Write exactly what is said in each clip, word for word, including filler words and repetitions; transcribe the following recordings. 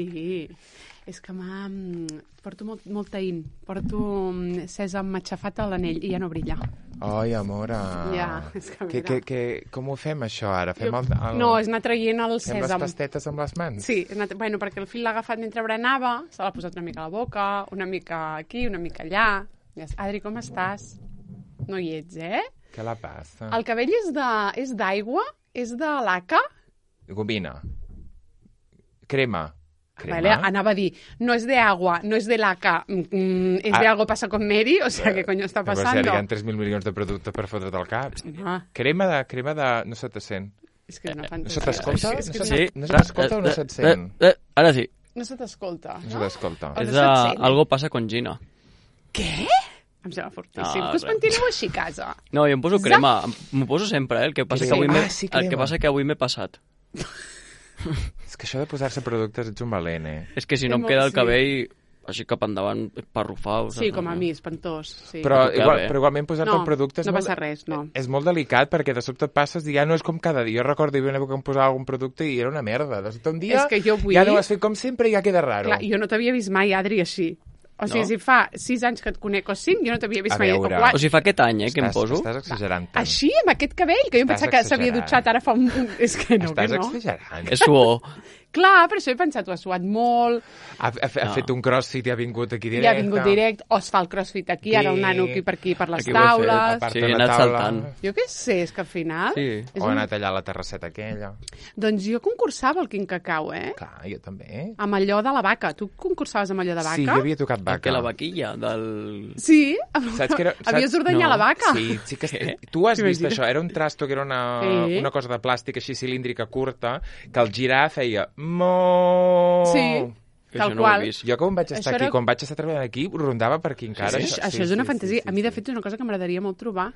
Sí, és que m'ha... Porto molt, molt taïn. Porto sèsam matxafat a l'anell i ja no brilla. Ai, amora. Ja, és que que, que, que, com ho fem, això, ara? Fem el, el... No, és anar traient el Fem sèsam. les pastetes amb les mans? Sí, anat... bueno, perquè el fill l'ha agafat mentre berenava, se l'ha posat una mica a la boca, una mica aquí, una mica allà. Adri, com estàs? No hi ets, eh? Què la passa? El cabell és de... és d'aigua? És de laca? Gomina. Crema. Crema. Vale, anava a dir, no és de agua, no és de laca, mm, és ah. de algo pasa con Mary, o sea, ¿qué coño está pasando? Però si hi ha tres mil milions de productes per fotre't al cap. Ah. Crema de... crema de... no se te sent. És que és una fantasia. No se t'escolta? És que no, és una... sí. no se t'escolta o no se't sent? Eh, eh, ara sí. No se t'escolta. No se t'escolta. O És no de... se't sent. Algo passa con Gina. Què? Em sembla fortíssim. No, No, Us res. pentineu així a casa. No, jo em poso crema. M'ho poso sempre, eh? El que passa Sí. que avui m'he Ah, sí, el que crema. passa que avui m'he passat. És que això de posar-se productes ets un valent, eh? És que si no Sí, em molt, queda el sí. cabell així cap endavant parrufau. Sí, com a mi, espantós. Sí. Però, que igual, bé. però igualment posar-te No, el producte és, no molt, passa res, no. és molt delicat perquè de sobte et passes i ja no és com cada dia. Jo recordo hi havia una època que em posava algun producte i era una merda. De sobte un dia És que jo vull- ja no ho has fet com sempre i ja queda raro. Clar, jo no t'havia vist mai, Adri, així. O sigui, No? si fa sis anys que et conec o cinc, jo no t'havia vist A mai. veure. O quatre. O sigui, fa aquest any, eh, que em estàs, poso. Estàs exagerant tant. Així, amb aquest cabell, que jo em Estàs pensava que s'havia exagerant. dutxat ara fa un... un- És que no, Estàs que no. exagerant. És suor. Clar, per això he pensat, ho has suat molt, Ha, ha, ha No. fet un crossfit i ha vingut aquí i directe. ha vingut direct, o es fa el crossfit aquí, ara el Sí. nano aquí per aquí, per les Aquí ho he fet, taules... A part Sí, de he la anat taula. saltant. Jo què sé, és que al final... Sí. És O ha un... anat allà a la terrasseta aquella. Doncs jo concursava al Quin Cacau, eh? Clar, jo també. Amb allò de la vaca. Tu concursaves amb allò de vaca? Sí, jo havia tocat Que vaca. la vaquilla del... Sí? Saps que era- Havies saps- d'ordenyar No. la vaca? Sí, sí que... Què? Tu has vist T'imagines? això? Era un trasto que era una, Sí. una cosa de plàstic així cilíndrica curta que al girar feia mo. Sí, Que tal això no ho he qual. vist. Jo quan vaig estar Això aquí, era- quan vaig estar treballant aquí, rondava per aquí encara. Això, Sí, això sí, és una sí, fantasia. sí, sí, A mi, de sí. fet, és una cosa que m'agradaria molt trobar.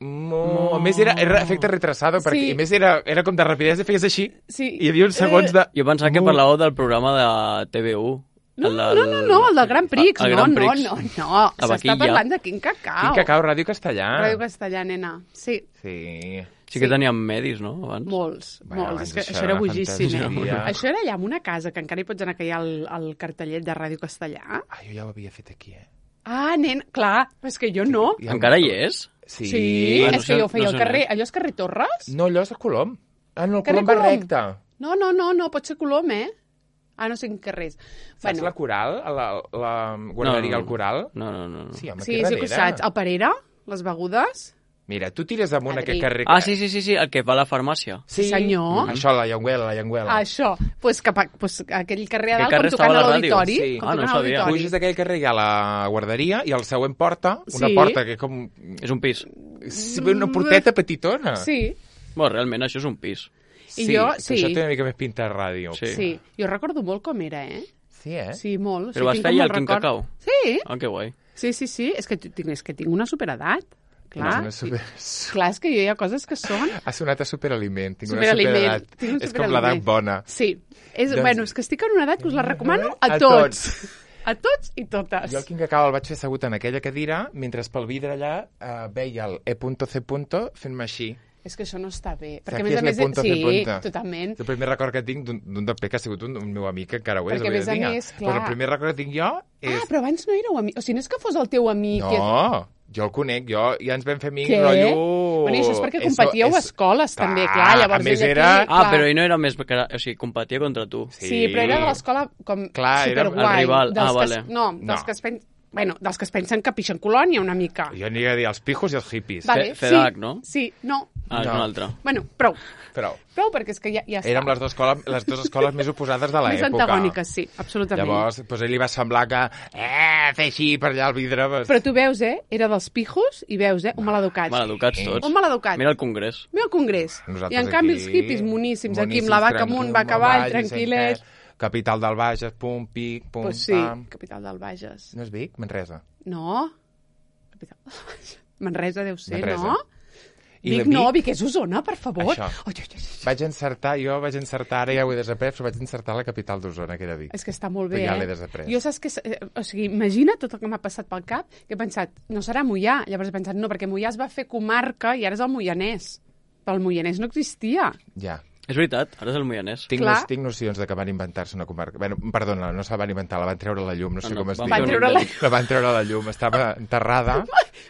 Mo. A més, era, era efecte retrasado, perquè Sí. a més era, era com de rapidesa, feies així, Sí. i hi havia uns segons de... Jo pensava que Mu. parlàveu del programa de T V U. No, El no, del- no, no, el del Gran Prix. El No, Gran no, Prix. no, no. La S'està vaquilla. parlant de Quin Cacau. Quin Cacau, Ràdio Castellà. Ràdio Castellà, nena. Sí, Sí. Sí que teníem medis, no? Abans. molts, Bueno, molts. abans És que això això era era una bojíssim, eh? fantasia. Això era allà en una casa, que encara hi pots anar, que hi ha el, el cartellet de Ràdio Castellà. Ah, jo ja ho havia fet aquí, eh? Ah, nen, clar, però és que jo no. Ja- Encara hi és? Sí. Sí, Ah, no és que sé- jo ho feia no al sé carrer. on és. Allò és carrer Torres? No, allò és a Colom. Ah, no, el Carrer Colom va Colom? recte. No, no, no, no, pot ser Colom, eh? Ah, no sé en què res. Saps la Coral? La, la guarderia No, no, al Coral? No, no, no. no. Sí, home, Sí, aquí sí que ho darrere. saps. El Perera, les begudes. Mira, tu tires amunt Adri. aquest carrer... Ah, sí, sí, sí, sí, el que va a la farmàcia. Sí, senyor. Això, la Llenguela, la Llenguela. Això. Pues cap a, pues aquell carrer a Aquell dalt, carrer com tocant estava a a la ràdio. l'auditori. Sí. Com Ah, no tocant a sabia. l'auditori. Puges d'aquell carrer hi ha la guarderia i al següent porta, una Sí. porta que és com... És un pis. Sí, una porteta petitona. Sí, Bueno, realment això és un pis. I sí, jo- que sí. Això té una mica més pinta de ràdio. Sí. sí. Jo recordo molt com era, eh? Sí, eh? Sí, molt. Però sí, vas tinc fer com ja molt el Quin record. Cacau? Sí, Ah, que guai. sí, sí, sí. És que tinc, és que tinc una superedat. Clar, No, és una super... clar, és que jo hi ha coses que són... Ha sonat a superaliment. Tinc Superaliment. una superedat. Tinc un És com l'edat superaliment. bona. Sí. És, Doncs- Bueno, és que estic en una edat que us la recomano a, A tots. A tots i totes. Jo el Quin Cacau el vaig fer assegut en aquella cadira, mentre pel vidre allà eh, veia el E.C. fent-me així. És que això no està bé. Saps Perquè, a què més a és més... l'E punto C Sí, punto? totalment. És el primer record que tinc d'un d'un D P que ha sigut un, un meu amic, que encara ho és. Perquè, a avui més a dia. més, Però clar. el primer record que tinc jo és... Ah, però abans no éreu amics. O sigui, no és que fos el teu amic. que- No, jo el conec, jo ja ens vam fer amics, Què? rotllo... Bueno, i això és perquè Eso competíeu a és- escoles, Clar, també, clar. Llavors, a més ell era- aquí, Ah, clar. però ell no era més... que era- O sigui, competia contra tu. Sí, sí, però era de l'escola com Clar, era el superguai. rival. Dels Ah, que vale. es, no, dels No. que es pensen... Bueno, dels que es pensen que pixen colònia una mica. Jo aniria a dir els pijos i els hippies. Vale, Fe- FEDAC, sí, no? Sí, no. Ah, és No. una altra. Bueno, prou. Però Prou, perquè és que ja, ja està. érem les dues escoles, les dues escoles més oposades de Més l'època. antagòniques, sí, absolutament. Llavors, doncs a ell li va semblar que... Eh, fer així per allà al vidre... Pues... Però tu veus, eh? Era dels pijos i veus, eh? Un maleducat. Maleducats tots. Un maleducat. Mira el congrés. Mira el congrés. Nosaltres I en canvi aquí, els hippies moníssims, aquí moníssims, amb la vaca tranquil, amunt, vaca avall, avall, tranquil·lets. sense- Capital del Bages, pum, pic, pum, Pues sí, pam... capital del Bages. No és Vic? Manresa. No? Capital del Bages. Manresa deu ser, Manresa. no? I Vic la no, Vic- Vic és Osona, per favor. Això. Oi, oi, oi, oi. Vaig encertar, jo vaig encertar, ara ja ho he desaprès, però vaig encertar la capital d'Osona, que era Vic. És que està molt bé, Però ja eh? l'he desaprès. Jo saps que... eh, O sigui, imagina tot el que m'ha passat pel cap, que he pensat, no serà Moià. Llavors he pensat, no, perquè Moià es va fer comarca i ara és el Moianès. Però el Moianès no existia. Ja. És veritat, ara és el Moianès. Tinc, Clar. nos, tinc nocions de que van inventar-se una comarca. Bueno, perdona, no se la van inventar, la van treure a la llum, no sé No, no, com es van diu. Van treure la... La van treure a la llum, estava enterrada,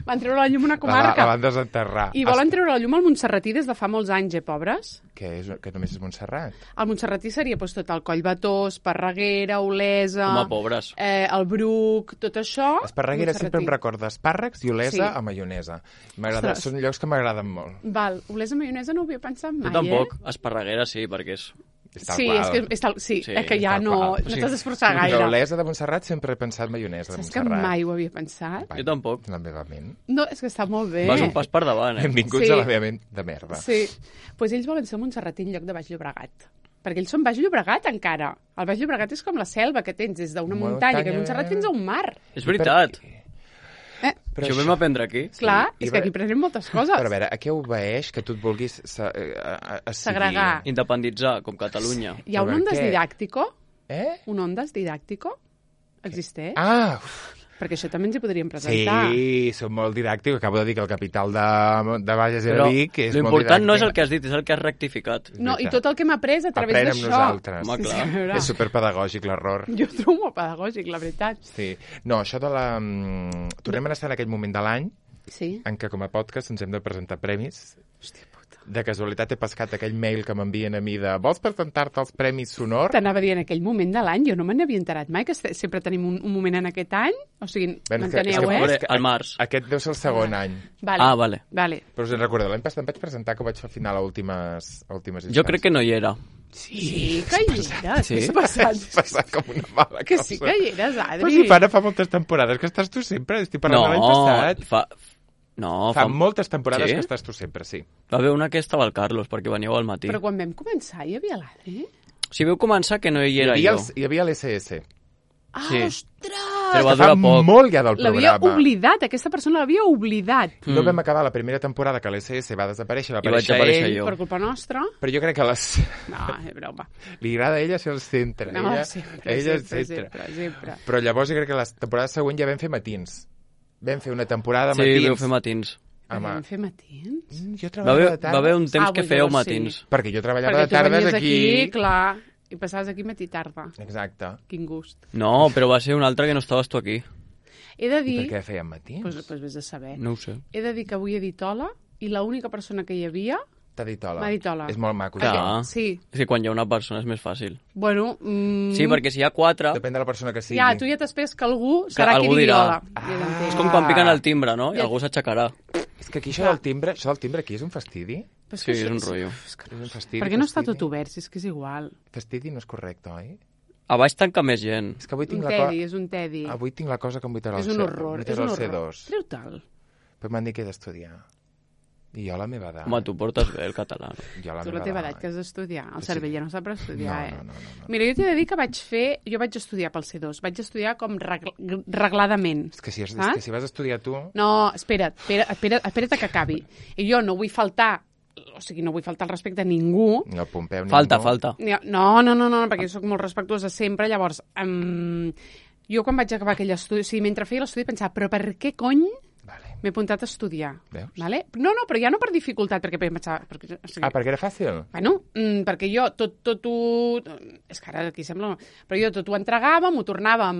Van treure la llum una la, va- comarca. la van desenterrar. I volen treure la llum al Montserratí des de fa molts anys, eh, pobres? Que, és, que només és Montserrat. El Montserratí seria doncs, tot el Coll Bató, Esparreguera, Olesa... Home, pobres. Eh, el Bruc, tot això... Esparreguera sempre em Montserratí. recorda espàrrecs i Olesa Sí. a maionesa. M'agrada, Ostres. són llocs que m'agraden molt. Val, Olesa maionesa no ho havia pensat mai, Jo tampoc. eh? Esparreguera sí, perquè és... És tal Sí, qual. és que, és, tal, sí, Sí, és que ja tal no, qual. no t'has d'esforçar gaire. Però Olesa de Montserrat sempre he pensat maionesa de Saps que Montserrat. mai ho havia pensat? Vai, Jo tampoc. La meva ment. No, és que està molt bé. Vas un pas per davant, eh? Benvinguts Sí. a la meva ment de merda. Sí. Doncs pues ells volen ser Montserratí en lloc de Baix Llobregat. Perquè ells són Baix Llobregat, encara. El Baix Llobregat és com la selva que tens des d'una Muntanya. muntanya, que Montserrat fins a un mar. És veritat. Eh, Però Això ho vam aprendre aquí. clar, i és va- que aquí prenem moltes coses. Però a veure, a què obeeix que tu et vulguis se, eh, a, a, a Segregar. Independitzar, com Catalunya. Hi ha un Per ondes què? didàctico? Eh? Un ondes didàctico? Existeix? Ah, uf, Perquè això també ens hi podríem presentar. sí, som molt didàctic. Acabo de dir que el capital de, de Bages era Però Vic, que és molt l'important no és el didàctic. que has dit, és el que has rectificat. No, i veritat. tot el que hem après a través Aprèn amb d'això. nosaltres. Home, clar. Sí, a veure, És superpedagògic, l'error. Jo ho trobo molt pedagògic, la veritat. Sí. No, això de la... mm, Tornem a estar en aquell moment de l'any Sí. en què com a podcast ens hem de presentar premis. Hòstia puta. De casualitat he pescat aquell mail que m'envien a mi de vols presentar-te els Premis Sonor? T'anava a dir en aquell moment de l'any, jo no me n'havia enterat mai, que este- sempre tenim un, un moment en aquest any. O sigui, Bueno, és que- m'enteneu, és que- eh? veure, és que al març. Aquest deu ser el segon any. Vale. Ah, vale. Vale. Però us en recordeu, l'any passat em vaig presentar que ho vaig fer al final a últimes, a últimes Jo crec que no hi era. Sí, que hi eres. Sí. Què s'ha passat? Vaig passar com una mala Que cosa. sí que hi eres, Adri. Però si fa, fa moltes temporades que estàs tu sempre, estic parlant No, de l'any passat. fa... No, Fa fa... moltes temporades Sí? que estàs tu sempre, sí. Va haver una que estava el Carlos, perquè veníeu al matí. Però quan vam començar hi havia l'Adri? Si veu començar que no hi era hi, havia jo. els, hi havia l'S S. Ah, Sí. ostres! Però va Que fa durar poc. molt ja del L'havia programa. oblidat, aquesta persona l'havia oblidat. No Mm. vam acabar la primera temporada que l'S S va desaparèixer, va I vaig aparèixer aparèixer ell, jo. Per culpa nostra? però jo crec que les... No, és broma. li agrada a ella ser el centre. No, ella, sempre, ella sempre, és centre. sempre, sempre. Però llavors jo crec que la temporada següent ja vam fer matins. Vam fer una temporada Sí, matins. vau fer matins. Home, Vam fer matins? mm, jo Va treballava haver, de tarda. va haver un temps Ah, que pues fèieu llavors sí. matins. Perquè jo treballava Perquè de tu tardes venies aquí. aquí, clar, i passaves aquí matí i tarda. Exacte. Quin gust. No, però va ser un altre que no estaves tu aquí. He de I dir... per què fèiem matins? Pues, pues vés a saber. No ho sé. He de dir que avui he dit hola i l'única persona que hi havia... T'ha dit hola. M'ha dit hola. És molt maco. Clar. això. Ah. Sí. És que quan hi ha una persona és més fàcil. Bueno... Mm, Sí, perquè si hi ha quatre... Depèn de la persona que sigui. Ja, tu ja t'esperes que algú serà algú qui digui dirà. hola. Ah. Ja t'entenc. És com quan piquen el timbre, no? I Ja. algú s'aixecarà. És que aquí això del timbre, això del timbre aquí és un fastidi. Però Sí, que és això- un rotllo. és que És un fastidi. Per què no està fastidi. tot obert, si és que és igual? Fastidi no és correcte, oi? A baix tanca més gent. És que avui Un tinc la tedi, cosa... és un tedi. Avui tinc la cosa que em vull treure És al un C- horror, em vull és treure un al C horror. dos. Treu-te'l. Però m'han dit que he d'estudiar. I jo a la meva edat. Home, tu portes bé el català. No? Jo a la Tu la meva teva edat que has d'estudiar. El Sí. cervell ja no sap per estudiar, No, eh? no, no, no, no. Mira, jo t'he de dir que vaig fer... Jo vaig estudiar pel C dos. Vaig estudiar com regl regladament. És que si, és, és Saps? que si vas estudiar tu... No, espera't, espera't, espera't, espera't que acabi. I jo no vull faltar... O sigui, no vull faltar el respecte a ningú. Ni el Pompeu ni Falta, ningú. falta. No, no, no, no, perquè jo soc molt respectuosa sempre. Llavors, um, jo quan vaig acabar aquell estudi... O sigui, mentre feia l'estudi pensava, però per què cony Vale. m'he apuntat a estudiar? Veus? Vale? No, no, però ja no per dificultat, perquè pensava... Perquè, o sigui, Ah, perquè era fàcil? Bueno, mm, perquè jo tot, tot ho... És que ara aquí sembla... Però jo tot ho entregava, m'ho tornava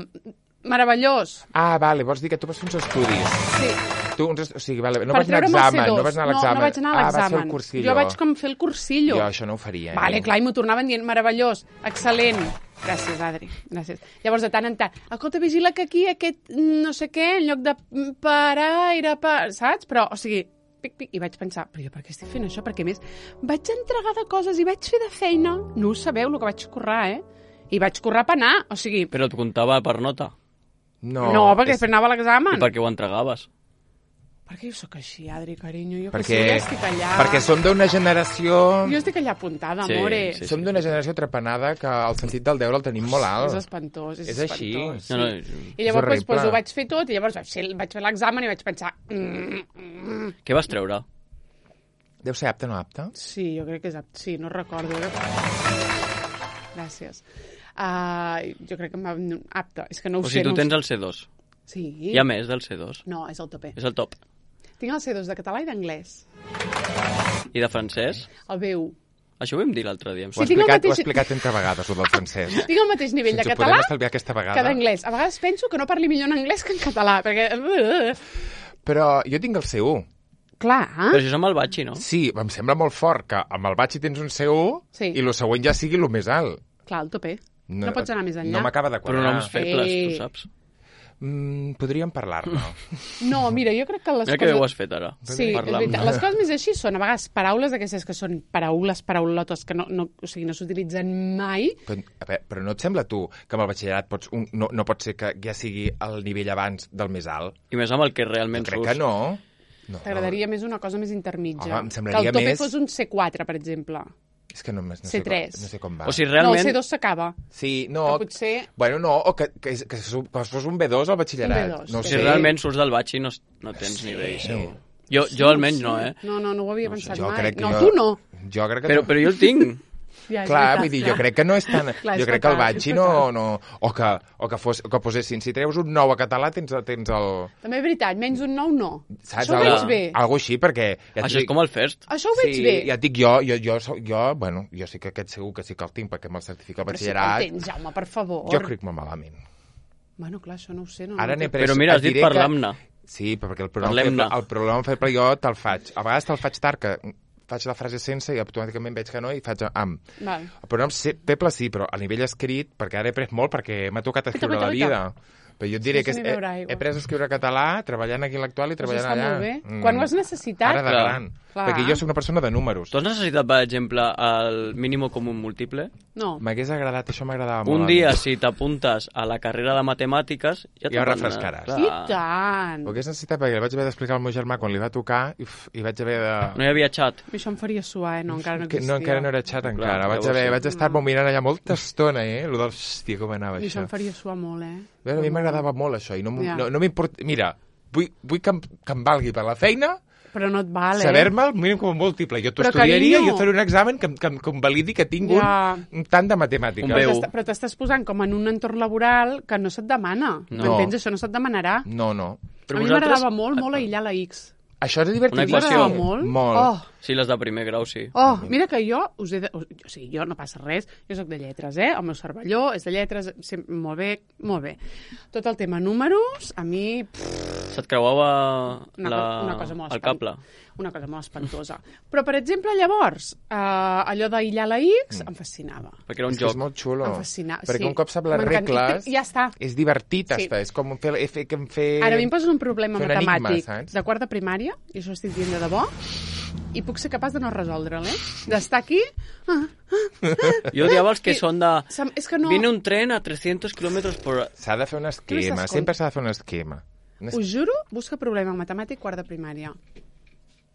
meravellós. Ah, vale, vols dir que tu vas fer uns estudis. Sí. Tu, uns, est- o sigui, vale, no Per vas anar a treure'm el examen, C dos. no vas anar a l'examen. No, no vaig anar a Ah, vas fer l'examen. el cursillo. Jo vaig com fer el cursillo. Jo això no ho faria. Vale, eh? clar, i m'ho tornaven dient meravellós, excel·lent. Gràcies, Adri, gràcies. Llavors, de tant en tant, escolta, vigila que aquí aquest no sé què, en lloc de parar, era per... Saps? Però, o sigui, pic, pic, i vaig pensar, però jo per què estic fent això? Perquè, a més, vaig entregar de coses i vaig fer de feina. No ho sabeu, el que vaig currar, eh? I vaig currar per anar, o sigui... Però et comptava per nota. No, No, perquè és- després anava a l'examen. I per què ho entregaves? Perquè jo sóc així, Adri, carinyo. Jo perquè, que sí, ja estic allà. perquè som d'una generació... Jo estic allà apuntada, Sí, amore. sí, Som d'una generació trepanada que el sentit del deure el tenim molt alt. És espantós, és, És així. espantós. Sí. No, no, I llavors pues, horrible. pues, ho vaig fer tot, i llavors vaig fer, vaig fer l'examen i vaig pensar... Mm, mm. Què vas treure? Deu ser apte o no apte? Sí, jo crec que és apte. Sí, no recordo. Gràcies. Uh, jo crec que em va... Apte. És que no ho O sé. sigui, tu no ho tens sé. el C dos. Sí. Hi ha més del C dos. No, és el tope. És el top. Tinc el C dos de català i d'anglès. I de francès? El B u. Això ho vam dir l'altre dia. em Ho ha Sí, tinc el explicat, ho ha mateix- explicat entre vegades, el del francès. Tinc el mateix nivell Si de ens ho català podem estalviar aquesta vegada. que d'anglès. A vegades penso que no parli millor en anglès que en català, perquè... Però jo tinc el C u. Clar, Però eh? això és amb el batxi, no? Sí, em sembla molt fort que amb el batxi tens un C u Sí. i el següent ja sigui el més alt. Clar, el tope. No, no pots anar més enllà. No m'acaba de quadrar. Pronoms febles, Sí. tu saps. Mm, podríem parlar-ne. No, mira, jo crec que les Mira que bé ho coses... has fet ara. Sí, és Parlar veritat. amb- Les coses més així són a vegades paraules d'aquestes que són paraules, paraulotes, que no, no, o sigui, no s'utilitzen mai. Però, a veure, però no et sembla tu que amb el batxillerat pots un, no, no pot ser que ja sigui el nivell abans del més alt? I més amb el que realment Jo crec surts. que no. no T'agradaria més una cosa més intermitja. Home, em que semblaria el tope més- fos un C quatre, per exemple. És que no, no, sé, C tres. com, no sé com va. O sigui, No, realment... el C dos s'acaba. Sí, no... Que potser... Bueno, no, o que, que, que, que fos un B dos al batxillerat. Un B dos, no ho sí. Si sé. realment surts del batxi no, no tens nivell, segur. Jo, jo almenys no, eh? No, no, no ho havia pensat Jo mai. crec que no, jo... tu no. Jo crec que Però, però jo el tinc. Ja, és Clar, veritat, vull dir, clar. jo crec que no és tan... Clar, és jo crec que el fatal, batxi és no... fatal. no o, que, o que, fos, que posessin, si treus un nou a català tens, tens el... També és veritat, menys un nou no. Saps? Això ho Algo- veig bé. Algo així, perquè... Ja Això és com el First. Això ho veig sí, bé. ja et dic jo, jo, jo, jo, jo, bueno, jo sí que aquest segur que sí que el tinc, perquè me'l certifica el Però sí que el batxillerat. tens, Jaume, per favor. Jo crec molt malament. Bueno, clar, això no ho sé. No, Ara no n'he ho sé. pres... Però mira, has et dit diré que- parlar-ne. Sí, però perquè el pronom Parlem-ne. feble, el pronom feble jo te'l faig. A vegades te'l faig tard, que faig la frase sense i automàticament veig que no i faig amb. Val. El pronom se- feble sí, però a nivell escrit, perquè ara he pres molt, perquè m'ha tocat escriure Guaita, la guaita, vida. Però jo et diré Sí, que sí, he, n'hi beurà he, aigua. he pres a escriure català, treballant aquí a l'actual i Això treballant està allà. molt bé. Quan ho has necessitat? Ara de Clar. gran. Clar. Perquè jo soc una persona de números. Tu has necessitat, per exemple, el mínim comú múltiple? No. M'hagués agradat, això m'agradava molt. Un dia, si t'apuntes a la carrera de matemàtiques... Ja, Ja ho te'n van- refrescaràs. Clar. I tant. Ho hagués necessitat perquè li vaig haver d'explicar al meu germà quan li va tocar i, uf, i vaig haver de... No hi havia xat. Això em faria suar, eh? No, encara no Que existia. no, encara no era xat encara. Clar, vaig, llavors haver, sí. vaig estar-m'ho mirant allà molta estona, eh? Lo del... Hòstia, com anava I això això. em faria suar molt, eh? A veure, a mi m'agradava molt això i no, m'ho- Ja. no, no m'importa... Mira, vull, vull que, em, que em valgui per la feina, Però no et val, eh? saber-me el mínim com a múltiple. Jo t'ho Però, estudiaria carinyo. i jo faré un examen que, em- que, em- que em validi que tinc Ja. un, un tant de matemàtiques. Un Però veu. t'està- Però t'estàs posant com en un entorn laboral que no se't demana. No. M'entens? Això no se't demanarà. No, no. Però a mi vosaltres- m'agradava molt, molt aïllar la X. Això és divertit. Una equació. M'agradava molt. Molt. Oh, Sí, les de primer grau, sí. oh, mira que jo us he de... O sigui, jo no passa res, jo sóc de lletres, eh? El meu cervelló és de lletres, sem- molt bé, molt bé. Tot el tema números, a mi... Pff, Se't creuava una, la... co- una cosa molt el cable. Una cosa molt espantosa. Però, per exemple, llavors, eh, allò d'aïllar la X em fascinava. Perquè era un És que és joc. molt xulo. Em fascina- Perquè sí. un cop sap les M'encanta. regles... I ja està. És divertit, Sí. està. És com fer... fer, fer, fer... Ara a mi em poses un problema fer un enigma, matemàtic saps? de quart de primària, i això ho estic dient de debò, i puc ser capaç de no resoldre'l, eh? D'estar aquí... Ah, Jo odiava els que I- són de... sem- és que no... Viene un tren a trescientos kilómetros por... S'ha de fer un esquema. m'estàs Sempre s'ha de fer un esquema. Un es- Us juro, busca problema matemàtic quart de primària.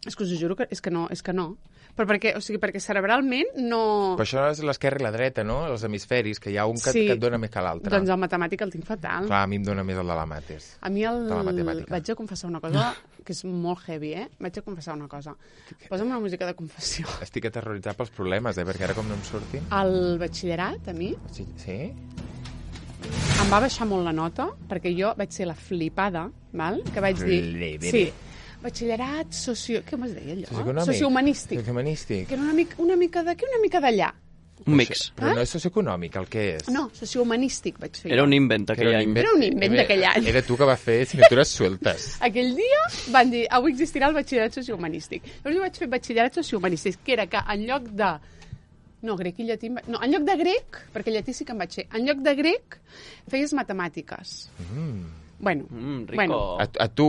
És que us ho juro que és que no, és que no. Però perquè, o sigui, perquè cerebralment no... Però això és l'esquerra i la dreta, no? Els hemisferis, que hi ha un que, Sí. que et dona més que l'altre. Doncs el matemàtic el tinc fatal. Clar, a mi em dona més el de la mates. A mi el... De la matemàtica. Vaig a confessar una cosa que és molt heavy, eh? Vaig a confessar una cosa. Posa'm una música de confessió. Estic aterroritzat pels problemes, eh? Perquè ara com no em surtin... Al batxillerat, a mi, Sí? sí? em va baixar molt la nota, perquè jo vaig ser la flipada, val? Que vaig dir... Flipere. Sí, batxillerat socio... Què es deia allò? Socioeconòmic. Sociohumanístic. Sociohumanístic. Que era una mica, una mica d'aquí, una mica d'allà. Un mix. Però no és socioeconòmic, el que és. No, sociohumanístic vaig fer Era jo. un invent aquell any. Era un invent d'aquell any. Era tu que vas fer signatures sueltes. Aquell dia van dir, avui existirà el batxillerat sociohumanístic. Llavors jo vaig fer batxillerat sociohumanístic, que era que en lloc de... No, grec i llatí... em va- No, en lloc de grec, perquè llatí sí que em vaig fer, en lloc de grec feies matemàtiques. Mm. Bueno, Mm, rico. bueno, A, a tu,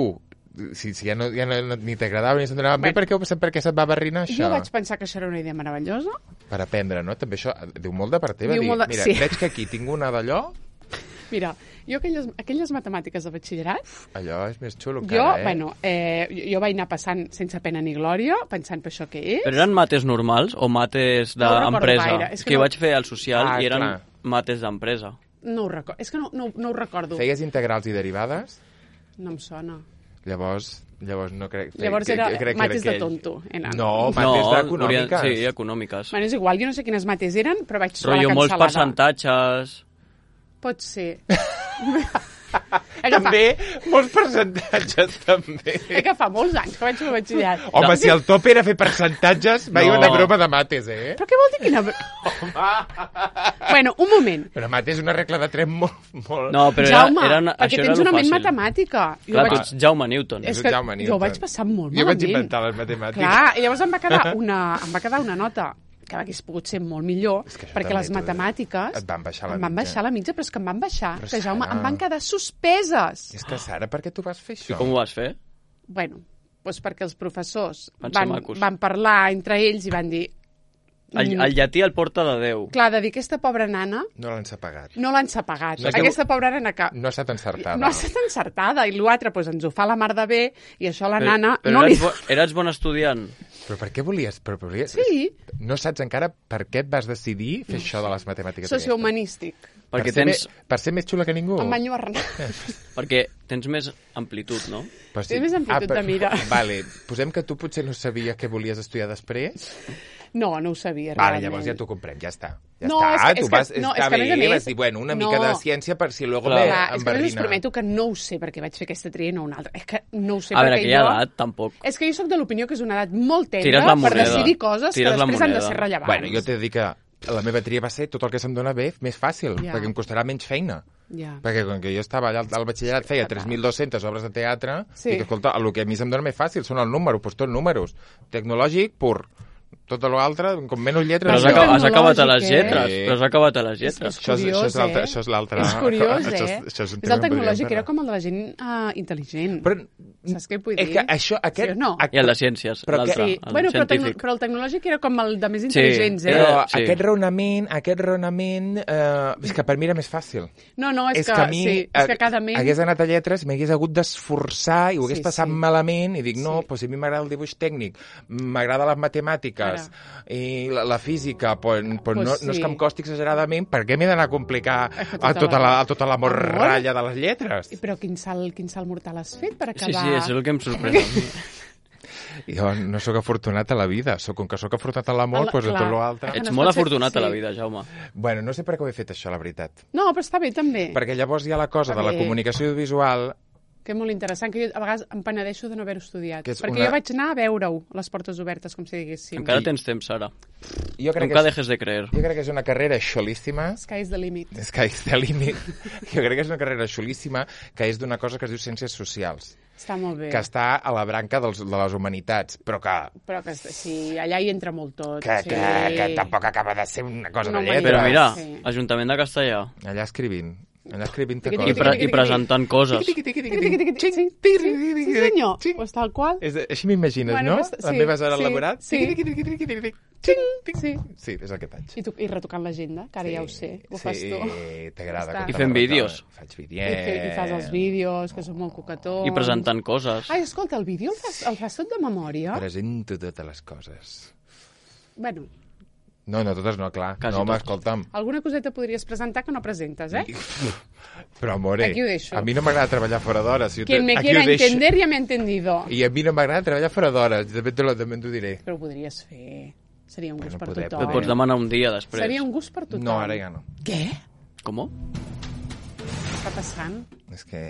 si, si ja, no, ja no, ni t'agradava ni se't donava bé, Bueno. per què, ho- per què se't va barrinar això? jo vaig pensar que això era una idea meravellosa. Per aprendre, no? També això diu molt de part teva. Diu Dir, molt de- mira, sí. veig que aquí tinc una d'allò, Mira, jo aquelles, aquelles matemàtiques de batxillerat, allò és més xulo jo, encara, eh? bueno, eh, jo, jo vaig anar passant sense pena ni glòria, pensant per això què és. Però eren mates normals o mates No ho recordo d'empresa? gaire, és És que que jo no- vaig fer el social Ah, i eren clar. mates d'empresa. No ho recordo, és que no, no, no ho recordo. Feies integrals i derivades, No em sona. llavors, llavors no crec... Llavors crec- era crec que era mates de aquell. tonto. Eren. No, mates d'econòmiques. Sí, econòmiques. Bueno, és igual, jo no sé quines mates eren, però vaig trobar Rollo la molts cansalada. percentatges... Pot ser. També, molts percentatges, també. Eh, que fa molts anys que vaig fer batxillerat. Home, si el top era fer percentatges, va No. una broma de mates, eh? Però què vol dir quina... Bueno, un moment. Però mates és una regla de tres molt... molt... No, però Jaume, era, era una, perquè això tens era una lo ment fàcil. matemàtica. Jo Clar, vaig... tu ets Jaume Newton. És Jo que Jaume jo Newton. vaig passar molt Jo vaig malament. inventar les matemàtiques. Clar, i llavors em va quedar una, em va quedar una nota que hagués pogut ser molt millor, És que això perquè també les t'ho dic. matemàtiques Et van baixar la em van mitja. baixar la mitja, però és que em van baixar, Però, que Jaume, Sara- em van quedar suspeses. És que, Sara, per què tu vas fer això? Com ho vas fer? Bueno, doncs perquè els professors Van ser van, macos. van parlar entre ells i van dir... El, mm, el llatí el porta de Déu. Clar, de dir aquesta pobra nana No l'han pagat. no l'han sapagat. No és que- Aquesta pobra nana que... No ha estat encertada. No ha estat encertada, i l'altre doncs, ens ho fa la mar de bé, i això a la Però, nana però no li... eres, bo, eres bon estudiant. Però per què volies... Però, però volies... Sí, No saps encara per què et vas decidir fer això de les matemàtiques? aquestes? sociohumanístic. Perquè per ser tens, me- Per ser més xula que ningú? Em va enlluernar. perquè tens més amplitud, no? Però Té més amplitud de mira. Vale, posem que tu potser no sabies què volies estudiar després. No, no ho sabia, Vale, realment. llavors ja t'ho comprem, ja està. Ja No, està, és que- tu és que- vas... no, està és que a més a bé, més- vas dir, bueno, una mica No. de ciència per si luego Clar. me Clar, és que a més us enverdina. prometo que no ho sé perquè vaig fer aquesta tria i no una altra. És que no ho sé A veure, perquè aquella jo... edat, tampoc. És que jo sóc de l'opinió que és una edat molt Tires tendra la per moneda. decidir coses Tires que la després han de moneda. ser rellevants. Bueno, jo t'he de dir que la meva tria va ser tot el que se'm dona bé més fàcil, Ja. perquè em costarà menys feina. Ja. Perquè com que jo estava allà al- al batxillerat, feia tres mil dues-centes obres de teatre, Sí. i que, escolta, el que a mi se'm dona més fàcil són els números, doncs tot números. Tecnològic, pur. Tot l'altre, com menys lletres... Però has, Però aca has acabat a les tecnològic, eh? lletres. Però has acabat a les És, lletres. és Això és- curiós, això és l'altre- eh? això és l'altre- És curiós, això és- eh? això és un és tema el que podríem tecnològic, parlar. era com el de la gent uh, intel·ligent. Però, Saps què vull dir? és que això, aquest... Sí o no? Aquest, I el de ciències, Però que- l'altre, Sí, el bueno, però, tecno, científic. però el tecnològic era com el de més intel·ligents, eh? Però Era- sí. aquest raonament, aquest raonament, eh, és que per mi era més fàcil. No, no, és, és que, que a mi sí, és que eh, cada ment... hagués anat a lletres, m'hagués hagut d'esforçar i ho hagués Sí, passat sí. malament i dic, no, Sí. doncs a mi m'agrada el dibuix tècnic, m'agrada les matemàtiques i la, la física, doncs, doncs Pues no, no és sí. que em costi exageradament, per què m'he d'anar a complicar És que a tota tota la- la, a tota la morralla de les lletres? Però quin salt, quin salt mortal has fet per Sí, acabar... sí, això és el que em sorprèn. a mi. Jo no sóc afortunat a la vida, soc, com que sóc afortunat a l'amor, Al- doncs a clar. tot l'altre... Eh, Ets no es molt pot ser- afortunat a la sí. vida, Jaume. Bueno, no sé per què ho he fet això, la veritat. No, però està bé, també. Perquè llavors hi ha la cosa Està de la bé. comunicació audiovisual. Que és molt interessant, que jo a vegades em penedeixo de no haver-ho estudiat. Que és Perquè una- jo vaig anar a veure-ho, a les portes obertes, com si diguéssim. Encara tens temps, Sara. Jo crec, Nunca que és, dejes de creer. jo crec que és una carrera xolíssima. Sky's the limit. Sky's the limit. Jo crec que és una carrera xulíssima que és d'una cosa que es diu Ciències Socials, Està molt bé. que està a la branca dels, de les humanitats, però que, Però que sí, allà hi entra molt tot. que, sí. que, que tampoc acaba de ser una cosa Una de lletres. Però mira, Sí. Ajuntament de Castellà. Allà escrivint, allà escrivint Tiqui, I, coses. pre i presentant coses. Tiqui, tiqui, tiqui, tiqui. Sí, sí, sí, senyor. Pues tal qual. És, així m'imagines, Bueno, no? pues, Les sí, meves hores sí, laborals. sí. Tiqui, tiqui, tiqui, tiqui, tiqui, tiqui. Sí. Sí, és el que faig. I, tu, I retocant l'agenda, que ara ja ho sé, ho fas tu. Sí, t'agrada. Ja està. com I te fent la vídeos. retoca. Faig I, vídeos. fe, I fas els vídeos, que són molt cocatons. I presentant coses. Ai, escolta, el vídeo el fas, el fas tot de memòria? Presento totes les coses. Bueno, No, no, totes no, clar. Quasi no, home, totes. escolta'm. alguna coseta podries presentar que no presentes, eh? Però, amore, Aquí ho deixo. a mi no m'agrada treballar fora d'hores. Si Quien me aquí quiera ho deixo. entender ya me ha entendido. I a mi no m'agrada treballar fora d'hores. També t'ho també t'ho diré. Però ho podries fer. Seria un gust Bueno, per podré, tothom. Et pots demanar un dia després. Seria un gust per tothom. No, ara ja no. Què? Com? Què està passant? És que...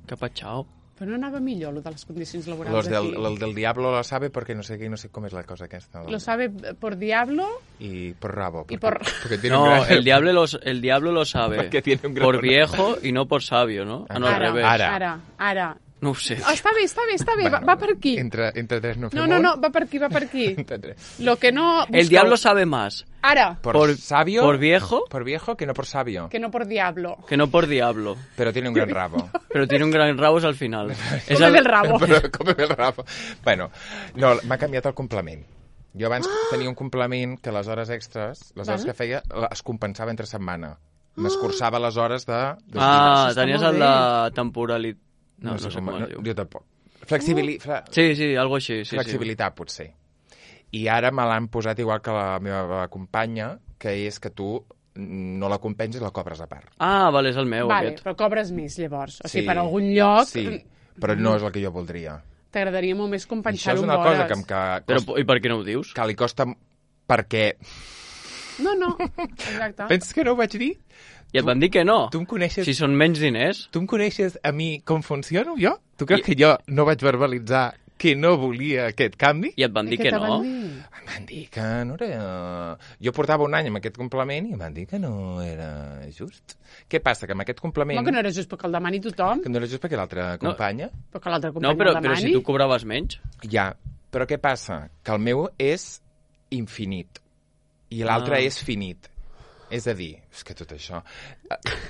Que patxau. Però no anava millor, lo de les condicions laborals Los del, aquí. el del diablo lo sabe porque no sé qué, no sé cómo es la cosa aquesta. Lo sabe por diablo Y por rabo. Porque, por- porque tiene un No, gran... el diablo, lo, el diablo lo sabe. Porque tiene un gran Por honor. viejo y no por sabio, ¿no? Ah, no, al ara, revés. Ara. ara, ara. No ho sé. Oh, està bé, està bé, està bé, va, va per aquí. Entre, entre tres no fem No, no, no, un. va per aquí, va per aquí. Entre tres. Lo que no... El busqueu. diablo sabe más Ara, Por, Por- sabio... por viejo. Por viejo que no por sabio. que no por diablo. que no por diablo. Pero tiene un gran rabo. Pero tiene un gran rabo al final. És Cómeme el rabo. Però cómeme el rabo. Bueno, no, m'ha canviat el complement. Jo abans tenia un complement que les hores extres, les hores Val. que feia, es compensava entre setmana. M'escurçava les hores de... de Ah, Això està tenies molt el de temporalitat. No, no, sé com no, es diu. jo tampoc. Flexibili... Fle... Sí, sí, algo així. Sí, Flexibilitat, potser. I ara me l'han posat igual que la meva companya, que és que tu no la compenses i la cobres a part. Sí. Ah, vale, és el meu, Vale, aquest. però cobres més, llavors. O sigui, per algun lloc Sí, però no és el que jo voldria. t'agradaria molt més I això compensar-ho és amb una cosa hores. que, em- que, Però, costa, i per què no ho dius? que li costa... Perquè... No, no, exacte. Penses que no ho vaig dir? I et van dir que no. Tu em coneixes... Si són menys diners... Tu em coneixes a mi com funciono, jo? Tu creus I... que jo no vaig verbalitzar que no volia aquest canvi? I et van dir que no. Van dir? Em van dir que no era... Jo portava un any amb aquest complement i em van dir que no era just. Què passa? Que amb aquest complement... No, que no era just perquè el demani tothom. Que no era just perquè l'altra companya... No, però que l'altra companya no, però, el demani. però si tu cobraves menys... Ja, però què passa? Que el meu és infinit i l'altre Ah. és finit. És a dir, és que tot això...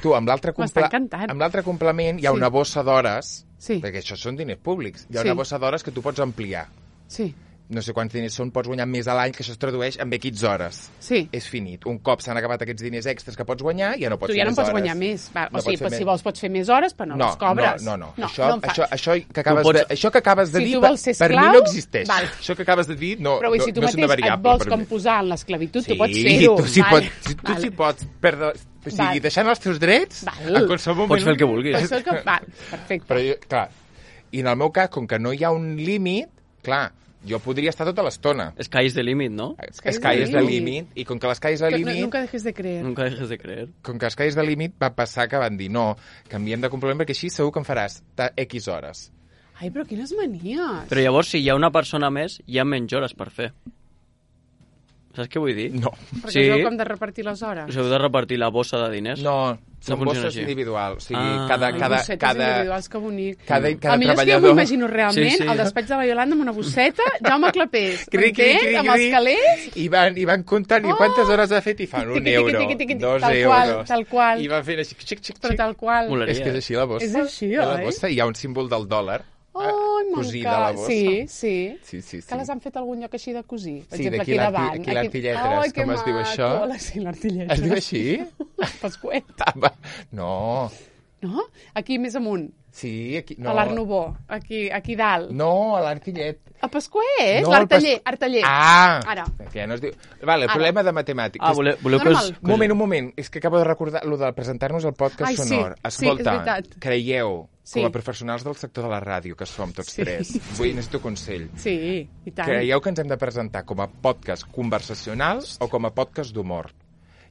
Tu, amb l'altre comple... amb l'altre complement hi ha Sí. una bossa d'hores, Sí. perquè això són diners públics, hi ha Sí. una bossa d'hores que tu pots ampliar. Sí, No sé quants diners són, pots guanyar més a l'any, que això es tradueix en X hores. sí. És finit. Un cop s'han acabat aquests diners extras que pots guanyar, ja no pots Tu fer ja no més pots hores. guanyar més. Va, No o sigui, pots fer si més. vols pots fer més hores, però no, No, les cobres. no, no, no. no això, no em fa- això, això, que acabes pots- de, això que acabes de Si dir, tu per, vols ser per mi esclau, no existeix. val. Això que acabes de dir no, Però vull, no, si tu no és una mateix et variable vols per com mi. posar en l'esclavitud, Sí, tu pots fer-ho. tu sí, vale. pots, si tu Vale. sí pots perdre... O sigui, Val. deixant els teus drets, Val. en qualsevol moment... Pots fer el que vulguis. Pots fer el que... Val, perfecte. Però, jo, clar, i en el meu cas, com que no hi ha un límit, clar, jo podria estar tota l'estona. Sky is the limit, no? Sky, Sky is the limit, i com que l'Sky is the Que limit... no, nunca dejes de creer. Nunca dejes de creer. Com que Sky is the limit, va passar que van dir no, canviem de complement perquè així segur que em faràs ta- X hores. Ai, però quines manies. Però llavors, si hi ha una persona més, hi ha menys hores per fer. Saps què vull dir? No. Perquè Sí. sabeu com de repartir les hores. Us heu de repartir la bossa de diners? No, són funciona bosses així. individuals. O sigui, Ah. cada, Ai, cada, bossetes cada, individuals, que bonic. cada, cada A mi és que jo treballador... m'ho imagino realment, Sí, sí. al despatx de la Iolanda amb una bosseta, Jaume Clapés, Cri, cri, m'entens? cri, Amb els cri. calés. I van, i van comptant, i Oh! quantes hores ha fet? I fan un Tiqui, tiqui, euro, tiqui, tiqui, dos tal qual, euros. tal qual. I van fent així, xic, xic, Però xic. tal qual. Molaria. És que és així la bossa. És així, Hi ha la oi? bossa, i hi ha un símbol del dòlar Ai, cosit a la m'encanta. bossa. Sí, sí. Sí, sí, sí. Que les han fet a algun lloc així de cosir. Per Sí, exemple, d'aquí aquí l'arti- davant. aquí l'artilletres, Ai, que com es diu maco. això? La- Sí, l'artilletres. Es diu així? Pasquet. Ah, va. No, No? Aquí més amunt. sí, aquí... No. No. A l'Art Nouveau. Aquí, aquí dalt. No, a l'artillet. A Pasquet, No, l'arteller, el pas- arteller. Ah! Ara. Que ja no es diu... Vale, el Ara. problema de matemàtiques... Ah, voleu, voleu que Normal. us... Un moment, un moment. És que acabo de recordar lo de presentar-nos al podcast Ai, sí, sonor. sí, Escolta, és veritat. creieu, Sí. com a professionals del sector de la ràdio, que som tots Sí. tres, vull, necessito consell. Sí, i tant. Creieu que ens hem de presentar com a podcast conversacional o com a podcast d'humor?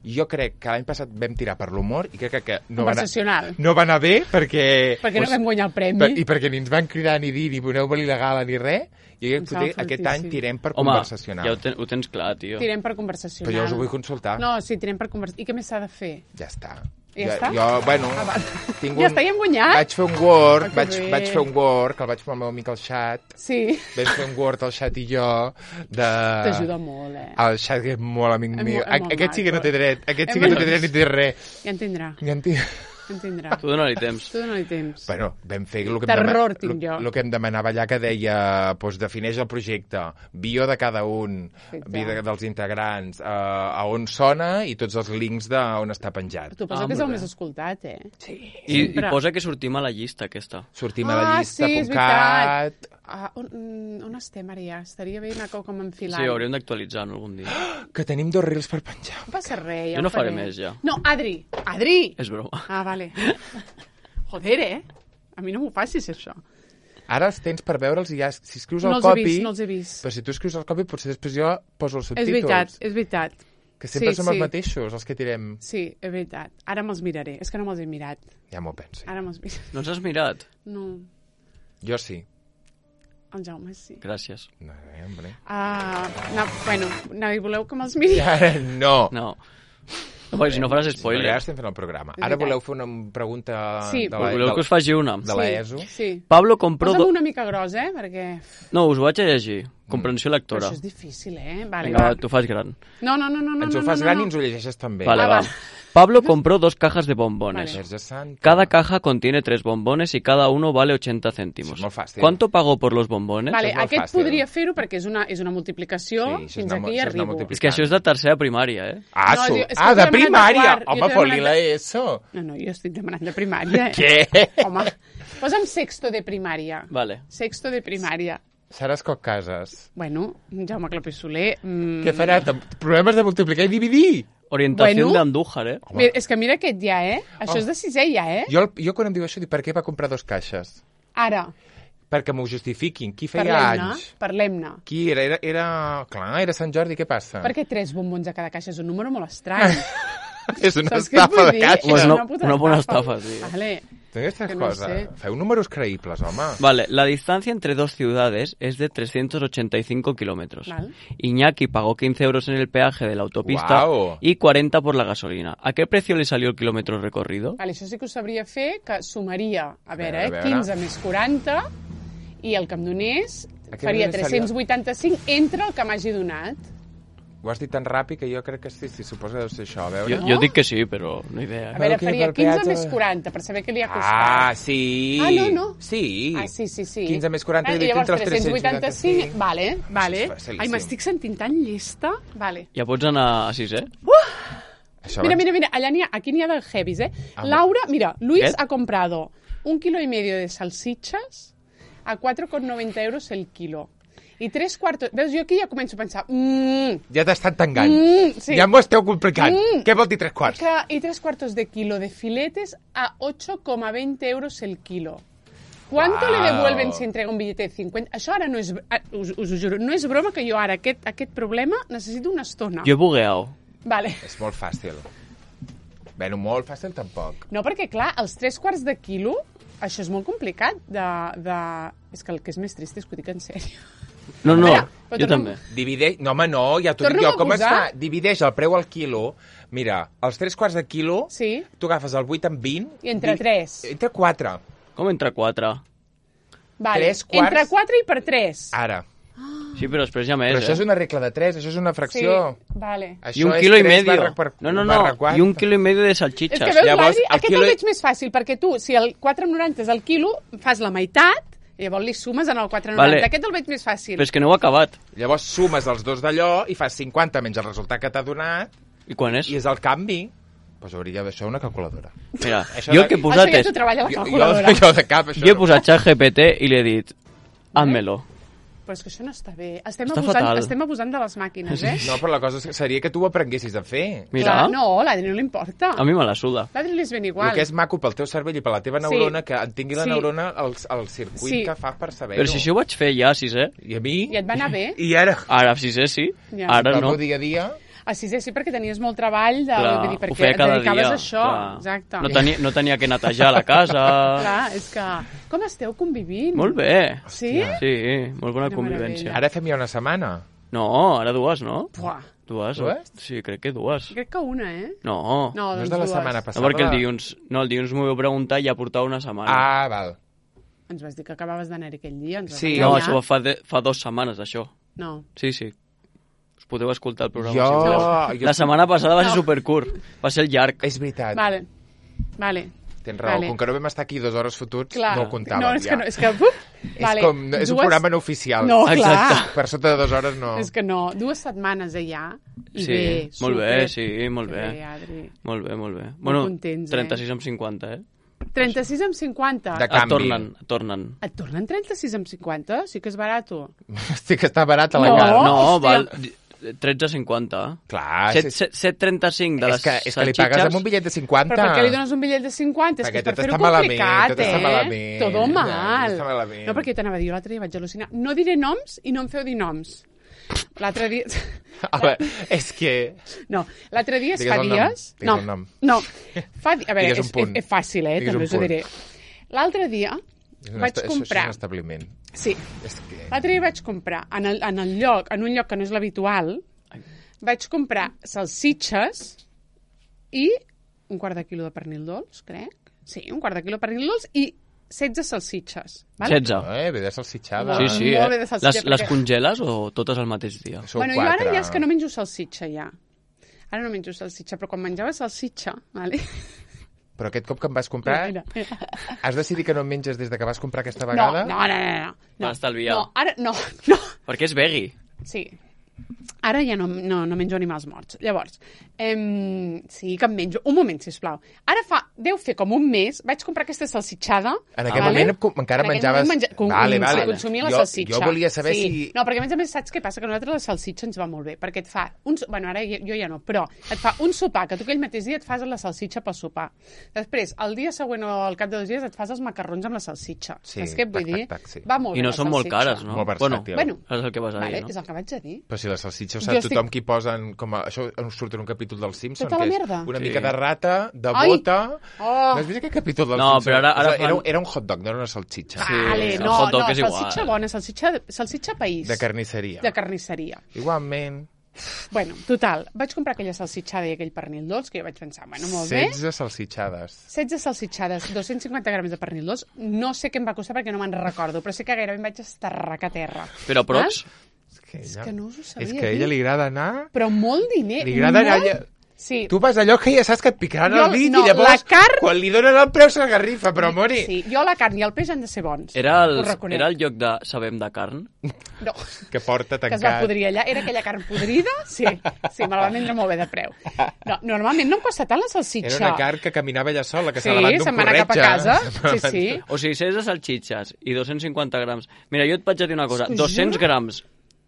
Jo crec que l'any passat vam tirar per l'humor i crec que, que no, va anar, Conversacional. no va anar bé perquè... Perquè no vam guanyar el premi. per, I perquè ni ens van cridar ni dir ni voleu venir la gala ni res. I jo Em crec que sembla aquest fortíssim. any tirem per Home, conversacional. ja ho, ten, ho tens clar, tio. Tirem per conversacional. Però jo us ho vull consultar. No, sí, tirem per conversacional. I què més s'ha de fer? Ja està. Ja jo, està? Jo, bueno, Ah, val. tinc Ja està, ja hem guanyat? Vaig fer un Word, Ah, que vaig, bé. vaig fer un Word, que el vaig fer amb el meu amic al xat. Sí. Vam fer un Word, el xat i jo, de... T'ajuda molt, eh? El xat, que és molt amic És meu. molt- és molt Aquest sí que no té maco. dret, aquest És sí que no molt- té dret ni té res. Ja en tindrà, Ja en tinc... ja en tindrà. Tu dona-li temps. Tu dona-li temps. Bueno, vam fer el que, Terror em, tinc jo. demana, el que em demanava allà, que deia, doncs, defineix el projecte, bio de cada un, Fet vida ja. dels integrants, uh, a on sona i tots els links d'on està penjat. Tu posa Ah, que és el molt més bé. escoltat, eh? Sí. I, I Sempre. posa que sortim a la llista, aquesta. Sortim a la Ah, llista, sí, és punt cat... Ah, on, mm, on estem ara ja? Estaria bé anar com enfilant. Sí, hauríem d'actualitzar-no algun dia. Que tenim dos reels per penjar. No passa res, ja Jo no ho faré. faré més, ja. No, Adri! Adri! És broma. Ah, vale. Joder, eh? A mi no m'ho facis, això. Ara els tens per veure'ls i ja, si escrius No el els he copy... vist, no els he vist. Però si tu escrius el copy, potser després jo poso els És subtítols. veritat, és veritat. Que sempre Sí, som els sí. mateixos, els que tirem. Sí, és veritat. Ara me'ls miraré. És que no me'ls he mirat. Ja m'ho penso. Ara me'ls miraré. No ens has mirat? No, Jo sí. el Jaume sí. Gràcies. No, eh, hombre. Ah, no, bueno, no, i voleu que me'ls miri? Ara no. No. No, perquè si no faràs Ara spoiler. estem fent el programa. És Ara veritat. voleu fer una pregunta Sí. de la, Voleu de, que us faci una? de la Sí, ESO? Sí. Pablo compró... Posa'm Do... una mica gros, eh? Perquè... No, us ho vaig a llegir. Comprensió Però lectora. això és difícil, eh? Vale, Vinga, va. va, tu fas gran. No, no, no, no. no Ens ho no, fas no, gran no. i ens ho llegeixes també. Vale, Ah, va. va. Pablo compró dos cajas de bombones. Vale. Verge Santa. Cada caja contiene tres bombones y cada uno vale ochenta céntimos. Sí, és molt fàcil. ¿Cuánto pagó por los bombones? Vale, és molt aquest fàcil. podria fer-ho perquè és una, és una multiplicació. Sí, això és Fins una- aquí això és una arribo. multiplicació. És que això és de tercera primària, eh? Ah, No, su... és que ah t'he de demanat de primària! quart, jo Home, t'he fot-li demanat la de- ESO. No, no, jo estic demanant de primària. Eh? Què? Home, posa'm sexto de primària. Vale. Sexto de primària. Seràs Coc Cases. Bueno, Jaume Clapés Soler... Mm, Què farà? Problemes de multiplicar i dividir? Orientación Bueno. de Andújar, eh? Mira, és que mira aquest ja, eh? Això Oh. és de sisè ja, eh? Jo, jo quan em diu això dic, per què va comprar dos caixes? Ara. perquè m'ho justifiquin. Qui feia Parlem-ne, anys? parlem-ne. Qui era? era? Era... Clar, era Sant Jordi, què passa? Perquè tres bombons a cada caixa és un número molt estrany. És una Saps què et estafa vull de dir? caixa. Pues És no, puta una bona estafa, sí. Vale. Aquesta que no cosa. sé. Feu números creïbles, home. Vale, la distancia entre dos ciudades es de trescientos ochenta y cinco kilómetros. Vale. Iñaki pagó quince euros en el peaje de la autopista Guau. y cuarenta por la gasolina. ¿A qué precio le salió el kilómetro recorrido? Vale, això sí que ho sabria fer, que sumaria, a veure, A eh, veure. quinze més quaranta, i el que em donés A què faria li salió? tres-cents vuitanta-cinc entre el que m'hagi donat. Ho has dit tan ràpid que jo crec que sí, sí, suposo que deu ser això. A veure... Yo, yo digo que sí, pero no idea. A veure, que faria per quinze peatge- més quaranta, per saber què li ha Ah, costat. sí. Ah, no, no. Sí. Ah, sí, sí, sí. quinze més quaranta Ah, dividit llavors, entre els tres-cents vuitanta-cinc. Vale, vale. Això és facilíssim. Ai, m'estic sentint tan llesta. Vale. Ja pots anar a sis, eh? Això Mira, abans- mira, mira, allà n'hi ha, aquí n'hi ha del heavies, eh? Ah, Laura, mira, Luis ¿Qué? ha comprado un kilo y medio de salsichas a cuatro con noventa euros el kilo. I tres quartos... Veus, jo aquí ja començo a pensar... Mmm, Ja t'estan tangant. Mm, sí. Ja m'ho esteu complicant. Mm. Què vol dir tres quarts? que, y tres cuartos de kilo de filetes a ocho coma veinte euros el kilo. ¿Cuánto Wow. le devuelven si entrega un billete de cincuenta? Això ara no és... ah, Us, us ho juro, no és broma que jo ara aquest, aquest problema necessito una estona. Yo he bugueado. Vale. És molt fàcil. Bueno, molt fàcil tampoc. No, perquè, clar, els tres quarts de quilo, això és molt complicat de... de... És que el que és més trist és que ho dic en sèrio. No, no, Mira, però yo torna'm- també. Divideix... No, home, no, ja t'ho dic Torna'm jo. a Com es posar. fa? Divideix el preu al quilo. Mira, els tres quarts de quilo, Sí. tu agafes el vuit amb vint... I entre tres. Entre quatre. ¿Cómo entra cuatro? Vale. Tres quarts. Entre quatre i per tres. Ara. Sí, pero després ja més, Però això eh? és una regla de tres, això és una Sí, fracció. vale. Això Y un és kilo y tres medio. barra per- No, no, barra no. quatre. Y un kilo y medio de És salchichas. que veus, Llavors, l'Adri, el aquest quilo- el veig més fàcil, perquè tu, si el quatre coma noranta és el quilo, fas la meitat, i llavors li sumes en el quatre coma noranta. Vale. Aquest el veig més fàcil. Però és que no ho he acabat. Llavors sumes els dos d'allò i fas cinquanta menys el resultat que t'ha donat I quan és? i és el canvi. Doncs hauria d'això una calculadora. Mira, Això jo de- que he Això posat ja és... t'ho treballa la Jo, calculadora. jo, jo de cap, això Jo he no. posat xat G P T i li he dit házmelo. Però és que això no està bé. Estem, Està abusant, fatal. estem abusant de les màquines, eh? No, però la cosa seria que tu ho aprenguessis a fer. Mira, Clar, no, l'Adri no li importa. a mi me la suda. L'Adri li és ben igual. El que és maco pel teu cervell i per la teva Sí. neurona, que en tingui la Sí. neurona el, el circuit Sí. que fa per saber-ho. Però si això ho vaig fer ja a sisè. I a mi... I et va anar bé? I ara... Ara a sisè sí, Ja. ara el no. meu dia a dia... Ah, sí, sí, sí, perquè tenies molt treball, de, Clar, vull dir, ho perquè feia et cada dedicaves dia. a això. clar. Exacte. No tenia, no tenia que netejar la casa. Clar, és que... Com esteu convivint? Molt bé. Sí? Sí, molt bona Quina convivència. Ara fem ja una setmana. No, ara dues, no? Buah, Dues? Dues? Sí, crec que dues. crec que una, eh? No. No, No doncs és de la dues. setmana No, passada. perquè el dilluns, no, el dilluns m'ho vau preguntar i ja portava una setmana. Ah, val. Ens vas dir que acabaves d'anar aquell dia. Ens vas Sí. no, enganyar. això fa, de, fa dues setmanes, això. No. Sí, sí. Us podeu escoltar el programa. Jo- si voleu. jo- La setmana passada va ser No. supercurt. Va ser llarg. És veritat. Vale, vale. Tens raó. Vale. Com que no vam estar aquí dues hores fotuts, Clar. no ho comptàvem No, és ja. que no, és que... Uf, És, vale. com, no, és un Dues- programa no oficial. No, clar. Exacte. Per sota de dues hores no. És que no, dues setmanes allà, i Sí, bé, molt super. bé, sí, molt Que bé. bé, Adri. Molt bé, molt bé. Bueno, contents, eh? trenta-sis amb cinquanta, eh? trenta-sis amb cinquanta. De Et canvi. tornen, et tornen. Et tornen trenta-sis amb cinquanta? Sí que és barato. Sí que està barat a la No. cara. No, hòstia. val tretze cinquanta. Clar, set és, set trenta-cinc de és, les que, és que li pagues amb un bitllet de cinquanta. Però per què li dones un bitllet de cinquanta? És Perquè que és per tot fer-ho està malament, complicat, tot està eh? malament. Todo Ja, mal. tot està malament. No, perquè jo t'anava a dir, l'altre dia vaig al·lucinar. No diré noms i no em feu dir noms. L'altre dia... A veure, és que... No, l'altre dia, Digues fa el nom, dies... digues No, el nom. no. Fa di... A veure, Digues un és, punt. és, és fàcil, eh? Digues També un us ho punt. diré. L'altre dia És un vaig esta- comprar... Això és un establiment. Sí, És que... l'altre dia vaig comprar en el, en el lloc, en un lloc que no és l'habitual, vaig comprar salsitxes i un quart de quilo de pernil dolç, crec. Sí, un quart de quilo de pernil dolç i setze salsitxes. Vale? setze. Eh, ve de salsitxada. Sí, sí, Molt bé eh? de salsitxa, Les, les perquè- congeles o totes al mateix dia? Sou Bueno, jo ara quatre. ja és que no menjo salsitxa, ja. Ara no menjo salsitxa, però quan menjava salsitxa, vale? Però aquest cop que em vas comprar, Mira, mira. has decidit que no en menges des de que vas comprar aquesta No, vegada? no, no, no, no. Per estalviar. No, ara, no, no. Perquè és veggie. Sí. Ara ja no, no, no menjo animals morts. Llavors, em, sí que em menjo... Un moment, sisplau. Ara fa deu fer com un mes, vaig comprar aquesta salsitxada. En aquell vale? moment com- encara En aquell menjaves... moment menja... com, Vale, com, vale. Se consumia la Jo- salsitxa. jo volia saber sí. si- No, perquè a més a més saps què passa? Que a nosaltres la salsitxa ens va molt bé, perquè et fa... Un... Bueno, ara jo, jo ja no, però et fa un sopar, que tu aquell mateix dia et fas la salsitxa pel sopar. Després, el dia següent o al cap de dos dies et fas els macarrons amb la salsitxa. Sí, Saps què et vull tac, dir? tac, tac, sí. Va molt I bé no la són molt salsitxa. cares, no? Molt versàtil. Bueno, és el que vas a vale, dir, no? és el que vaig a dir. Però si la salsitxa ho Jo sap estic- tothom qui posen... Com a... Això ens surt en un capítol dels Simpsons, Tota la que és merda. una Sí. mica de rata, de Ai! bota... Oh. No has vist aquest capítol dels No, Simpsons? però ara- ara Era, era, fan- era un hot dog, no era una salsitxa. Sí, Vale, el no, hot dog no, és igual. salsitxa bona, salsitxa, salsitxa país. De carnisseria. De carnisseria. Igualment, Bueno, total, vaig comprar aquella salsitxada i aquell pernil dolç, que jo vaig pensar, bueno, molt bé. setze salsitxades. setze salsitxades, dos cents cinquanta grams de pernil dolç. No sé què em va costar perquè no me'n recordo, però sé que gairebé em vaig estarracar a terra. Però a props, És que, És ella, que no us ho sabia és que a ella dir. li agrada anar... Però molt diner. Li agrada anar... molt... Allà... Sí. Tu vas allò que ja saps que et picaran Jo- el dit no, i llavors, la carn- quan li donen el preu, s'agarrifa, però mori. Sí, jo la carn i el peix han de ser bons. era el, Ho reconec. era el lloc de Sabem de carn? No, Que porta que es va tancat. podrir allà. Era aquella carn podrida? Sí, sí, me la van vendre molt bé de preu. No, normalment no em costa tant la salsitxa. Era una carn que caminava allà sola, que Sí, s'ha levat d'un se'n va anar cap a corretge. casa. Sí, sí. O sigui, setze salxitxes i dos cents cinquanta grams. Mira, jo et vaig a dir una cosa. T'ho dos-cents juro. grams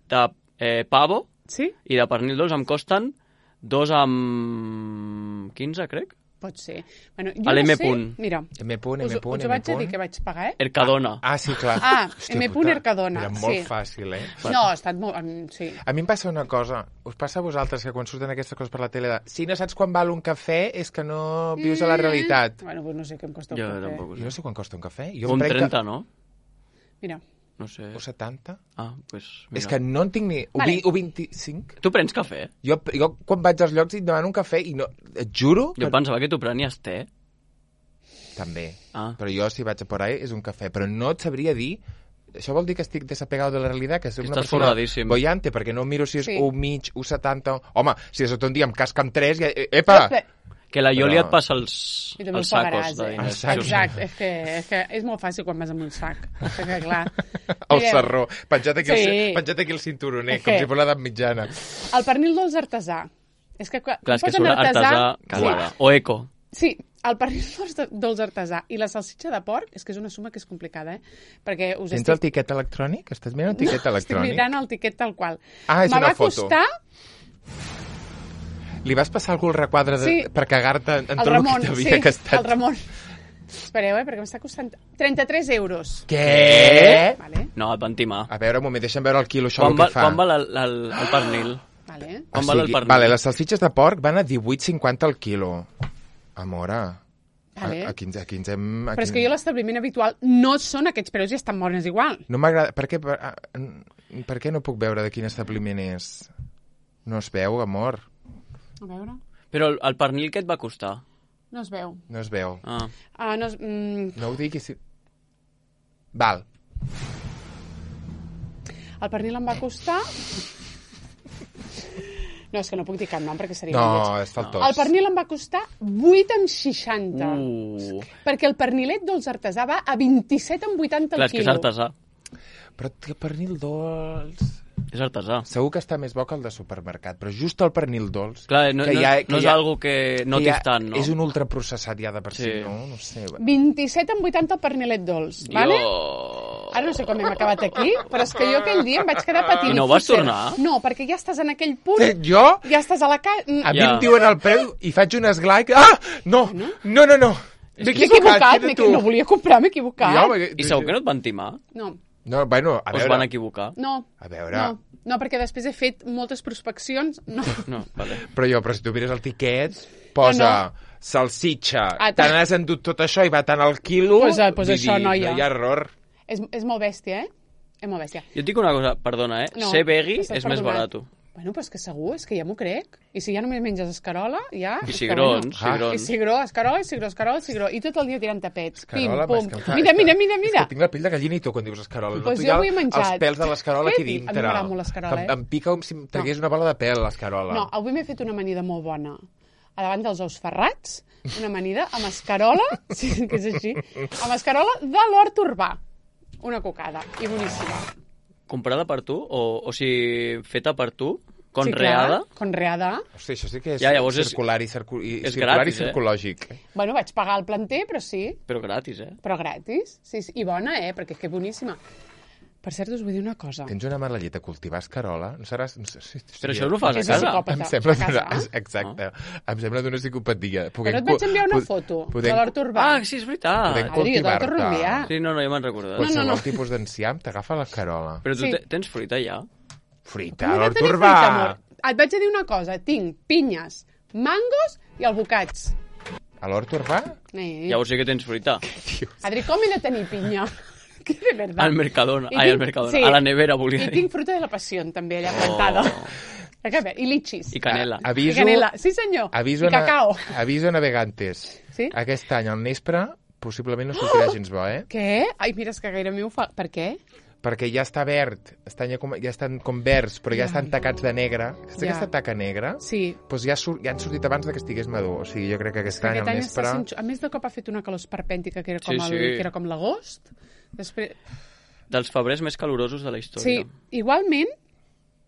de eh, pavo Sí? i de pernil dolç em costen dos amb quinze, crec. Pot ser. Bueno, jo A l'M no sé... punt. Mira, M punt, us, M punt, us ho M vaig a dir punt. que vaig pagar, eh? Ercadona. Ah, sí, clar. Ah, Hòstia M punt puta, Ercadona, Era molt sí. fàcil, eh? No, ha estat molt... em- Sí. A mi em passa una cosa. Us passa a vosaltres que quan surten aquestes coses per la tele de si no saps quan val un cafè és que no vius a la realitat. Bueno, pues no sé què em costa un Jo cafè. tampoc ho Jo no sé. sé quan costa un cafè. Jo Un em prenc trenta, no? Mira, No sé. O setanta? Ah, doncs pues, mira. És que no en tinc ni... O, Vale. vi, o vint-i-cinc? Tu prens cafè? Jo, jo quan vaig als llocs i em demano un cafè i no... Et juro Jo que... pensava que tu prenies te. També. Ah. Però jo, si vaig a por ahí, és un cafè. Però no et sabria dir... Això vol dir que estic desapegado de la realitat, que soc una Estàs persona forradíssim. bollante, perquè no miro si és Sí. un mig, un setanta... Home, si de sota un dia em casca amb tres, ja... Epa! Que la Ioli Però- et passa els, I també els ho sacos pagaràs, de eh? diners. Els sacos. Exacte, és que, és que és molt fàcil quan vas amb un sac. Perquè, clar... El Mireu, sarró, penjat aquí, Sí. el, penjat aquí el cinturoner, És com que- si fos l'edat mitjana. El pernil dolç artesà. És que quan Clar, és que posen surt artesà cagada. O eco. Sí, el pernil dolç de- dolç artesà i la salsitxa de porc, és que és una suma que és complicada, eh? Perquè us Tens el tiquet electrònic? Estàs mirant el tiquet Estic electrònic? mirant el tiquet tal qual. Ah, és Me una va foto. costar Li vas passar algú el requadre de, Sí. per cagar-te en el tot el Ramon, que sí, t'havia gastat? el Ramon. Espereu, eh, perquè m'està costant trenta-tres euros. Què? Vale, No, et van timar. A veure, un moment, deixa'm veure el quilo, això Quan, el va, que fa. quan val el, el, el pernil? vale. Quan val el pernil? Vale, les salsitxes de porc van a divuit cinquanta al quilo. Amora. Vale. A, aquí, ens- aquí ens hem... Aquí... Però és que jo a l'establiment habitual no són aquests preus i estan bones igual. No m'agrada... Per què, per, ah, per què no puc veure de quin establiment és? No es veu, amor. A veure, Però el, el pernil què et va costar? no es veu. No es veu. Ah. Ah, no es... Mm, No ho diguis... Si... Val. el pernil em va costar... No, és que no puc dir cap nom perquè seria No, molt lleig. és faltós. El pernil em va costar vuit amb seixanta. Uh. Perquè el pernilet dolç artesà va a vint-i-set amb vuitanta Clar, el és que és quilo. artesà. Però que pernil dolç... És artesà. Segur que està més bo que el de supermercat, però just el pernil dolç... Clar, no, que no, ja- no que és ja- algo que no que ja t'estan, no? És un ultraprocessat ja de per si, Sí. no? No sé. vint-i-set amb vuitanta el pernilet dolç, Jo... vale? Ara no sé com hem acabat aquí, però és que jo aquell dia em vaig quedar patint. I no vas tornar? No, perquè ja estàs en aquell punt, Eh, jo? ja estàs a la casa... A mi Ja. em diuen el preu i faig un esglai... que- Ah! No! No, no, no! M'he equivocat, m'he equi- no volia comprar, m'he equivocat. Jo, perquè- I segur que no et van timar? No, No, bueno, a O es veure... van equivocar? no. A veure... No, no, perquè després he fet moltes prospeccions. No. No, vale. Però jo, però si tu mires el tiquet, posa No, no. salsitxa, Ah, te n'has endut tot això i va tant al quilo... Pues, eh, pues vull això, dir, noia. No hi ha error. És, és molt bèstia, eh? És molt bèstia. Jo et dic una cosa, perdona, eh? No, Ser vegui estàs és més perdonat. barat. Bueno, però és que segur, és que ja m'ho crec. I si ja només menges escarola, ja... I és que cigrons, bueno. Ah. I cigrons. cigró, escarola, cigró, escarola, cigró. I tot el dia tirant tapets. Pim, Escarola, pum. és que encara- Mira, mira, mira, És mira. que tinc la pell de gallina i tu quan dius escarola. Pues Noto jo ja avui he menjat. els pèls de l'escarola Què aquí dic? A mi dintre. m'agrada molt l'escarola, Que eh? em, em pica com si em tragués una bola de pèl, l'escarola. No, avui m'he fet una amanida molt bona. A davant dels ous ferrats, una amanida amb escarola, sí, que és així, amb escarola de l'hort urbà. Una cocada, i boníssima. Comprada per tu? O, o sigui, feta per tu? Conreada? Sí, clar, conreada. Hosti, això sí que és Ja, llavors és- circular i, circu i, és circular gratis, i eh? circològic. Bueno, vaig pagar el planter, però sí. Però gratis, eh? Però gratis. Sí, sí. I bona, eh? Perquè és que boníssima. Per cert, us vull dir una cosa. Tens una mala llet a cultivar escarola? No seràs... No sé, si, Però això ho fas a És casa. psicòpata. Em sembla a casa. d'una... Exacte. Em sembla d'una psicopatia. Però et vaig enviar una foto de l'Hort Urbà. Ah, sí, és veritat. Podem Adri, jo te'l cultivar-te. torno a enviar. Sí, no, no, ja m'han recordat. No, no, Qualsevol no. tipus d'enciam t'agafa l'escarola. Però tu Sí. te- tens fruita ja? Fruita, Com he de l'Hort tenir Urbà! fruita, amor? Et vaig a dir una cosa. Tinc pinyes, mangos i albocats. A l'Hort Urbà? Eh. Ja ho sé que tens fruita. Adri, com he de tenir pinya? Que de verdad. Al Mercadona. I Ai, al tinc- Mercadona. sí. A la nevera, volia I dir. tinc fruta de la passió, també, allà plantada. Oh. Oh. I litxis. I canela. A- aviso, I canela. Sí, senyor. Aviso, I cacao. Na, aviso a navegantes. Sí? Aquest any al Nespre possiblement no sortirà gens bo, eh? Què? Ai, mira, és que gaire m'ho fa... Per què? Perquè ja està verd, estan ja, com, ja estan com verds, però ja, Ja. estan tacats de negre. Aquesta, Ja. aquesta taca negra, Sí. doncs ja, sur, ja han sortit abans de que estigués madur. O sigui, jo crec que aquest Que any aquest al any està Nespre... sent... A més de cop ha fet una calor esperpèntica, que era com, Sí, el, sí. que era com l'agost. Després... Dels febrers més calorosos de la Sí, història. igualment,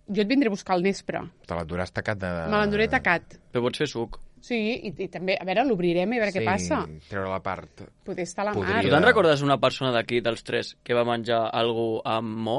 jo et vindré a buscar al Nespre. Te l'enduràs tacat de... Me l'enduré tacat. Però pots fer suc. Sí, i, i també, a veure, l'obrirem i a veure sí, què passa. treure la part... Poder estar a la Podria. mar. Tu te'n recordes una persona d'aquí, dels tres, que va menjar algú amb mo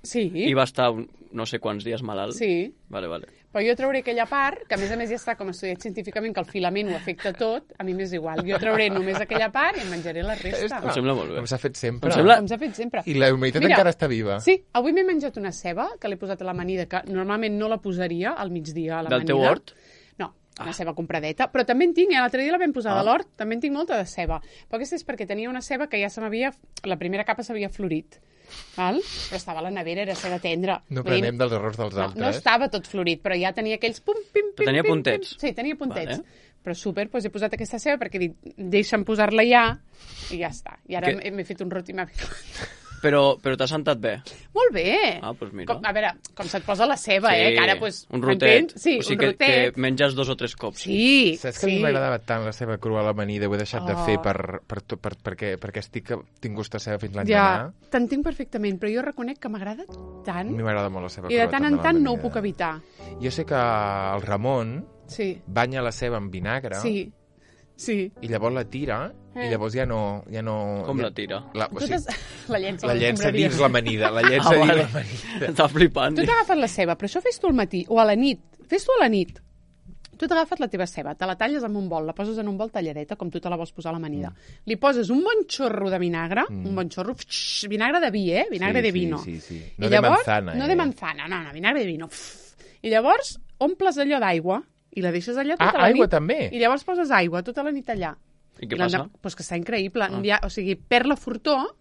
Sí, i va estar un- no sé quants dies malalt? sí. Vale, vale. Però jo trauré aquella part, que a més a més ja està com estudiat científicament, que el filament ho afecta tot, a mi m'és igual. Jo trauré només aquella part i em menjaré la resta. Em sembla molt bé. Com s'ha fet sempre. Em sembla- Com s'ha fet sempre. I la humanitat Mira, encara està viva. Sí, avui m'he menjat una ceba, que l'he posat a l'amanida, que normalment no la posaria al migdia a l'amanida. Del teu hort? No, una ceba compradeta. Però també en tinc, eh? L'altre dia la vam posar Ah. de l'hort, també en tinc molta de ceba. Però aquesta és perquè tenia una ceba que ja se m'havia... La primera capa s'havia florit. Val? Però estava a la nevera, era ceba tendra. No Vull dir, prenem dels errors dels no, altres. no estava tot florit, però ja tenia aquells pum, pim, pim, Tenia pim, puntets. Pim. Sí, tenia puntets. Vale. Però súper, doncs he posat aquesta ceba perquè he dit, deixa'm posar-la ja i ja està. I ara Que- m'he m'he fet un roti i m'ha Però, però t'has sentat bé. Molt bé. Ah, doncs mira. Com, a veure, com se't posa la ceba, eh? Que ara, doncs, un rotet. Sí, o sigui un que, rotet. que menges dos o tres cops. Sí, Saps que a sí. mi m'agradava tant la seva crua a l'amanida, ho he deixat de Oh. fer per, per, per, per, perquè, perquè estic, tinc gust de ceba fins Ja, l'endemà. t'entenc perfectament, però jo reconec que m'agrada A tant mi m'agrada molt la seva i de crua. tant també, en tant no ho l'amanida. puc evitar. Jo sé que el Ramon Sí, banya la ceba amb vinagre sí, sí. i llavors la tira i Eh. llavors ja no... Ja no Com ja, la tira? La, o Tu sigui, t'has- la llença, la a llença l'escombraria. dins l'amanida. La llença Ah, dins vale. l'amanida. Està flipant. Tu t'agafes la ceba, però això fes tu al matí o a la nit. Fes tu a la nit. Tu t'agafes la teva ceba, te la talles amb un bol, la poses en un bol talladeta, com tu te la vols posar a l'amanida. Mm. Li poses un bon xorro de vinagre, mm. un bon xorro, fx, vinagre de vi, eh? Vinagre Sí, de sí, vino. sí, sí. I No de llavors, manzana, No eh? de manzana, no, no, vinagre de vino. Pff. I llavors omples allò d'aigua i la deixes allà tota Ah, la aigua nit. també? I llavors poses aigua tota la nit allà. I què l'endemà- passa? Doncs pues que està increïble. Ah. Ja, o sigui, perd la fortor,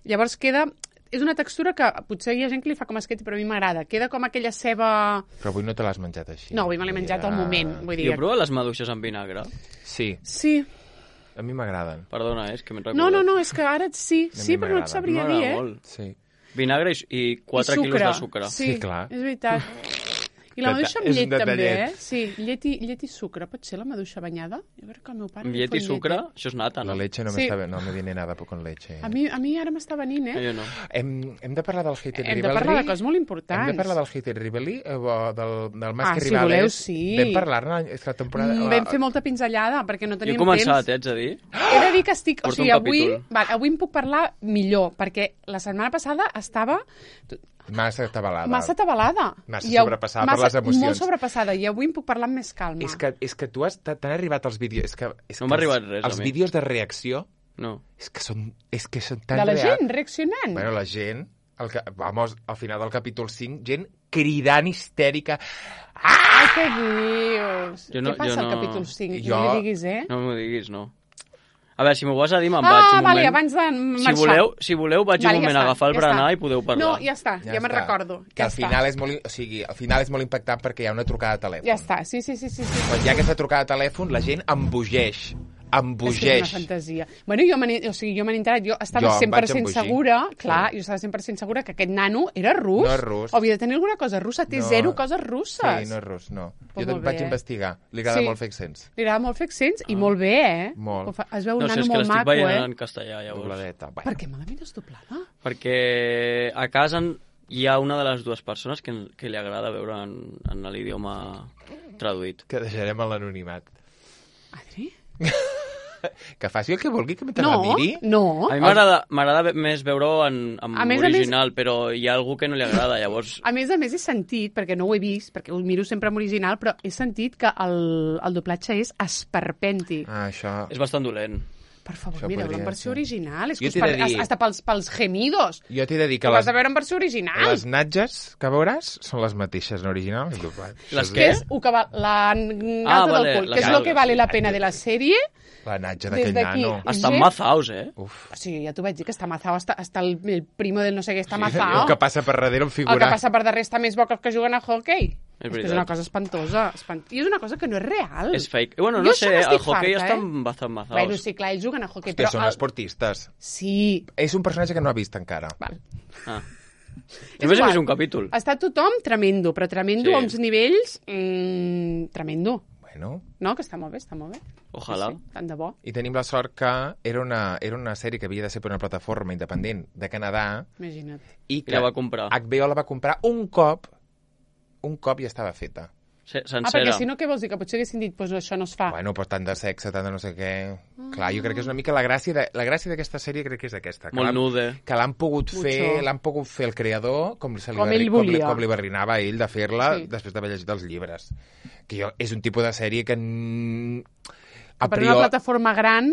llavors queda... És una textura que potser hi ha gent que li fa com esqueti, però a mi m'agrada. Queda com aquella ceba... Però avui no te l'has menjat així. No, avui me l'he menjat al moment. Vull I dir, heu provat les maduixes amb vinagre? Sí, sí. a mi m'agraden. Perdona, eh, és que m'he recordat. No, no, no, és que ara sí, A mi sí, però no et m'agrada. sabria dir, eh? Molt. Sí. Vinagre i, i quatre I quilos de sucre. Sí, Sí, clar. és veritat. I la Deta- maduixa amb és un llet, també, detallet. eh? Sí, llet i, llet i sucre. Pot ser la maduixa banyada? Jo crec que el meu pare... Amb li llet i fot sucre, eh? això és nata, no? La leche no, Sí. m'està bé, no me viene nada con leche. A mi, a mi ara m'està venint, Eh, eh? Jo no. Hem, hem de parlar del Hate and Hem de Rivalry. parlar de coses molt importants. Hem de parlar del Hate and Rivalry, eh, o del, del Mas Ah, que si Rivales. voleu, sí. Vam parlar-ne, és que la temporada... Mm, vam fer molta pinzellada, perquè no Jo he teníem començat, temps. eh, haig de dir. He de dir que estic... O Porto sigui, un avui, capítol. va, avui em puc parlar millor, perquè la setmana passada estava Massa atabalada. massa atabalada. Massa I av- sobrepassada per massa- les emocions. Molt sobrepassada, i avui em puc parlar amb més calma. És que, és que tu has... T'han arribat els vídeos... És que, és No que m'ha els- arribat res, a Els mi. vídeos de reacció No. és que són, és que són tan De la reals. gent reaccionant. Bueno, la gent... El que, vamos, al final del capítol cinc, gent cridant histèrica. Ai, què dius? Jo no- Què passa jo al no- capítol cinc? Jo- No li diguis, eh? No m'ho diguis, no. A veure, si m'ho vas a dir, me'n ah, vaig un vale, moment. abans de Si marxar. voleu, si voleu vaig Vale, un moment ja a està, agafar el ja berenar està. i podeu parlar. No, ja està, ja, ja me'n recordo. Que Ja al està. final és molt, o sigui, al final és molt impactant perquè hi ha una trucada de telèfon. Ja està, sí, sí, sí, sí. sí. Quan hi ha aquesta trucada de telèfon, la gent embogeix. És que és Embogeix. una fantasia. Bueno, jo m'he o sigui, jo m'he enterat, jo estava Jo em cent per cent vaig embogir. segura, clar, Sí. jo estava cent per cent segura que aquest nano era rus. No és rus. O havia de tenir alguna cosa russa, té No. zero coses russes. Sí, no és rus, no. Pues jo molt te'n vaig bé. investigar. Li agrada Sí. molt fer accents. Li agrada molt fer accents i molt bé, eh? Molt. Ho fa- Es veu un No sé, nano és que molt l'estic maco, veient eh? en castellà, llavors. Dobladeta. Per què me la mires doblada? Perquè a casa en- hi ha una de les dues persones que, que li agrada veure en, en l'idioma traduït. Que deixarem a l'anonimat. Adri? Que faci el que vulgui, que mentre No, la miri. no. A mi m'agrada m'agrada més veure-ho en, en A més a original, però hi ha algú que no li agrada, llavors... A més a més he sentit, perquè no ho he vist, perquè ho miro sempre en original, però he sentit que el, el doblatge és esperpèntic. Ah, això... És bastant dolent. Per favor, Això mireu-la podria en versió ser. original. És Jo que us t'he de per... dir- Hasta pels, pels gemidos. Jo t'he de dir que Ho les, has de veure en versió original. les natges que veuràs són les mateixes en original. i doblat. Les Això Que és és el que va, la gata Ah, vale, del cul, la que és el galga, que vale sí, la pena de la sèrie. La natja Des d'aquell d'aquí. nano. Estan Gent- mazaos, eh? Uf. O sigui, ja t'ho vaig dir, que està mazao, està, està el, el primo del no sé què, està El mazao. que passa per darrere en El figurar. que passa per darrere està més bo que els que juguen a hockey. És És, que és veritat. una cosa espantosa. Espant... I és una cosa que no és real. És fake. Bueno, Jo no això sé, n'estic el hockey farta, estan eh? bastant mazaos. Bueno, sí, clar, ells juguen a hockey, Que però... són el- esportistes. Sí. És un personatge que no ha vist encara. Val. Ah. És Només he igual. vist un capítol. Està tothom tremendo, però tremendo Sí. a uns nivells... Mm, tremendo. Bueno, No, que està molt bé, està molt bé. Ojalà. Sí, tant de bo. i tenim la sort que era una, era una sèrie que havia de ser per una plataforma independent de Canadà Imagina't. i I que la va comprar. H B O la va comprar un cop, un cop ja estava feta. Se- Ah, Sencera. perquè si no, què vols dir? Que potser haguessin dit, pues això no es fa. Bueno, pues tant de sexe, tant de no sé què... Clar, jo crec que és una mica la gràcia de, la gràcia d'aquesta sèrie crec que és aquesta. Que Molt l'han- nude. Que l'han pogut Mucho. fer, l'han pogut fer el creador com, se li Com va, ell com, li, volia. com li barrinava a ell de fer-la Sí. després d'haver llegit els llibres. Que jo, és un tipus de sèrie que... mm, A Per priori... una plataforma gran,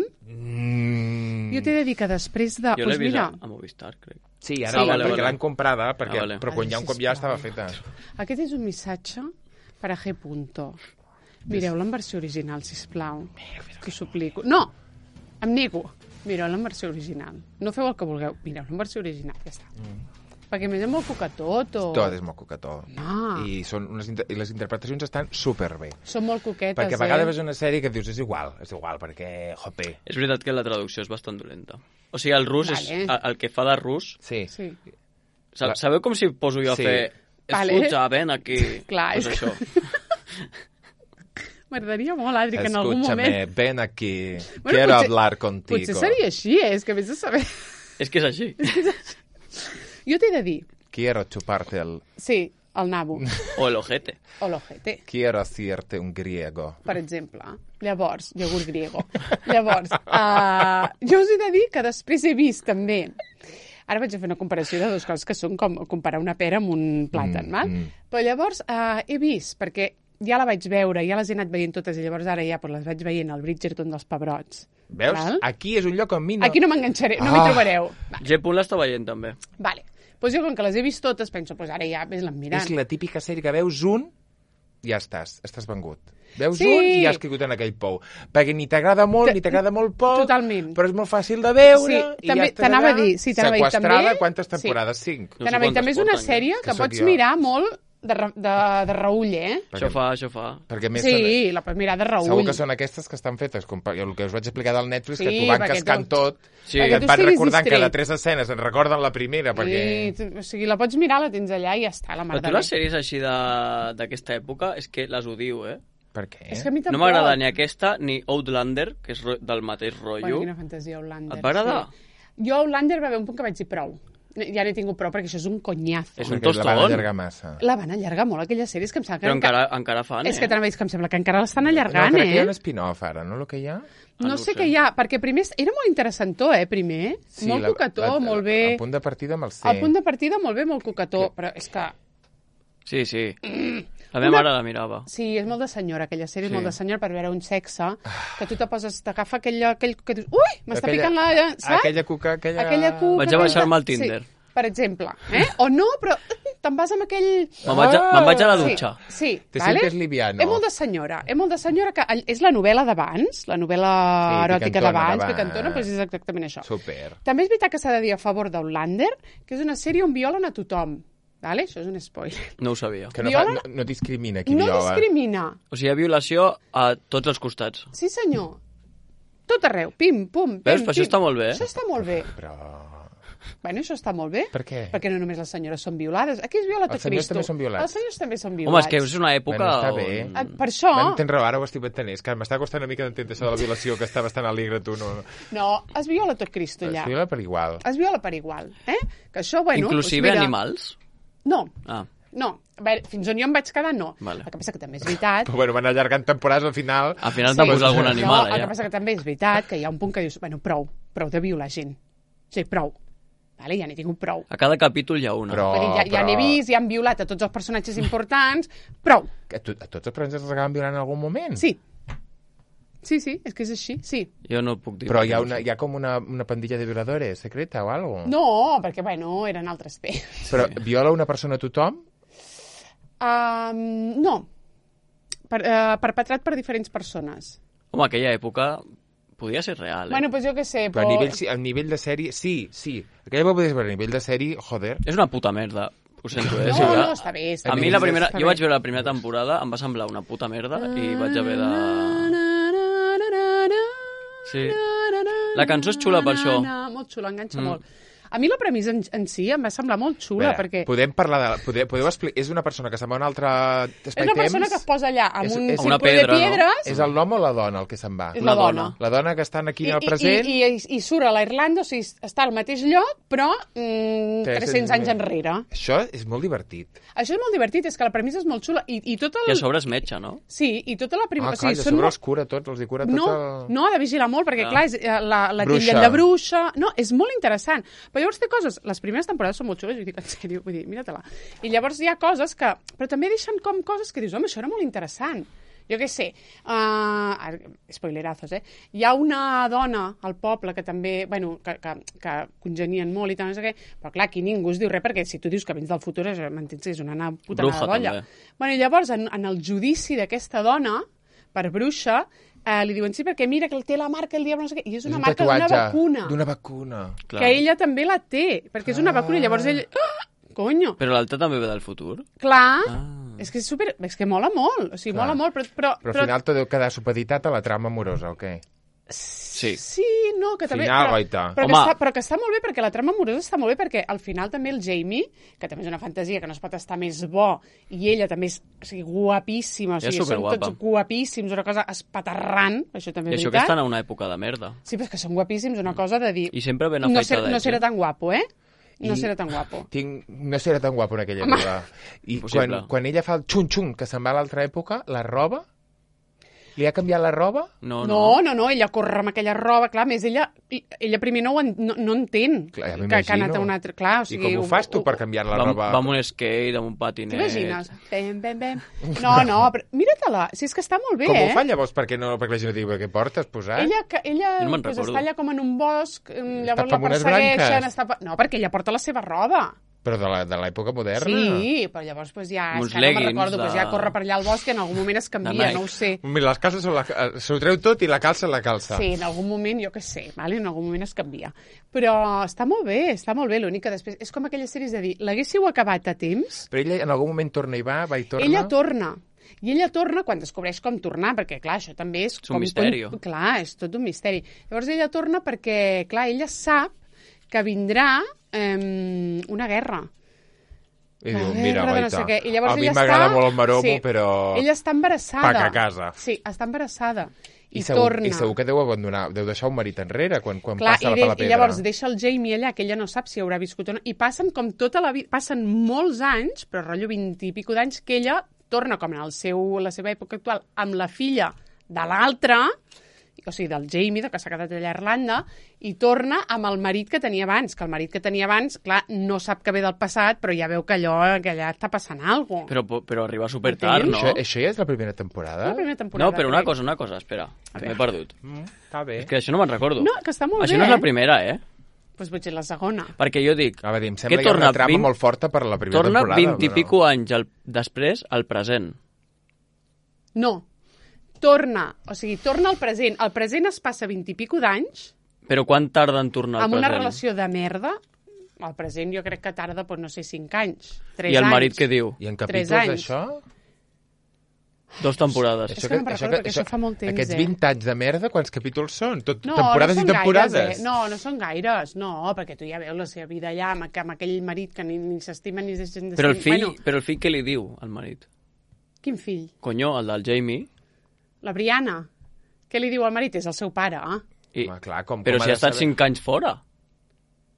Mm, jo t'he de dir que després de... Jo l'he pues vist mira, a, a Movistar, crec. Sí, ara Sí. sí, Vale, perquè vale. l'han comprada, perquè, Ah, vale. però quan hi ha un cop ja estava feta. aquest és un missatge per a G. Punto. Mireu-la en versió original, sisplau. Que us suplico. No! Em nego. Mireu-la en versió original. No feu el que vulgueu. Mireu-la en versió original, ja està. Mm. Perquè a més és molt coquetot o... Tot és molt coquetó. Ah. I, són unes, inter- I les interpretacions estan superbé. Són molt coquetes, Perquè a vegades eh? ves una sèrie que et dius és igual, és igual, perquè, jope. És veritat que la traducció és bastant dolenta. O sigui, el rus Vale. és... El, el que fa de rus... Sí. Sí. Sa- La- Sabeu com si poso jo a Sí. fer... Vale. Escucha, ven aquí. Clar, pues és que- això. M'agradaria molt, Adri, que en algun Escúchame, moment... ven aquí, Bueno, quiero potser- hablar contigo. Potser seria així, eh? És que vés a saber... És que és així. Jo t'he de dir, Quiero chuparte el... sí, el nabo, O el ojete. o l'ojete, Quiero hacerte un griego. per exemple. Llavors, iogurt griego. Llavors, uh, jo us he de dir que després he vist també... Ara vaig a fer una comparació de dues coses que són com comparar una pera amb un plàtan, Mm, mm, val? mm. Però llavors uh, he vist, perquè ja la vaig veure, ja les he anat veient totes, i llavors ara ja pues, les vaig veient al Bridgerton dels Pebrots. Veus? Val? Aquí és un lloc on mi no... Aquí no m'enganxaré, no m'hi Ah. trobareu. Va, G. Punt l'està veient, també. vale. Pues jo, com que les he vist totes, penso, pues ara ja ves-la mirant. És la típica sèrie que veus un i ja estàs, estàs vengut. Veus Sí. un i ja has caigut en aquell pou. Perquè ni t'agrada molt, Te- ni t'agrada molt poc, Totalment. però és molt fàcil de veure Sí, i també ja estàs t'anava a allà, dir, sí, t'anava a dir, seqüestrada, també- quantes sí. temporades? Cinc. No sé T'anava a dir, també és quantes una porten, sèrie Que que sóc pots jo. mirar molt de, re- de, de reull, eh? Això fa, això fa. Perquè a més Sí, la pots mirar de són, reull. segur que són aquestes que estan fetes, com per- el que us vaig explicar del Netflix, Sí, que t'ho van perquè cascant tu- tot, Sí. que Perquè et tu van estiguis recordant distret. cada tres escenes, et recorden la primera, perquè... Sí, o sigui, la pots mirar, la tens allà i ja està, la mar Però de tu bé. les sèries així de- d'aquesta època és que les odio, eh? Per què? És que a mi No tampoc. m'agrada ni aquesta ni Outlander, que és ro- del mateix rotllo. Bueno, quina fantasia, Outlander. Et va agradar? Sí. Jo, Outlander, va haver un punt que vaig dir prou. Ja n'he tingut prou, perquè això és un conyazo. És un Perquè la van tostón. allargar massa. La van allargar molt, aquella sèrie, és que em sembla que... Però encara, encara fan, És eh? que t'anava a dir que em sembla que encara l'estan No, allargant, crec que hi ha un eh? spin-off ara, no? El que hi ha? Ah, No, no ho sé sé. què hi ha, perquè primer era molt interessantó, eh, primer. Sí, molt la- coquetó, la- molt bé. El punt de partida amb el C. El punt de partida molt bé, molt coquetó, però és que... Sí, sí. La meva Una- mare la mirava. Sí, és molt de senyora, aquella sèrie, Sí. és molt de senyora per veure un sexe, que tu te poses, t'agafa aquell, aquell que dius, ui, m'està Aquella- picant la... Saps? Aquella cuca, aquella... Aquella cuca... Vaig a baixar-me al Sí, Tinder. per exemple, eh? O no, però te'n vas amb aquell... Me'n vaig, a, me'n vaig a la Sí, dutxa. sí, Te vale? sientes liviano. És molt de senyora, és molt de senyora que és la novel·la d'abans, la novel·la Sí, eròtica picantona d'abans, d'abans. picantona, doncs és exactament això. Super. També és veritat que s'ha de dir a favor d'Outlander, que és una sèrie on violen a tothom. Vale? Això és un spoiler. No ho sabia. Que no, Viola- fa, no, no discrimina qui No viola. discrimina. O sigui, hi ha violació a tots els costats. Sí, senyor. Tot arreu. Pim, pum, pim, Veus? Però això pim. està molt bé. Això està molt bé. Però... Bueno, això està molt bé. Per què? Perquè no només les senyores són violades. Aquí es viola tot Els senyors Cristo. també són violats. Els senyors també són Home, violats. és que és una època... Bueno, està bé. on- Ah, Per això... Bueno, tens raó, ara ho estic entenent. És que m'està costant una mica d'entendre això de la violació, que està bastant alegre, tu, no? No, es viola tot Cristo, Es allà. viola per igual. Es viola per igual, eh? Que això, bueno... Inclusive doncs mira, animals. No, Ah, no. A veure, fins on jo em vaig quedar, no. Vale. El que passa que també és veritat... Però bueno, van allargant temporades al final... al final t'han posat algun animal, no, el que allà. passa que també és veritat que hi ha un punt que dius, bueno, prou, prou de violar gent. Sí, prou. Vale, ja n'he tingut prou. A cada capítol hi ha una. Però- Vull dir, ja, ja però- n'he vist, ja han violat a tots els personatges importants, prou. A, tu, a tots els personatges els acaben violant en algun moment? Sí. Sí, sí, és que és així, sí. Jo no puc dir. Però hi ha, una, hi ha com una, una pandilla de violadores secreta o algo? No, perquè, bueno, eren altres P. Però viola una persona a tothom? Um, no. Per, uh, perpetrat per diferents persones. Home, aquella època podia ser real, eh? Bueno, doncs jo què sé, Però però... a nivell, sí- a nivell de sèrie... Sí, sí. Aquella va poder ser, però a nivell de sèrie, joder... És una puta merda. Ho sento, eh? No, Si ja- no, està bé, està A bé. mi la primera... Està Jo bé. vaig veure la primera temporada, em va semblar una puta merda i vaig haver de... Sí. La cançó és xula per això. Molt xula, enganxa Mm. molt. A mi la premissa en, en si em va semblar molt xula, Veure, perquè Podem parlar de... Podeu, podeu explicar... És una persona que se'n va a un altre és espai una persona temps? que es posa allà amb És- un és- círculo Una pedra, de no? piedres... És el l'home o la dona el que se'n va? És La la dona. dona. La dona que estan aquí I, al present... i, i, i, i surt a la Irlanda, o sigui, està al mateix lloc, però mm, tres-cents anys enrere. Això és molt divertit. Això és molt divertit, és que la premissa és molt xula. I, i tot el... I a sobre és metge, no? Sí, i tota la Ah, primera... clar, i de sobre els cura tots, els hi cura tot No, el... no, ha de vigilar molt, perquè, Ah. clar, és, eh, la, la Bruixa. titllen de bruixa... No, és molt interessant. Però llavors té coses... Les primeres temporades són molt xules, vull dir, en sèrio, vull dir, mira-te-la. I llavors hi ha coses que... Però també deixen com coses que dius, home, això era molt interessant. Jo què sé, uh, spoilerazos, eh? Hi ha una dona al poble que també, bueno, que, que, que congenien molt i tal, no sé què, però clar, aquí ningú es diu res, perquè si tu dius que vens del futur, és, m'entens que és una na- puta Bruja, nada d'olla. també. Bueno, i llavors, en, en el judici d'aquesta dona, per bruixa, eh, li diuen, sí, perquè mira que té la marca el diable, no sé què, i és una un marca d'una tatuatge vacuna, D'una vacuna. Clar. que ella també la té, perquè és una Ah. vacuna, i llavors ell... Ah, conyo! Però l'altre també ve del futur? Clar, Ah. és que és super... És que mola molt, o sigui, Clar. mola molt, però... Però, Però al final tot deu quedar supeditat a la trama amorosa, o què? Sí. Sí, no, que també... Final, però, goita. però, que Home. està, però que està molt bé, perquè la trama amorosa està molt bé, perquè al final també el Jamie, que també és una fantasia, que no es pot estar més bo, i ella també és o sigui, guapíssima, o Ella és sigui, són superguapa. tots guapíssims, una cosa espaterrant, això també I és això que veritat. estan a una època de merda. Sí, però és que són guapíssims, una cosa de dir... I sempre ben no, ser, afeitadets, no serà eh? tan guapo, eh? No I- serà tan guapo. Tinc... No serà tan guapo en aquella època. I Impossible. quan, quan ella fa el xun-xun, que se'n va a l'altra època, la roba... Li ha canviat la roba? No, No, no. no, no, ella corre amb aquella roba, clar, a més ella, ella primer no, ho en, no, no entén Clar, ja que, que ha anat m'imagino. a un altre... Clar, o I sigui, com ho fas tu per canviar la Va, roba? va amb un skate, amb un patinet... T'imagines? Bem, bem, bem. No, no, però mira-te-la, si és que està molt bé, Com eh? ho fa llavors? Perquè, no, perquè la gent no digui què portes posat? Ella, que, ella Jo no me'n pues, recordo. està allà com en un bosc, mm, llavors Està la amb unes persegueixen... branques. Està... pa- No, perquè ella porta la seva roba. Però de la- de l'època moderna? Sí, però llavors pues, ja, Amb és uns que no me'n leggings recordo, pues, de- ja corre per allà al bosc i en algun moment es canvia, Nike. no ho sé. Mira, les calces són la... s'ho treu tot i la calça la calça. Sí, en algun moment, jo què sé, vale? en algun moment es canvia. Però està molt bé, està molt bé, l'únic que després... És com aquelles sèries de dir, l'haguéssiu acabat a temps, Però ella en algun moment torna i va, va i torna... ella torna. I ella torna quan descobreix com tornar, perquè, clar, això també és... És un com, misteri. Com, clar, és tot un misteri. Llavors ella torna perquè, clar, ella sap que vindrà eh, una guerra. I La diu, guerra mira, de no goita, sé què. I llavors a mi ella m'agrada està- molt el maromo, sí, però... Ella està embarassada. Pac a casa. Sí, està embarassada. I, I segur, torna. I segur que deu abandonar, deu deixar un marit enrere quan, quan Clar, passa i, per de, la pedra. i llavors deixa el Jamie allà, que ella no sap si haurà viscut o no, i passen com tota la vida, passen molts anys, però rotllo vint i pico d'anys, que ella torna com en el seu, la seva època actual, amb la filla de l'altre, o sigui, del Jamie, del que s'ha quedat allà a Irlanda, i torna amb el marit que tenia abans, que el marit que tenia abans, clar, no sap que ve del passat, però ja veu que allò, que allà està passant alguna cosa. Però, però arriba super tard, Entens? no? Això, això ja és la primera temporada? La primera temporada. No, però una crec. cosa, una cosa, espera, que m'he veure. perdut. Mm, està bé. És que això no me'n recordo. No, que està molt Això bé, no és la eh? primera, eh? Pues potser la segona. Perquè jo dic, A veure, em que sembla que hi ha torna una trama vint- molt forta per la primera torna temporada. vint i però- pico anys al, després al present. No, torna, o sigui, torna al present. El present es passa vint i pico d'anys, Però quan tarda en tornar al amb present? una relació de merda. Al present jo crec que tarda, doncs, no sé, cinc anys, tres I el anys. marit què diu? I en Tres capítols, anys. això? Dos temporades. És que no me'n recordo, perquè això fa molt temps, Aquests eh? vint anys de merda, quants capítols són? Tot, No, temporades no i són temporades? gaires, eh? No, no són gaires, no, perquè tu ja veus la seva vida allà, amb, amb aquell marit que ni, ni s'estima ni es deixen de Però el fill, Bueno, però el fill què li diu al marit? quin fill? Conyo, el del Jamie. La Brianna. Què li diu al marit? És el seu pare, eh? I, Home, clar, com, però com si ha ha de estat saber? cinc anys fora.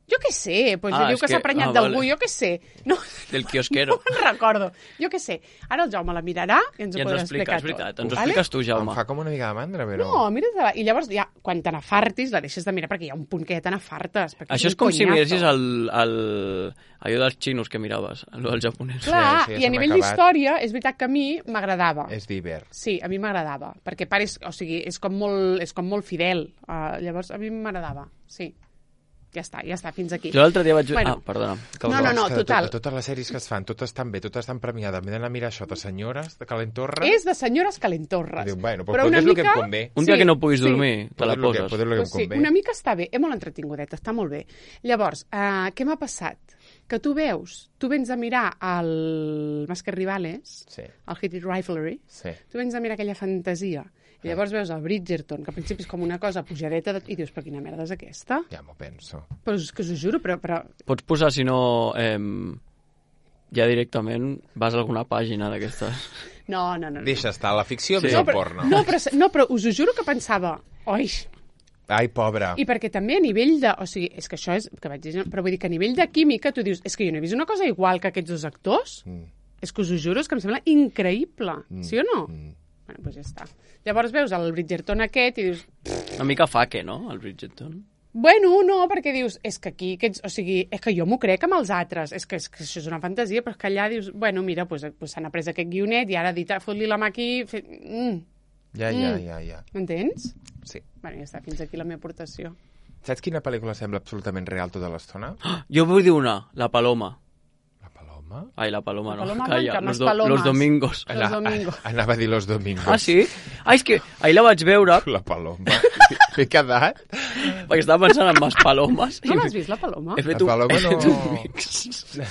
Jo què sé, pues, Ah, diu és que, que- s'ha prenyat ah, d'algú, vale. jo què sé. No, Del quiosquero. no me'n recordo. Jo què sé. Ara el Jaume la mirarà i ens I ho ens ho podrà explica, explicar és veritat. tot. Ens ho expliques tu, Em Jaume. fa com una mica de mandra, però... No, mira, i llavors ja, quan te n'afartis, la deixes de mirar, perquè hi ha un punt que ja te n'afartes. perquè Això és un com si conyazo. miressis el, el, allò dels xinos que miraves, allò del japonès. Clar, Sí, sí, ja i se a m'ha nivell acabat. d'història, és veritat que a mi m'agradava. És d'hivern. Sí, a mi m'agradava, perquè pares, o sigui, és com molt, és com molt fidel. Uh, llavors, a mi m'agradava, sí. Ja està, ja està, fins aquí. Jo l'altre dia vaig... Bueno. Ah, perdona. No, no, no, És que de total. tot- de totes les sèries que es fan, totes estan bé, totes estan premiades. M'he d'anar a mirar això de senyores, de calentorra. És de senyores calentorres. Diu, bueno, però doncs una és el que mica... em convé. Un dia Sí, que no puguis sí. dormir, te la Poder lo que- poses. poder lo que em Pues sí, convé. una mica està bé, és molt entretingudet, està molt bé. Llavors, uh, què m'ha passat? Que tu veus, tu vens a mirar el Masker Rivales, Sí, el Hit It Rivalry, sí. tu vens a mirar aquella fantasia, i llavors veus el Bridgerton, que al principi és com una cosa pujadeta, de... i dius, però quina merda és aquesta? Ja m'ho penso. Però és que us ho juro, però... però... Pots posar, si no, eh, ja directament vas a alguna pàgina d'aquestes. No, no, no. no. Deixa estar la ficció, Sí. més no, el però, porno. no, però, no, però us ho juro que pensava, oi, Ai, pobra. i perquè també a nivell de... O sigui, és que això és... Que vaig dir, però vull dir que a nivell de química tu dius, és que jo no he vist una cosa igual que aquests dos actors. Mm. És que us ho juro, és que em sembla increïble. Mm. Sí o no? Mm. Bueno, doncs ja està. Llavors veus el Bridgerton aquest i dius... Una mica faque, no?, el Bridgerton. Bueno, no, perquè dius, és que aquí, aquests, o sigui, és que jo m'ho crec amb els altres, és que, és que això és una fantasia, però és que allà dius, bueno, mira, doncs, pues, s'han après aquest guionet i ara dit, fot-li la mà aquí... Fe... Mm. Ja, ja, Mm. ja, ja. M'entens? Sí. Bueno, ja està, fins aquí la meva aportació. Saps quina pel·lícula sembla absolutament real tota l'estona? Jo vull dir una, La Paloma. La Paloma? Ai, La Paloma, La no. Paloma Calla, blanca, amb los, les palomes. los domingos. Los Ana- domingos. Anava a dir Los Domingos. Ah, sí? Ah, és que ahir la vaig veure, La Paloma. M'he quedat. perquè estava pensant en les palomes. No i l'has vist, la Paloma? He fet La un, Paloma he fet no. un mix. La,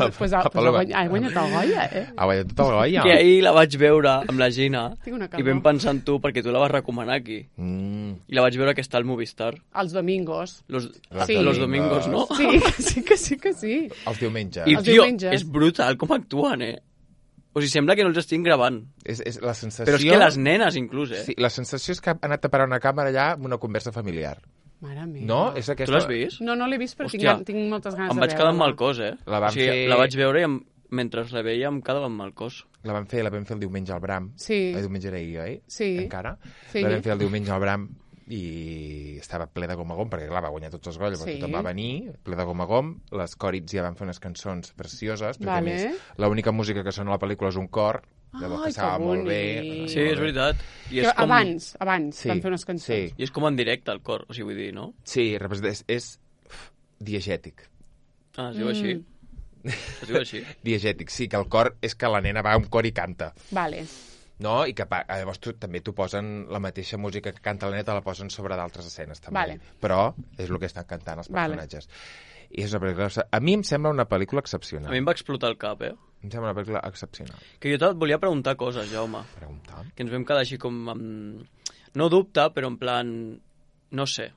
Pues, pues, la pues, Paloma. ha guanyat el Goya, eh? Ha guanyat tot el Goya. Que ahir la vaig veure amb la Gina Tinc una i calor. vam pensar en tu perquè tu la vas recomanar aquí. Mm. I la vaig veure que està al Movistar. Els domingos. Los, Los sí. los domingos. domingos, no? Sí, que sí, que sí, que sí. Els diumenges. I, Els tio, diumenges. és brutal com actuen, eh? O sigui, sembla que no els estic gravant. És, és la sensació... Però és que les nenes, inclús, eh? Sí, la sensació és que ha anat a parar una càmera allà amb una conversa familiar. Mare meva. No? És aquesta... Tu l'has vist? No, no l'he vist, però tinc, Hòstia, tinc moltes ganes Em de vaig quedar amb veure-la. mal cos, eh? La van o sigui, fer- la vaig veure i em... mentre la veia em quedava amb mal cos. La vam fer, la vam fer el diumenge al Bram. Sí. El diumenge era ahir, oi? Sí. Encara? Sí. La vam fer el diumenge al Bram i estava ple de gom a gom, perquè clar, va guanyar tots els gols, llavors Sí. tothom va venir, ple de gom a gom, les còrits ja van fer unes cançons precioses, perquè Vale. a més l'única música que sona a la pel·lícula és un cor, llavors Ai, passava que molt bé. bonic. Sí, és veritat. I és Que com... Abans, abans, Sí, van fer unes cançons. sí. I és com en directe, el cor, o sigui, vull dir, no? Sí, representa- és, és uf, diegètic. Ah, es diu així. Mm. Es diu així. Diegètic, sí, que el cor és que la nena va a un cor i canta. Vale. No? I que pa- llavors tu, també t'ho posen la mateixa música que canta la nena, te la posen sobre d'altres escenes també. Vale. Però és el que estan cantant els Vale. personatges. I és una pel·lícula... A mi em sembla una pel·lícula excepcional. A mi em va explotar el cap, eh? Em sembla una pel·lícula excepcional. Que jo et volia preguntar coses, Jaume. Pregunta. Que ens vam quedar així com amb... No dubte, però en plan... No sé.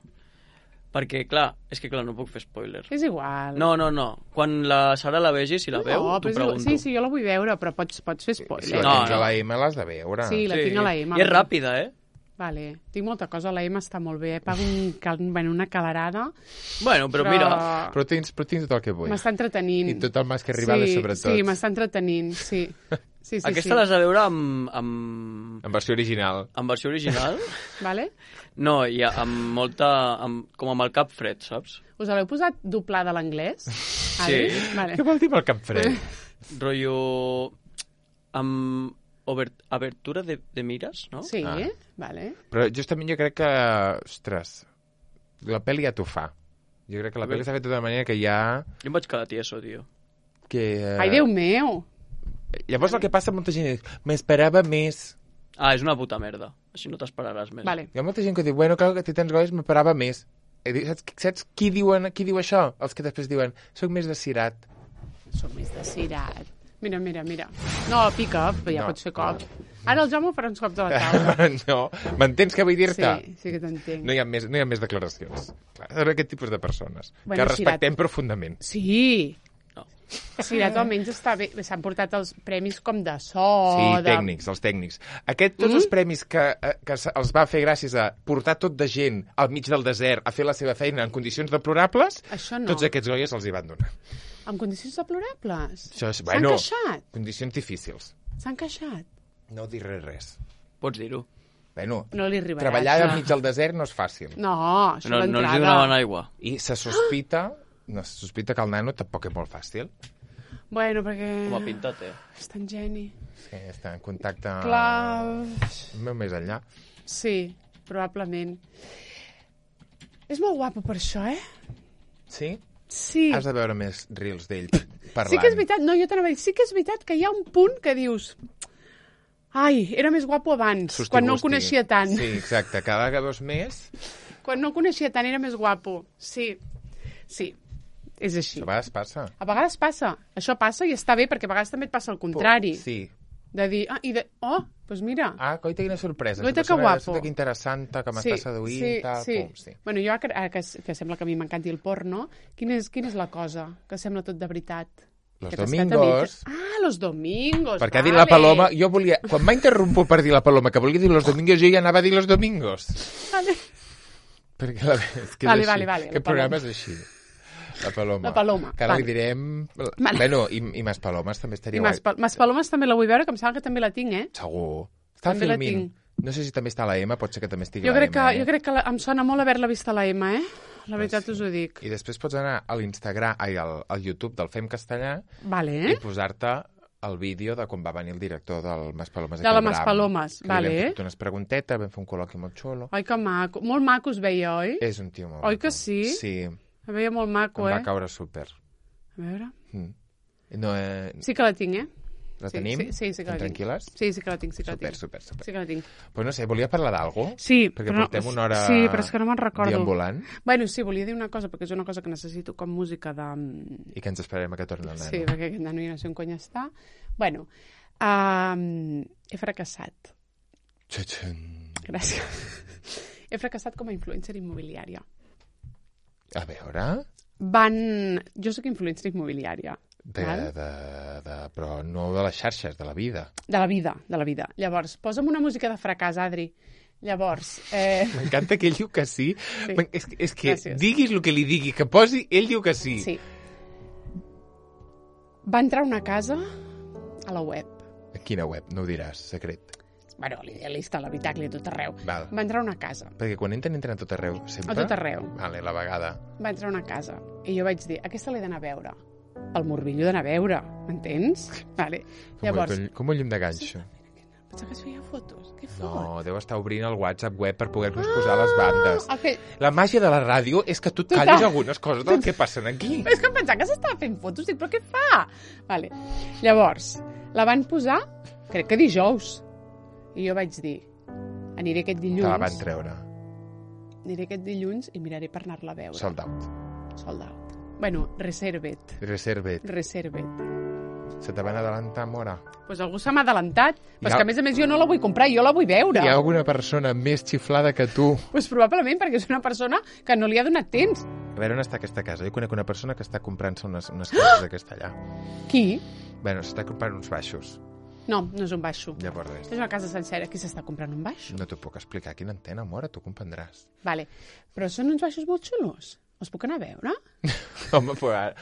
Perquè, clar, és que clar, no puc fer spoiler. És igual. No, no, no. Quan la Sara la vegi, si la veu, no, t'ho però és igual. pregunto. Sí, sí, jo la vull veure, però pots, pots fer Si spoiler. la No, tens no. a la M l'has de veure. Sí, la tinc a la M. I és ràpida, eh? Vale. Tinc molta cosa, la M està molt bé. Pago un, cal... bueno, una calarada. Bueno, però, mira... Però tens, però tens tot el que vull. M'està entretenint. I tot el mas que arribava, sí, sobretot. Sí, m'està entretenint, sí. Sí, sí, Aquesta sí. l'has de veure amb, amb, En versió original. amb versió original. Vale? No, i amb molta... Amb, com amb el cap fred, saps? Us l'heu posat doblada a l'anglès? Sí. Vale. Què vol dir pel cap fred? Rotllo... Amb obert, abertura de, de mires, no? Sí, Ah. vale. Però justament jo crec que... Ostres, la pel·li ja t'ho fa. Jo crec que la A veure. pel·li s'ha fet d'una manera que ja... Jo em vaig quedar tieso, tio. Que, eh, Ai, Déu meu! Llavors el que passa a molta gent és m'esperava més. Ah, és una puta merda. Així no t'esperaràs més. Vale. Hi ha molta gent que diu, bueno, clar que té tants gols, m'esperava més. I dic, saps, saps qui, diuen, qui diu això? Els que després diuen, soc més de cirat. Soc més de cirat. Mira, mira, mira. No, pica, però ja No, pots fer cop. Ara el Jaume farà uns cops a la taula. no, m'entens què vull dir-te? Sí, sí que t'entenc. No hi ha més, no hi ha més declaracions. Clar, són aquest tipus de persones Bueno, que respectem cirat. profundament. Sí. No. Cirat almenys està bé. S'han portat els premis com de so... Sí, de... tècnics, els tècnics. Aquest, tots Mm? els premis que, eh, que se- els va fer gràcies a portar tot de gent al mig del desert a fer la seva feina en condicions deplorables, Això no. tots aquests goies els hi van donar. En condicions deplorables. Això és, S'han bueno, queixat. condicions difícils. S'han queixat. No diré res. Pots dir-ho. Bueno, No li arribarà. treballar això. al mig del desert no és fàcil. No, això No, no els d'entrada. hi donaven aigua. I se sospita, no, se sospita que el nano tampoc és molt fàcil. Bueno, perquè... Com ha pintat, eh? És tan geni. Sí, està en contacte Clar... molt més enllà. Sí, probablement. És molt guapo per això, eh? Sí? Sí. Has de veure més reels d'ell parlant. Sí que és veritat, no, jo t'anava a dir, sí que és veritat que hi ha un punt que dius... Ai, era més guapo abans, Susti, quan no el gusti. coneixia tant. Sí, exacte. Cada que veus més, Quan no el coneixia tant era més guapo. Sí, sí, és així. a vegades passa. A vegades passa. Això passa i està bé, perquè a vegades també et passa el contrari. Sí. De dir, ah, i de... Oh, doncs mira. Ah, coita, quina sorpresa. Coita, Aquesta que persona, guapo. resulta que interessant, que m'està seduint, sí, tal, sí. pum, sí. Bueno, jo, ara que, que sembla que a mi m'encanti el porno, quina és, quina és la cosa que sembla tot de veritat? Los Que t'has domingos. quedat a mitja- Ah, los domingos, Perquè ha vale. dit la Paloma... Jo volia... Quan m'ha interromput per dir la Paloma que volia dir los domingos, jo ja anava a dir los domingos. Vale. Perquè la, és que és Vale, així. vale, vale, la Aquest programa és així. La Paloma. La Paloma, Que ara vale. li direm... Vale. Bueno, i, i Mas Palomes també I estaria Mas, guai. Pal- Mas Palomes també la vull veure, que em sembla que també la tinc, eh? Segur. Està També la filmint. tinc. No sé si també està a la M, pot ser que també estigui Jo a la crec, que, M. jo crec que la, em sona molt haver-la vist a la M, eh? La veritat sí. us ho dic. I després pots anar a l'Instagram, ai, al, al YouTube del Fem Castellà Vale, i eh? posar-te el vídeo de quan va venir el director del Mas Palomes. De la aquí al Mas Bram, Palomes, que vale. Li vam fer unes preguntetes, vam fer un col·loqui molt xulo. Ai, que maco. Molt maco es veia, oi? És un tio molt Oi maco. que sí? Sí, Es veia molt maco, em eh? va caure súper. A veure... Mm. No, eh, Sí que la tinc, eh? la sí, tenim? sí, sí, sí que la tinc. Tranquil·les? Sí, sí que la tinc, sí que la Super, tinc. super, super. Sí que la tinc. Pues no sé, volia parlar d'algú? Sí, Perquè però no- portem una hora sí, però és que no me'n recordo. deambulant Bueno, sí, volia dir una cosa, perquè és una cosa que necessito com música de... i que ens esperarem a que torni el nano. Sí, perquè aquest nano ja no sé on cony està. Bueno, um, he fracassat. Txutxun. Gràcies. He fracassat com a influencer immobiliària. A veure... Van... Jo sóc influencer immobiliària. De, val? de, de, però no de les xarxes, de la vida. De la vida, de la vida. Llavors, posa'm una música de fracàs, Adri. Llavors, eh... M'encanta que ell diu que sí. Sí. sí. És, és que Gràcies. diguis el que li digui, que posi, ell diu que sí. sí. Va entrar a una casa a la web. A quina web? No ho diràs, secret. Bueno, l'idealista, a l'habitacle, a tot arreu. Val. Va entrar a una casa. Perquè quan entren, entren a tot arreu, sempre? A tot arreu. Vale, la vegada. Va entrar a una casa. I jo vaig dir, aquesta l'he d'anar a veure. El morbillo d'anar a veure, m'entens? Vale. Com, Llavors, com, com un llum de ganxo. pensava que es feia fotos. Què fot? No, deu estar obrint el WhatsApp web per poder-nos posar les bandes. Ah, okay. La màgia de la ràdio és que tu et Total. callis algunes coses del que passen aquí. És que em pensava que s'estava fent fotos, dic, però què fa? Vale. Llavors, la van posar, crec que dijous. I jo vaig dir, aniré aquest Te dilluns, la van treure. aniré aquest dilluns i miraré per anar-la a veure. Sold out. Sold out. Bueno, reservet. Reservet. Reservet. Se te van adelantar, mora. Pues algú se m'ha adelantat. Però Hi és ha- que, a més a més, jo no la vull comprar, jo la vull veure. Hi ha alguna persona més xiflada que tu? Pues probablement, perquè és una persona que no li ha donat temps. A veure on està aquesta casa. Jo conec una persona que està comprant-se unes, unes cases d'aquesta allà. Qui? Bueno, s'està comprant uns baixos. No, no és un baixo. Llavors res. És una casa sencera. Qui s'està comprant un baix? No t'ho puc explicar. Quina antena, mora, tu comprendràs. Vale. Però són uns baixos molt xulos. Els puc anar a veure? Home, però... ara-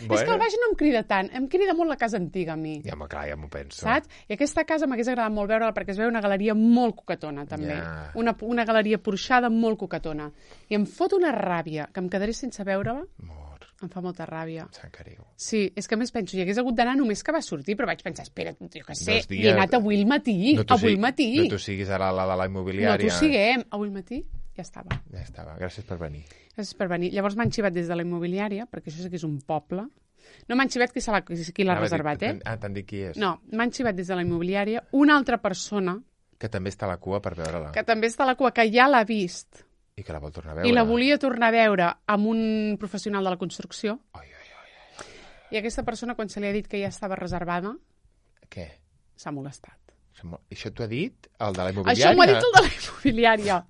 Bueno. És que el baix no em crida tant. Em crida molt la casa antiga, a mi. Ja m'ho clar, ja m'ho penso. Saps? I aquesta casa m'hagués agradat molt veure-la perquè es veu una galeria molt coquetona, també. Ja. Una, una galeria porxada molt coquetona. I em fot una ràbia que em quedaré sense veure-la. Mor, Em fa molta ràbia. Sant Cariu. Sí, és que a més penso, hi hagués hagut d'anar només que va sortir, però vaig pensar, espera, jo què sé, Dos dies. hi he anat avui al matí, No t'ho avui sigui- al matí. No t'ho siguis ara la de la No immobiliària. t'ho siguem. Avui al matí ja estava. Ja estava. Gràcies per venir. Gràcies per venir. Llavors m'han xivat des de la immobiliària, perquè això sí que és un poble. No m'han xivat qui se l'ha qui l'ha Anava a dir- reservat, eh? Ah, t'han dit qui és? No, m'han xivat des de la immobiliària una altra persona Que també està a la cua per veure-la. que també està a la cua, que ja l'ha vist I que la vol tornar a veure. i la volia tornar a veure amb un professional de la construcció. Ai, ai, ai. I aquesta persona, quan se li ha dit que ja estava reservada, Què? s'ha molestat. Això t'ho ha dit el de la immobiliària? Això m'ho ha dit el de la immobiliària.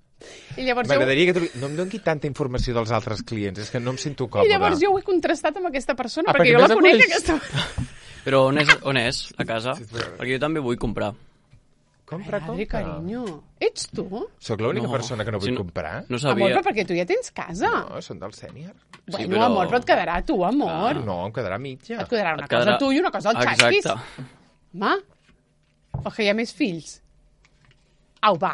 I llavors jo... M'agradaria que tu... No em doni tanta informació dels altres clients, és que no em sento còmode. I llavors jo ho he contrastat amb aquesta persona, Ah, perquè perquè jo la més la conec, coneix. aquesta... Però on és, on és, a casa? Perquè jo també vull comprar. Compra, Adri, compra. carinyo, ets tu? Soc l'única No. persona que no vull Si no- comprar? No Amor, sabia. però perquè tu ja tens casa. No, són del sènior. Bueno, però- amor, però et quedarà a tu, amor. No, em quedarà mitja. Et quedarà una Et quedarà- cosa a tu i una cosa al xasquis. Exacte. Home, o que hi ha més fills. Au, va.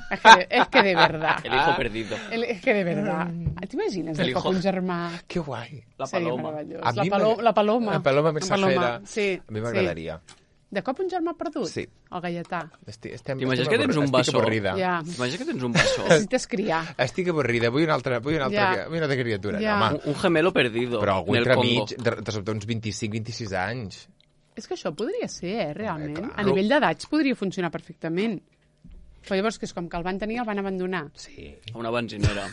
Es que, es que de verdad. El hijo perdido. El, es que de verdad. T'imagines de El cop hijo. un germà? Que guai. La Seria paloma. meravellós. A La, mi palo m'ag- la paloma. La paloma mensajera. Sí, A mi m'agradaria. Sí. De cop un germà perdut? Sí. El gaietà. Estic, estem, T'imagines estem que tens avorri- un Estic bessó? avorrida. Ja. T'imagines que tens un bessó? Necessites criar. Estic avorrida. Vull una altra, vull una altra, Ja. vull una altra criatura. Ja. No, home. Un, un gemelo perdido. Però algú en el entre Congo. mig, de, de sobte uns vint-i-cinc vint-i-sis anys. És que això podria ser, eh, realment. clar. A nivell d'edats podria funcionar perfectament. Però llavors, que és com que el van tenir, el van abandonar. Sí. A una benzinera.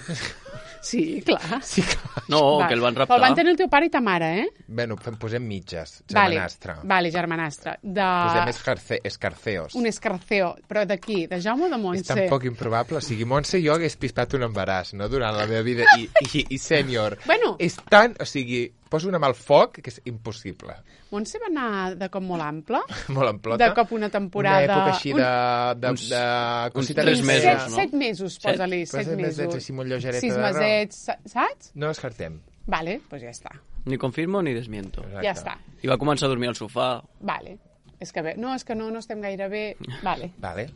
Sí, clar. Sí, clar. No, Va. que el van Però raptar. el van tenir el teu pare i ta mare, eh? Bueno, fem, posem mitges. Vale, Germanastre. vale, germanastre. De... Posem escarce, escarceos. Un escarceo. Però d'aquí, de Jaume o de És Montse? tan poc improbable. O sigui, Montse i jo hagués pispat un embaràs, no?, durant la meva vida. I, i, i sènior. Bueno. És tan... O sigui, poso una mà al foc que és impossible. Montse va anar de cop molt ample. Molt en plota. De cop una temporada... Una època així un- de... de, uns- de uns cosita tres més- mesos, set, no? set mesos, Set? posa-li, Però set set mesos. mesets així molt lleugereta Sis de raó. mesets, sa- saps? No descartem. Vale, doncs pues ja està. Ni confirmo ni desmiento. Exacte. Ja està. I va començar a dormir al sofà. Vale. És que bé, no, és que no, no estem gaire bé. Vale, Vale.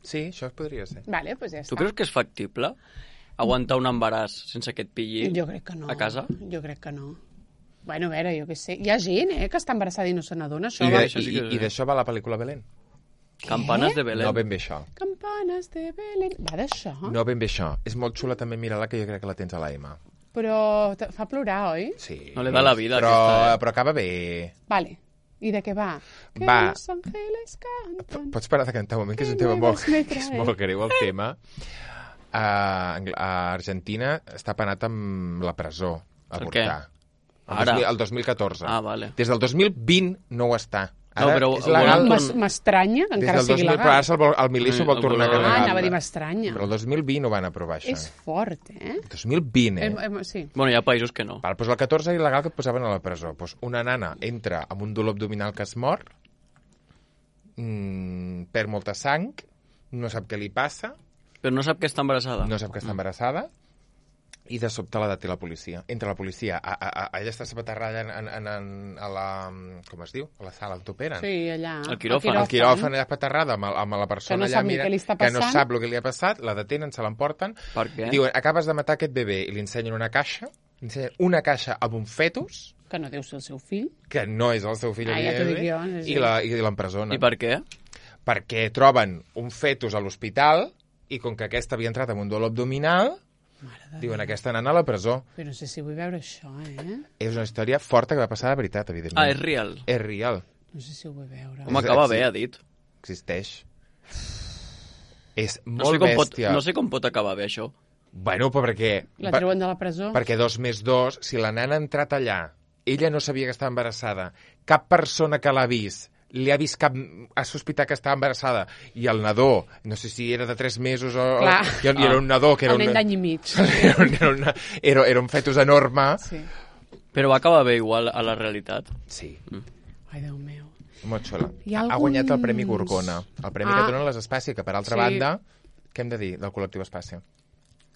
Sí, això podria ser. vale, doncs pues ja està. Tu creus que és factible aguantar un embaràs sense que et pilli Jo crec que no. a casa? Jo crec que no. Bueno, a veure, jo què sé. Hi ha gent, eh, que està embarassada i no se n'adona, això. I, va. de, això sí i, que- i d'això va la pel·lícula Belén? Campanes de Belén. No ben bé això. Campanes de Belén. Va d'això? No ben bé això. És molt xula també, mira-la, que jo crec que la tens a la M. Però te fa plorar, oi? Sí. No le da la vida, Però, aquesta, eh? però acaba bé. Vale. I de què va? Que Va. los ángeles cantan. Pots parar de cantar un moment, que és un Que tema molt, nuevos me que és trae. molt greu, el tema. A, Angl- a Argentina està penat amb la presó, a Per què? avortar. El, Ara? dos mil, el dos mil catorze. Ah, vale. Des del dos mil vint no ho està. No, Ara però és el legal. volen M'es- M'estranya que Des encara del sigui dos mil, però ara legal. se'l vol- el Milí s'ho vol El tornar volen- Ah, legal. anava a dir m'estranya. Però el dos mil vint ho van aprovar, això. És fort, eh? dos mil vint, eh? Em, em, sí. Bueno, hi ha països que no. Val, doncs el catorze era il·legal que et posaven a la presó. Doncs una nana entra amb un dolor abdominal que es mor, mmm, perd molta sang, no sap què li passa, Però no sap que està embarassada. no sap que està embarassada, i de sobte la deté la policia. Entra la policia, a, a, a, ella està sabaterrada en, en, en, en, a la... com es diu? A la sala on t'operen. Sí, allà. El quiròfan. El quiròfan allà paterrada amb, el- amb la persona Que no allà sap ni mira, què li està que no passant. sap el que li ha passat, la detenen, se l'emporten, Per què? diuen, acabes de matar aquest bebè, i li ensenyen una caixa, li ensenyen una caixa amb un fetus, Que no deu ser el seu fill. que no és el seu fill, Ah, ja t'ho dic jo, evidentment, sí. i la- i l'empresonen. I per què? Perquè troben un fetus a l'hospital, i com que aquesta havia entrat amb un dolor abdominal, diuen, aquesta nana a la presó. Però no sé si vull veure això, eh? És una història forta que va passar de veritat, evidentment. Ah, és real. És real. No sé si ho vull veure. Home, acaba bé, ha dit. Existeix. És No molt sé, com pot, bèstia. no sé com pot acabar bé, això. Bueno, però perquè... La per- treuen de la presó? Perquè dos més dos, si la nana ha entrat allà, ella no sabia que estava embarassada, cap persona que l'ha vist li ha vist cap... ha sospitat que estava embarassada, i el nadó, no sé si era de tres mesos o... Clar. I, i era un nadó que era El nen un... d'any i mig. Era, un, era, una, era, era un fetus enorme. Sí. Però va acabar bé igual a la realitat. Sí, Ai, Déu meu. molt xula. Hi ha Ha guanyat el Premi alguns- Gorgona, el premi Ah. que donen les Espàcia, que per altra Sí. banda, què hem de dir del col·lectiu Espàcia?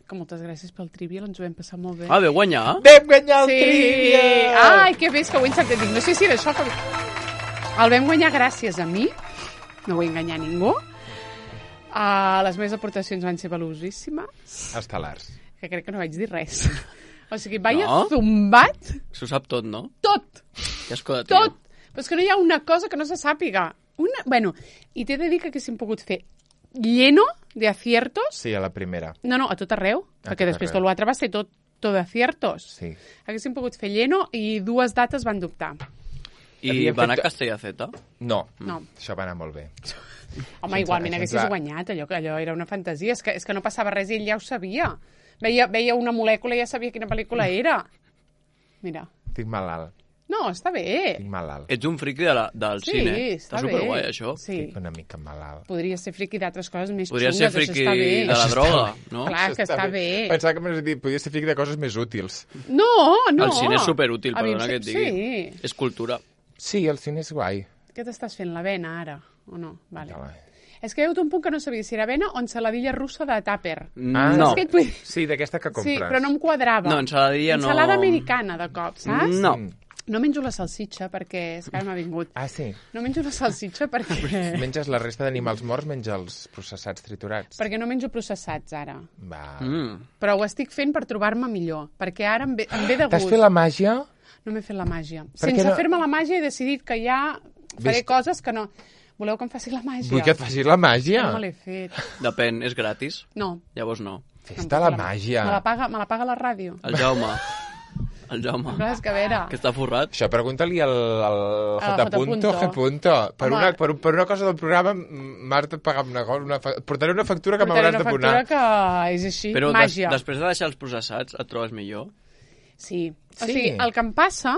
Que moltes gràcies pel trivial, ens ho vam passar molt bé. Ah, veu guanyar? Vam guanyar el sí! Trivial! Ai, que bé, és que ho he encertat. Dic, no sé si era això que... El vam guanyar gràcies a mi, no vull enganyar ningú. Uh, les meves aportacions van ser valuosíssimes, Estel·lars. que crec que no vaig dir res. O sigui, vaia No? zumbat S'ho sap tot, no? tot, Ja escolta, tio. tot. Però és que no hi ha una cosa que no se sàpiga. Una... Bueno, i t'he de dir que haguéssim pogut fer lleno de aciertos. Sí, a la primera. No, no, a tot arreu, A perquè tot després arreu. tot l'altre va ser tot, tot de aciertos. Sí. Haguéssim pogut fer lleno i dues dates van dubtar. I Havíem va anar fet- a Castelldefeta? No, No. això va anar molt bé. Home, Sense- igualment haguessis sense- guanyat, allò, que allò era una fantasia. És que, és que no passava res i ell ja ho sabia. Veia, veia una molècula i ja sabia quina pel·lícula era. Mira. Estic malalt. No, està bé. Estic malalt. Ets un friqui de la, del Sí, cine. està Està bé. superguai, això. Sí. Estic una mica malalt. Podria ser friqui d'altres coses més Podria xungues, ser això friqui està bé. de la droga, no? Clar, que està bé. Pensava que m'havies dit, podia ser fric de coses més útils. No, no. El cine és superútil, A mi perdona em que et sé- digui. Sí. És cultura. Sí, el cine és guai. Què t'estàs fent, l'avena, ara? O no? Vale. Ja va. És que hi ha hagut un punt que no sabia si era avena o ensaladilla russa de tàper. Ah, no. Saps què et vull dir? Sí, d'aquesta que compres. Sí, però no em quadrava. No, ensaladilla no. Ensalada americana, de cop, saps? No. Mm. No menjo la salsitxa perquè és que ara m'ha vingut. Ah, sí? No menjo la salsitxa perquè... Menges la resta d'animals morts, menja els processats triturats. perquè no menjo processats, ara. Va. Mm. Però ho estic fent per trobar-me millor, perquè ara em ve, em ve de T'has gust. fet la màgia? No m'he fet la màgia. Per què Sense no- fer-me la màgia he decidit que ja faré Ves- coses que no... Voleu que em faci la màgia? Vull que et facis la màgia. No me l'he fet. Depèn, és gratis? No. Llavors no. Fes-te la màgia. Me la paga, me la paga la ràdio. El Jaume. El Jaume. Clar, és que a veure... Que està forrat. Això pregunta-li al, al Al J. Punto, J. G. Punto. Per Home. una, per, un- per una cosa del programa m'has de pagar una cosa. Una, fa- portaré una factura que Portaré m'hauràs una de factura donar. que és així, Però des, màgia. després de deixar els processats, et trobes millor? Sí. O Sí. sigui, el que em passa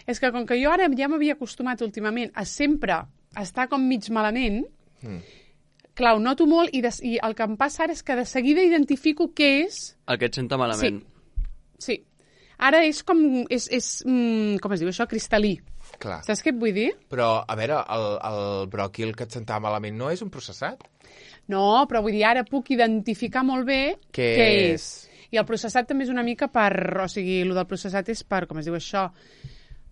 és que com que jo ara ja m'havia acostumat últimament a sempre estar com mig malament, Mm. clar, ho noto molt i, des, i el que em passa ara és que de seguida identifico què és... El que et senta malament. Sí. Ara és com... És, és, mm, com es diu això? Cristal·lí. Clar. Saps què et vull dir? Però, a veure, el, el bròquil que et sentava malament no és un processat? No, però vull dir, ara puc identificar molt bé Què què és? és. I el processat també és una mica per... O sigui, el del processat és per... Com es diu això?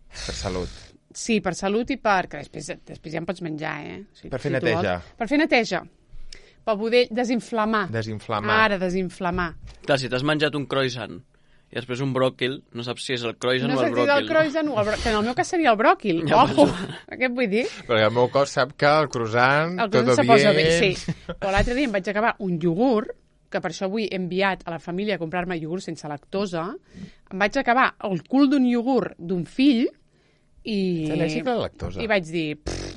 Per salut. Sí, per salut i per... Que després, després ja en pots menjar, eh? O sigui, Per fer tu neteja. vols. Per fer neteja. Per poder desinflamar. Desinflamar. Ara, desinflamar. Clar, si t'has menjat un croissant i després un bròquil, no saps si és el croissant No o sé el si és bròquil. el croissant o el bròquil, que en el meu cas seria el bròquil. Ja Ojo, penso. què et vull dir? Perquè el meu cos sap que el croissant, El tot croissant se bien... posa bé, sí. Però l'altre dia em vaig acabar un iogurt, que per això avui he enviat a la família a comprar-me iogurt sense lactosa. Em vaig acabar el cul d'un iogurt d'un fill i... Ets al·lèrgic a la lactosa. I vaig dir, pff,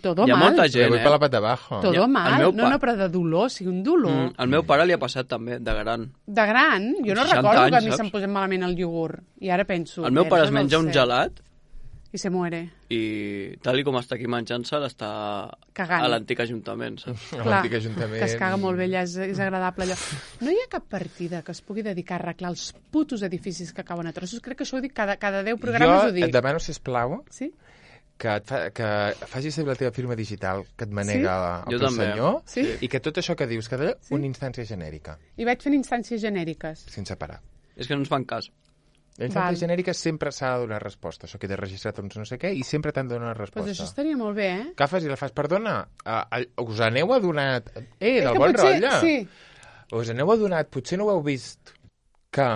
todo Hi ha mal. molta Le gent, voy eh? per la pata abajo. Todo Ja, el mal. meu No, pa- no, però de dolor, sí, un dolor. Mm, al meu pare li ha passat també, de gran. De gran, jo no seixanta recordo que a anys, mi saps? se'm posés malament el iogurt. I ara penso... El meu "Eh, pare això es no menja ho un sé". gelat I se muere. i tal i com està aquí menjant-se, està Cagant. a l'antic ajuntament, saps? A Clar, l'antic ajuntament. que es caga molt bé allà, és, és agradable allò. No hi ha cap partida que es pugui dedicar a arreglar els putos edificis que cauen a trossos? Crec que això ho dic cada, cada deu programes, Jo ho dic. et demano, sisplau, Sí? que, et fa, que facis servir la teva firma digital que et manega Sí? el Jo teu també. senyor Sí? i que tot això que dius que d'allò, Sí? una instància genèrica, I vaig fent instàncies genèriques. sense parar. És que no ens fan cas. La instància Val. genèrica sempre s'ha de donar resposta. Això queda registrat uns no sé què i sempre t'han de donar Doncs resposta. pues això estaria molt bé, eh? Agafes i la fas, perdona, uh, us aneu adonat... Eh, del que bon potser- rotlle. Sí. Us aneu adonat, potser no ho heu vist, que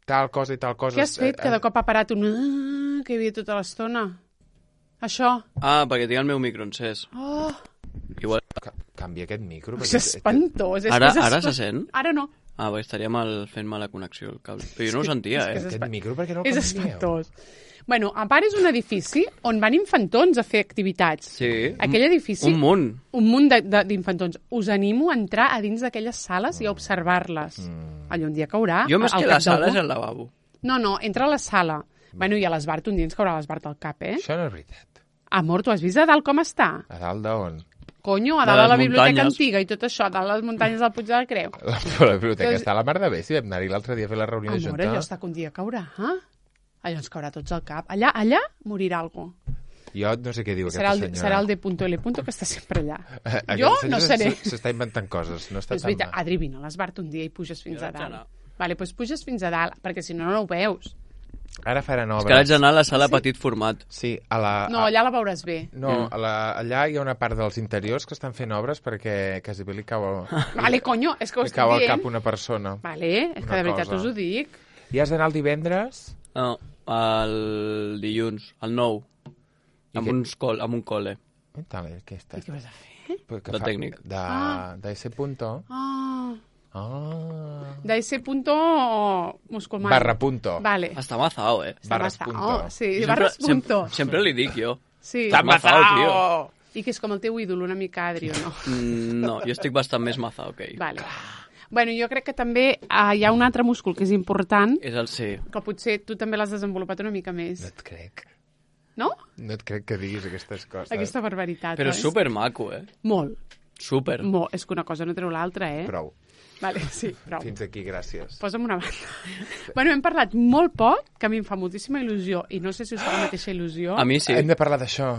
tal cosa i tal cosa... Què has fet? Que de cop ha parat un... "Ah", que hi havia tota l'estona. Això. Ah, perquè tinc el meu micro encès. Oh, Igual... Ca- Canvia aquest micro. és espantós. És Ara- que és ara espan- se sent? Ara no. Ah, perquè estaria mal fent mala connexió el cable. Però jo no ho sentia, és eh? que Aquest micro, per què no el És canvieu? espantós. Bueno, a part és un edifici on van infantons a fer activitats. Sí. Aquell edifici... Un munt. Un munt de- de- d'infantons. Us animo a entrar a dins d'aquelles sales i a observar-les. Mm. Allò un dia caurà. Jo més al que cap la sala d'algú. és el lavabo. No, no, entra a la sala. Bueno, i a l'Esbart un dia ens caurà l'Esbart al cap, eh? Això no és veritat. Amor, tu has vist a dalt com està? A dalt d'on? Conyo, a De dalt de les la biblioteca muntanyes. antiga i tot això, a dalt de les muntanyes del Puig de la Creu. La, la biblioteca Doncs- està a la mar de bé, si vam anar-hi l'altre dia a fer la reunió de Amor, junta. allò està que un dia caurà, eh? Allò ens caurà tots al cap. Allà, allà morirà algú. Jo no sé què diu Serà aquesta el, senyora. serà el D.L. que està sempre allà. Aquesta Jo senyora no seré. s- S'està inventant coses, no està És tan veritat, mal. Adri, vine a l'Esbart un dia i puges fins Jo a vaig dalt. anar. Vale, doncs puges fins a dalt, perquè si no, no ho veus. Ara faran És obres. que vaig anar a la sala petit format. Sí, a la... No, a- allà la veuràs bé. No, a la, allà hi ha una part dels interiors que estan fent obres perquè quasi bé li cau, Vale, conyo, és que ho li estic cau al dient. cap una persona. Vale, és que Una de veritat cosa. us ho dic. I has d'anar el divendres? No, el dilluns, el nou. I Amb, què? uns col, amb un col·le. I tal, què està? I què vas a fer? Que De fa- tècnic. De, Ah. de ese punto. Ah, Ah. de ese punto musculman. Barra punto. Vale. Està mazao, eh? Està barres bastant- punto. Oh, sí, Jo barres sempre, punto. Sempre, sempre li dic jo. Sí. T'han Mazao, mazao! I que és com el teu ídol una mica, Adri, o no? Mm, no, jo estic bastant més mazao que ell. Vale. Bueno, jo crec que també uh, hi ha un altre múscul que és important, És el sí. que potser tu també l'has desenvolupat una mica més. No et crec. No? No et crec que diguis aquestes coses. Aquesta barbaritat. Però oi? és supermaco, eh? Molt. Super. Molt. És que una cosa no treu l'altra, eh? Prou. Vale, sí, prou. Fins aquí, gràcies. Posa'm una banda. Bueno, hem parlat molt poc, que a mi em fa moltíssima il·lusió, i no sé si us fa la mateixa il·lusió. A mi sí. Hem de parlar d'això.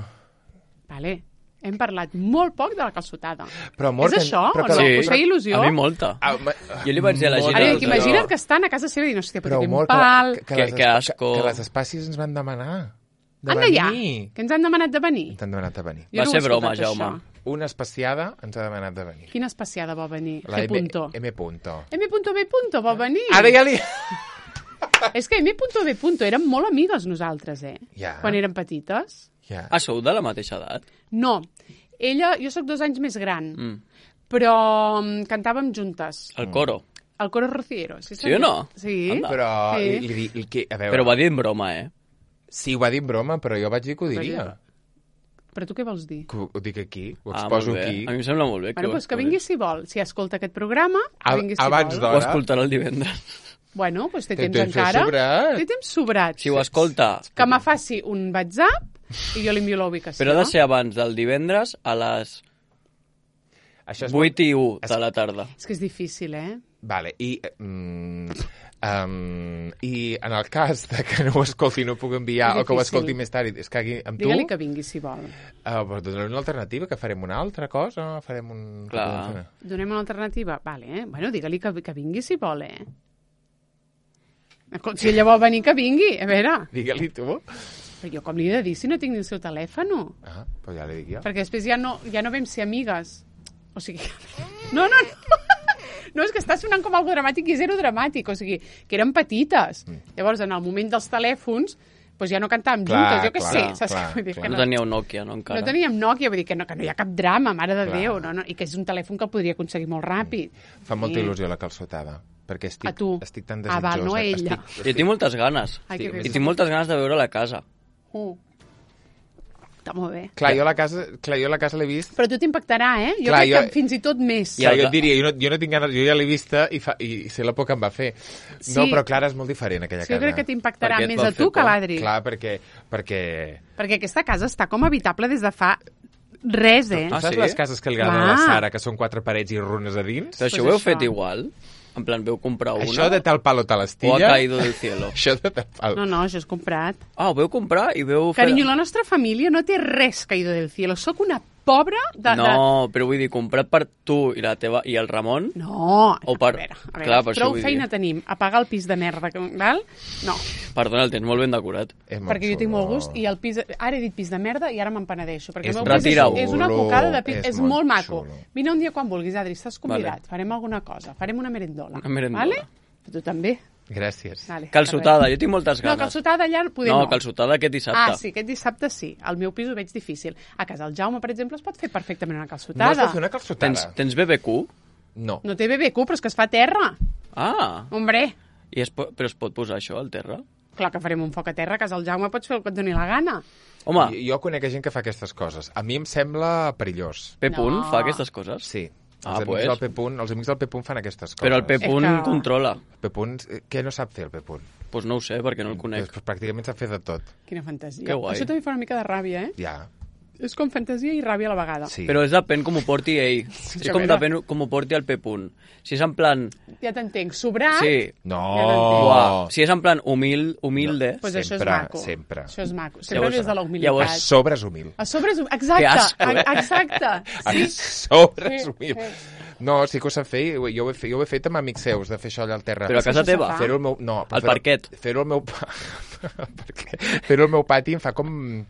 Vale. Hem parlat molt poc de la calçotada. Però, amor, és que- això però o que no? la- Us feia il·lusió? A mi molta. Ah, ma- Jo li vaig dir a la Molt. Gina... Ara, Doncs que allò- imagina't que estan a casa seva i diuen, hòstia, però Però, quin amor, pal... que, que, Que- les, que asco. que les espècies ens van demanar. De Anda ja, venir. que ens han demanat de venir. Ens han demanat de venir. Jo Va no ho he ser broma, escoltat, Jaume. això. Una especiada ens ha demanat de venir. Quina especiada vol venir? La G. M, Punto. M. Punto. M. B. Punto vol venir. Ara ja li... És que M. B. Punto érem molt amigues nosaltres, eh? Ja. Quan érem petites. Ja. Ah, sou de la mateixa edat? No. Ella, jo sóc dos anys més gran, Mm. però mm, cantàvem juntes. El coro. El coro rociero. Sí, Sí o no? Sí. Anda. Però, Sí. li, li, li, li, que, a veure... Però va dir en broma, eh? Sí, ho va dir en broma, però jo vaig dir que ho diria. Però Però tu què vols dir? Que ho, ho dic aquí, ho Ah, exposo molt bé. aquí. A mi em sembla molt bé. Bueno, ho doncs que exposis. vingui si vol. Si escolta aquest programa, que Ab- vingui si abans vol. d'hora. Ho escoltarà el divendres. Bueno, doncs té Té temps temps encara. sobrat. Té temps sobrat. Si ho escolta... Que me faci un WhatsApp i jo li envio la ubicació. Però ha de ser abans del divendres a les Això és vuit i u és- de la tarda. És que és difícil, eh? Vale, i, mm, um, i en el cas de que no ho escolti, no puc enviar, És o que ho difícil. escolti més tard i es cagui amb tu, Digue-li que vingui si vol. uh, doncs donarem una alternativa, que farem una altra cosa, farem un... Clar. què podem fer? Donem una alternativa? Vale, eh? Bueno, digue-li que, que vingui si vol, eh? Si ella vol venir, que vingui. A veure, Digue-li tu. però jo com li he de dir si no tinc ni el seu telèfon? Ah, doncs ja li dic jo. Perquè després ja no, ja no vam ser amigues. O sigui... No, no, no. No, és que està sonant com algo dramàtic i zero dramàtic. O sigui, que eren petites. Mm. Llavors, en el moment dels telèfons, doncs ja no cantàvem Clar, juntes, jo què clar, sé. Saps clar, què vull dir? clar. Que No teníeu Nokia, no, encara? No teníem Nokia, vull dir que no, que no hi ha cap drama, mare de Clar. Déu, no, no, i que és un telèfon que el podria aconseguir molt ràpid. Fa molta Sí. il·lusió la calçotada, perquè estic, A tu. estic tan Ah, desitjós. val, no a de- ella. Estic, Jo tinc moltes ganes. Ai, que Sí, bé. I tinc moltes ganes de veure la casa. Uh. Està molt bé. Clar, jo la casa, clar, jo la casa l'he vist. Però a tu t'impactarà, eh? Jo Clar, crec jo- que fins i tot més. Clar, el jo ga- et diria, jo no, jo no tinc ganes, jo ja l'he vista i, fa, i sé la por que em va fer. Sí. No, però Clara és molt diferent, aquella Sí, jo casa. crec que t'impactarà Per què et més va a fer tu que a por? l'Adri. Clar, perquè... perquè... Perquè aquesta casa està com habitable des de fa res, eh? Tu Ah, saps sí? les cases que li agraden a la Clar. Sara, que són quatre parets i runes a dins? Però això Pues ho heu això. fet igual? En plan, veu comprar una? Això de tal palo tal O ha astilla... caído del cielo? Això de tal palo... No, no, això és comprat. Ah, ho veu comprar i veu fer... Carinyo, la nostra família no té res caído del cielo. Sóc una pobra de... No, però vull dir, comprat per tu i la teva i el Ramon? De... No, O per- a veure, a veure. Clar, per això prou vull dir. feina tenim. Apagar el pis de merda, que- val? No, Perdona, el tens molt ben decorat. És molt perquè jo tinc xulo. molt gust i el pis... Ara he dit pis de merda i ara m'en penedeixo. Perquè És el meu pis és, Retira-ho. és una cocada de pis. És És, molt molt maco. xulo. Vine un dia quan vulguis, Adri, estàs convidat. Vale. Farem alguna cosa. Farem una merendola. Una merendola. Vale? Tu també. Gràcies. Vale, Calçotada, jo tinc moltes No, ganes. calçotada allà poder No, no. calçotada aquest dissabte. Ah, sí, aquest dissabte sí. Al meu pis ho veig difícil. A casa del Jaume, per exemple, es pot fer perfectament una No es calçotada. pot fer una calçotada? Tens, tens B B Q? No. No té B B Q, però és que es fa a terra. Ah, Hombre, i es po però es pot posar això al terra? clar que farem un foc a terra, a casa del Jaume pots fer el que et doni la gana. Home, Jo, jo conec gent que fa aquestes coses. A mi em sembla perillós. P. Punt No. fa aquestes coses? Sí. Ah, Els, amics pues. del P-Punt, els amics del P-Punt fan aquestes coses. Però el P. Punt És que- controla. P-Punt, eh, què no sap fer el P-Punt? Doncs pues no ho sé, perquè no el conec. Pues, pràcticament sap fer de tot. Quina fantasia. Que guai. Això també fa una mica de ràbia, eh? Ja, És com fantasia i ràbia a la vegada. sí. Però és depèn com ho porti ell. És a com veure. depèn com ho porti el P. Punt. Si és en plan... Ja t'entenc. Sobrat, Sí, No! Ja t'entenc. uah, si és en plan humil, humilde... pues això és Sempre, maco. sempre. Això és maco. Sempre Llavors- des de la A humilitat. sobre és humil. A sobre és... Exacte, Que asco, eh? a- exacte. A Sí. sobre és Sí, humil. sí. No, sí que ho sap fer. Jo ho he fet, jo ho he fet amb amics seus, de fer això allà al terra. Però a casa Això se teva? fa. Fer-ho al meu... No, però Al fer-ho- parquet. Fer-ho al meu... pa- Perquè fer-ho al meu pati em fa com...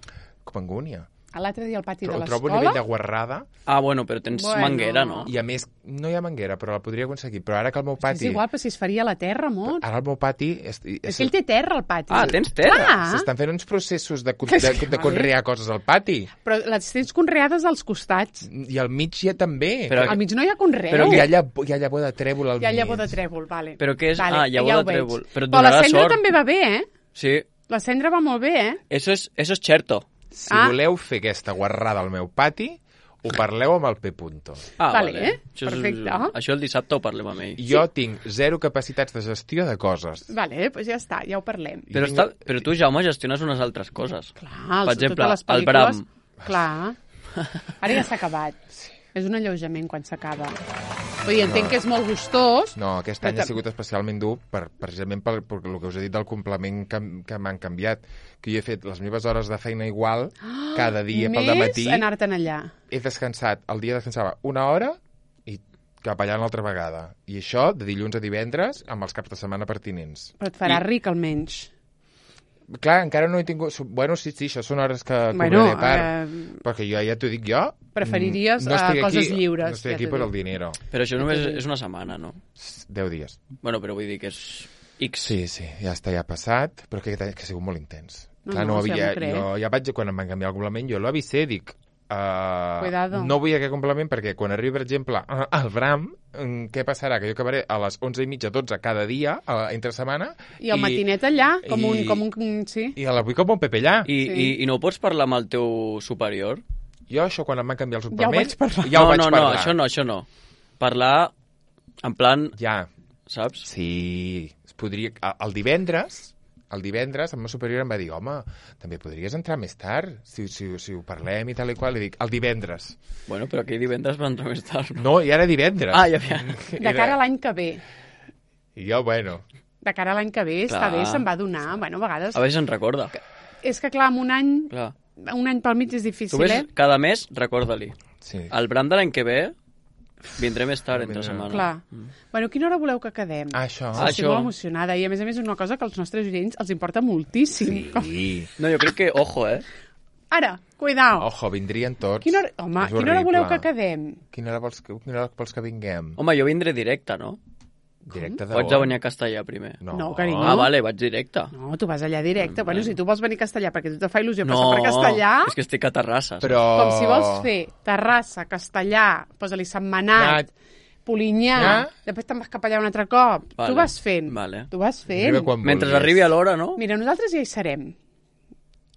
com angúnia. L'altre dia al pati de Ho trobo a nivell l'escola... de guarrada Ah, bueno, però tens Bueno. manguera, no? i, a més, no hi ha manguera, però la podria aconseguir. Però ara que el meu pati... És igual, però si es faria a la terra, amor. Ara el meu pati... És, és, És que ell té terra, al pati. Ah, tens terra? Clar, S'estan fent uns processos de, de, de conrear coses al pati. però les tens conreades als costats. I al mig hi ha també. Però- Al mig no hi ha conreu. Però hi ha, llavor, hi ha llavor de trèvol al Hi ha mig. llavor de trèvol, vale. Però què és? Vale, Ah, llavor ja de ho veig. trèvol. Però et Però la donarà cendra sort. també va bé, eh? Sí, La cendra va molt bé, eh? eso es, eso es cherto. Si Ah. voleu fer aquesta guarrada al meu pati, ho parleu amb el P. Punto. Ah, Vale, vale. Això és- perfecte. Això el dissabte ho parlem amb ell. Jo tinc zero capacitats de gestió de coses. Vale, doncs ja està, ja ho parlem. Però, tinc- està, però tu, Jaume, gestiones unes altres coses. Clar, Per els- exemple, totes les el pel·lícules... Bram. Clar. Ara ja s'ha acabat. És un alleujament quan s'acaba. Vull dir, entenc que és molt gustós. No, aquest Però any ha tam- sigut especialment dur per, precisament per, per el que us he dit del complement que, que m'han canviat. Que jo he fet les meves hores de feina igual cada dia pel dematí. Més anar-te'n allà. He descansat, el dia descansava una hora i cap allà una altra vegada. I això de dilluns a divendres amb els caps de setmana pertinents. Però et farà I- ric, almenys. Clar, encara no he tingut... Bueno, sí, sí, això són hores que Bueno, cobraré a part. eh, Perquè jo ja t'ho dic jo... Preferiries, mm, eh, estic coses aquí, lliures, No estic ja aquí t'ho per dic. el dinero. Però això només és una setmana, no? Deu dies. Bueno, però vull dir que és X. Sí, sí, ja està, ja ha passat, però que, que ha sigut molt intens. No, Clar, no, no sí, havia, m'ho crec. jo ja vaig, quan em van canviar el complement, jo l'avisé, dic... Uh, Cuidado. no vull aquest complement perquè quan arribi, per exemple, al Bram, mm, què passarà? Que jo acabaré a les onze i mitja, dotze cada dia, uh, entre setmana... I el matinet allà, com i- un... Com un sí. I a la vull com un Pepe allà. I, Sí. i, I no ho pots parlar amb el teu superior? Jo això, quan em van canviar el Ja ho suplement... vaig parlar. Ja ho no, vaig no, parlar. no, això no, això no. Parlar en plan, Ja, saps? sí. Es podria... El divendres, el divendres, el meu superior em va dir, home, també podries entrar més tard, si, si, si ho parlem i tal i qual. I dic, el divendres. Bueno, però aquell divendres va entrar més tard, no? No, i ara divendres. Ah, ja, ja. De cara a l'any que ve. I jo, bueno... De cara a l'any que ve, està Clar. bé, se'n va donar. Bueno, a vegades... A veure si se'n recorda. És que, clar, en un any... Clar. Un any pel mig és Tu difícil, ves, eh? cada mes, recorda-li. Sí. El Bram de l'any que ve vindré més tard, entre Vindrà. setmana. Clar. Bueno, quina hora voleu que quedem? Ah, això. Ah, Estic això. molt emocionada. I, a més a més, és una cosa que als nostres oients els importa moltíssim. Com- Sí. No, jo crec que, ojo, eh? Ara, cuidao. Ojo, vindrien tots. Quina hora... Home, És quina hora horrible. voleu que quedem? Quina hora vols que, quina hora vols que vinguem? Home, jo vindré directe, no? Directe de O haig de on? venir a castellà primer? No, No, carinyo. Ah, vale, vaig directe. No, tu vas allà directe. Bueno, si tu vols venir a castellà perquè a tu te fa il·lusió No, passar per castellà... és que estic a Terrassa. saps? Però... Com si vols fer Terrassa, Castellà, posa-li Sentmenat, Anat. Polinyà, Ja. després te'n vas cap allà un altre cop. Vale, Tu vas fent. vale. Tu vas fent. Arriba quan Mentre vulguis. arribi a l'hora, no? Mira, nosaltres ja hi serem.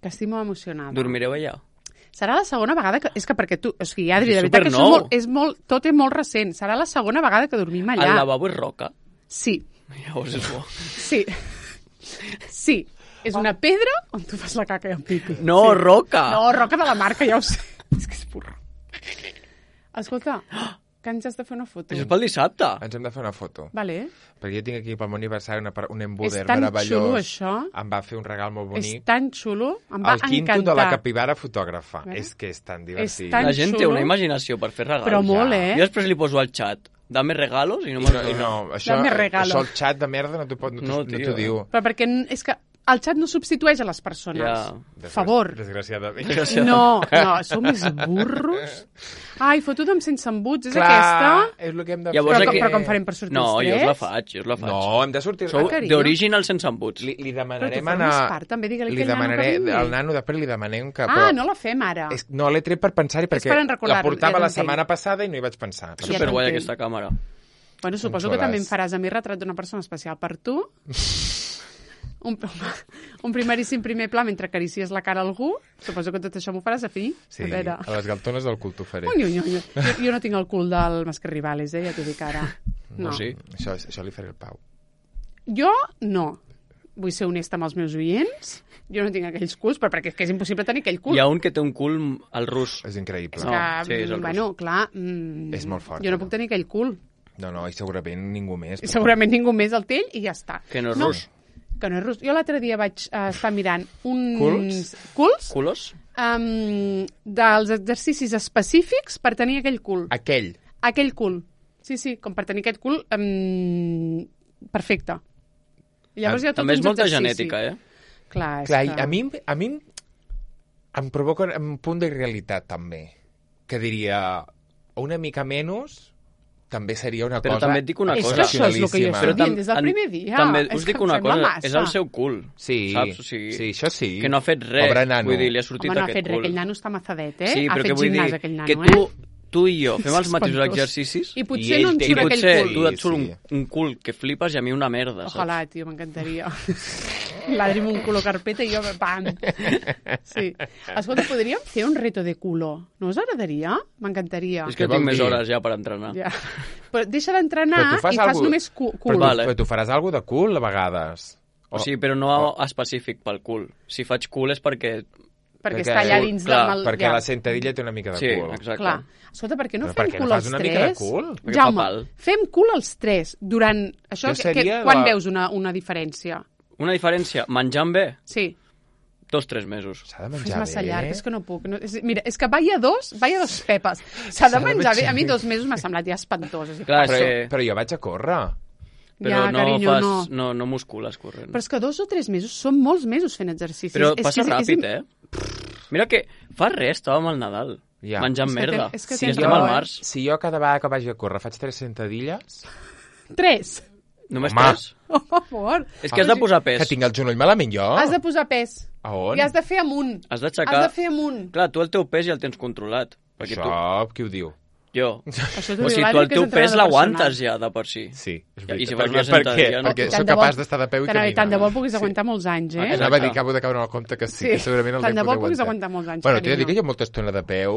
Que estic molt emocionada. Dormireu allà. Serà la segona vegada que... És que perquè tu... O sigui, Adri, És de veritat que això és supernou. molt, és molt... Tot és molt recent. Serà la segona vegada que dormim allà. El lavabo és roca. Sí, Llavors és bo. sí. Sí. És una pedra on tu fas la caca i el pipi. No, sí. roca! No, roca de la marca, ja ho sé. És que és burro. Escolta, que ens has de fer una foto. Això és pel dissabte. Ens hem de fer una foto. Vale. Perquè jo tinc aquí pel meu aniversari una, par- un embuder És tan meravellós. xulo, això. Em va fer un regal molt És bonic. tan xulo. Em va El quinto encantar. de la capibara fotògrafa. Vale. És que és tan divertit. tan La gent té xulo. una imaginació per fer regals. Però molt, ja. eh? Jo després li poso al xat, dame regalos, i no I me'l no, i dona. no, això, Dame regalo. això el xat de merda no t'ho pot- no t'ho No, no, tio. t'ho diu. Però perquè n- és que el xat no substitueix a les persones. Ja. Per favor. Desgraciadament. No, no, sou més burros. Ai, foto d'em sense embuts, és Clar, aquesta? és el que hem de Llavors Però, fer. com, aquí- però com farem per sortir No, els jo tres? us la faig, jo us la faig. No, hem de sortir... Sou Ah, carinyo. d'original sense embuts. Li, li Però demanarem tu anar... formes part, també, digue-li li aquell nano que demanaré, vingui. al nano després li demanem que... Ah, però no la fem ara. és, no, l'he tret per pensar-hi perquè per recordar-ho, la portava ja la t'entenc. setmana passada i no hi vaig pensar. Ja Superguai t'entenc. aquesta càmera. Bueno, suposo xulàs. que també em faràs a mi retrat d'una persona especial per tu. Un, un primeríssim primer pla mentre acaricies la cara a algú. Suposo que tot això m'ho faràs a fi. Sí, A veure. a les galtones del cul t'ho faré. Ui, ui, ui. Jo, jo no tinc el cul del Masque Rivales, eh? Ja t'ho dic ara. No. O sí? Això, això li faré el Pau. Jo no. Vull ser honesta amb els meus oients. Jo no tinc aquells culs, però perquè és que és impossible tenir aquell cul. Hi ha un que té un cul al rus. És increïble. És No, que, sí, és el bueno, clar... Mm, És molt fort, Jo no no? puc tenir aquell cul. No, no, i segurament ningú més. I segurament ningú més el té ell i ja està. Que no és No. rus. Que no és rus. Jo l'altre dia vaig uh, estar mirant uns... Culs? Culs? Culos? Um, dels exercicis específics per tenir aquell cul. Aquell. Aquell cul. Sí, sí, com per tenir aquest cul um, perfecte. I llavors hi ha tot També és uns molta exercicis. genètica, eh? Clar, és Clar, que... i a mi, a mi em provoca un punt de realitat, també. Que diria, una mica menys també seria una Però cosa també et dic una És cosa. que això és el que jo excepcionalíssima. estic Però tam- dient des del en- primer dia. També És us que dic em una sembla cosa, massa. és el seu cul. Sí, saps? O sigui, sí, això sí. Que no ha fet res. Pobre nano. Vull dir, li ha sortit Home, no ha aquest fet res, cul. aquell nano està mazadet, eh? Sí, ha però fet que vull gimnàs, dir aquell nano, que tu, eh? tu i jo fem És els mateixos espantós. exercicis I I potser ell no em té- i surt aquell potser cul. tu et surt Sí. un, un cul que flipes i a mi una merda, saps? Ojalà, tio, m'encantaria. L'Adri amb un culo carpeta i jo, pam. Sí. Escolta, podríem fer un reto de culo. No us agradaria? M'encantaria. És que Què vol tinc més dir? hores ja per entrenar. Ja. Però deixa d'entrenar Però tu fas i fas algú- només cu cul. Però vale. Però tu faràs alguna de cul, a vegades. O sigui, però no específic pel cul. Si faig cul és perquè... Perquè, Perquè- està allà dins clar, del... Perquè ja. la sentadilla té una mica de Sí, cul. exacte. Clar. Escolta, per què no Però per fem què cul no fas els una tres? mica de cul? Perquè fa Jaume, pal. fem cul els tres durant... Això, Jo que, que, seria quan la- veus una, una diferència? Una diferència, menjant bé, Sí. dos, tres mesos. S'ha de És menjar massa bé. llarg, és que no puc. No, és, mira, és que vaya dos, vaya dos pepes. S'ha de menjar bé. A mi dos mesos m'ha semblat ja espantós. És dir, Clar, Però, és que... però jo vaig a córrer. Però ja, no, carinyo, fas, no. no. no muscules corrent. Però és que dos o tres mesos són molts mesos fent exercicis. Però és passa que és, ràpid, és, eh? Mira que fa res, estàvem al Nadal. Ja. Menjant És que merda. ten- és que Si tens estem raó, al eh? març, Si jo cada vegada que vagi a córrer faig tres sentadilles... Tres. només Home. tres. Oh, per favor. És que has de posar pes. Que tinc el genoll malament jo? Has de posar pes. A on? I has de fer amunt. Has d'aixecar... Has de fer amunt. Clar, tu el teu pes ja el tens controlat. Perquè Això, tu... qui ho diu? Jo. Això O sigui, tu el teu pes l'aguantes ja de per si. Sí, és I si veritat. fas una perquè, perquè, sentadilla, no? perquè Tant sóc de bo- capaç d'estar de peu i Tant, caminar. tant de bo puguis aguantar molts anys, eh? Exacte. Anava a dir que acabo de caure en el compte que sí, Sí. que segurament el Tant de deia bo poder puguis aguantar molts anys, Bueno, t'he de dir carinyo. que hi ha molta estona de peu...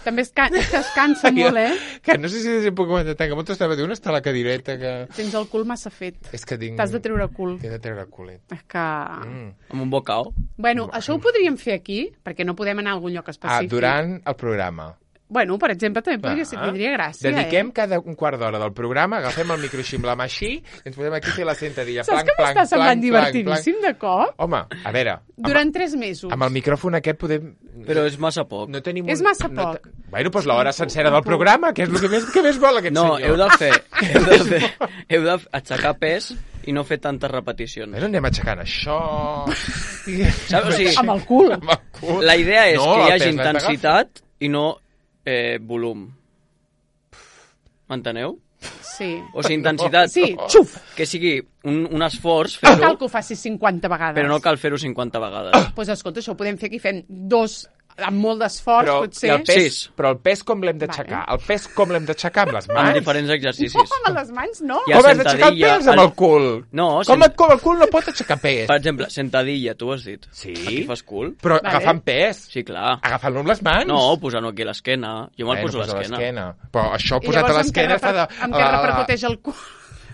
També es, can és que es cansa molt, eh? Que no sé si puc aguantar tant, que molta estona de una està a la cadireta que... Tens el cul massa fet. És que tinc... T'has de treure cul. T'he de treure culet. És que... Mm. Amb un bocao. Bueno, això ho podríem fer aquí, perquè no podem anar a algun lloc Ah, específic. durant el programa. Bueno, per exemple, també podria ser, Ah. tindria gràcia, Dediquem eh? cada un quart d'hora del programa, agafem el micro així amb la mà així i ens posem aquí a fer la sentadilla. Saps Planc, que m'està planc, semblant planc, divertidíssim de cop? Home, a veure, amb, Durant tres mesos. amb el micròfon aquest podem... Però és massa poc. No tenim És un... massa no poc. te- Bueno, doncs l'hora sencera del programa, que és el que més, que més vol aquest No, senyor. heu de fer... Heu de fer... Heu d'aixecar pes i no fer tantes repeticions. Bueno, anem aixecant això... Saps? O sigui, Amb el cul. Amb el cul. la idea és No, que hi el hagi pes l'hem d'agafar. intensitat i no eh, volum. M'enteneu? Sí. O sigui, intensitat... Sí, xuf! Que sigui un, un esforç No cal fer-ho, que ho facis cinquanta vegades. però no cal fer-ho cinquanta vegades. Doncs pues, escolta, això ho podem fer aquí, fem dos amb molt d'esforç, Però, potser. i el pes, Sis. però el pes com l'hem d'aixecar? Vale. El pes com l'hem d'aixecar amb les Amb mans? diferents exercicis. No, amb les mans no. Hi ha Com has d'aixecar el sentadilla, pes amb el- el cul? No, com, sent- et, com el cul no pot aixecar pes? Per exemple, sentadilla, tu ho has dit. Sí. Aquí fas cul? Però Vale. agafant pes. Sí, clar. Agafant-lo amb les mans. No, posant-ho aquí a l'esquena. Jo me'l Bueno, poso a posa l'esquena. Però això I posat a llavors, amb què l'esquena fa de... reper- amb què repercuteix el cul?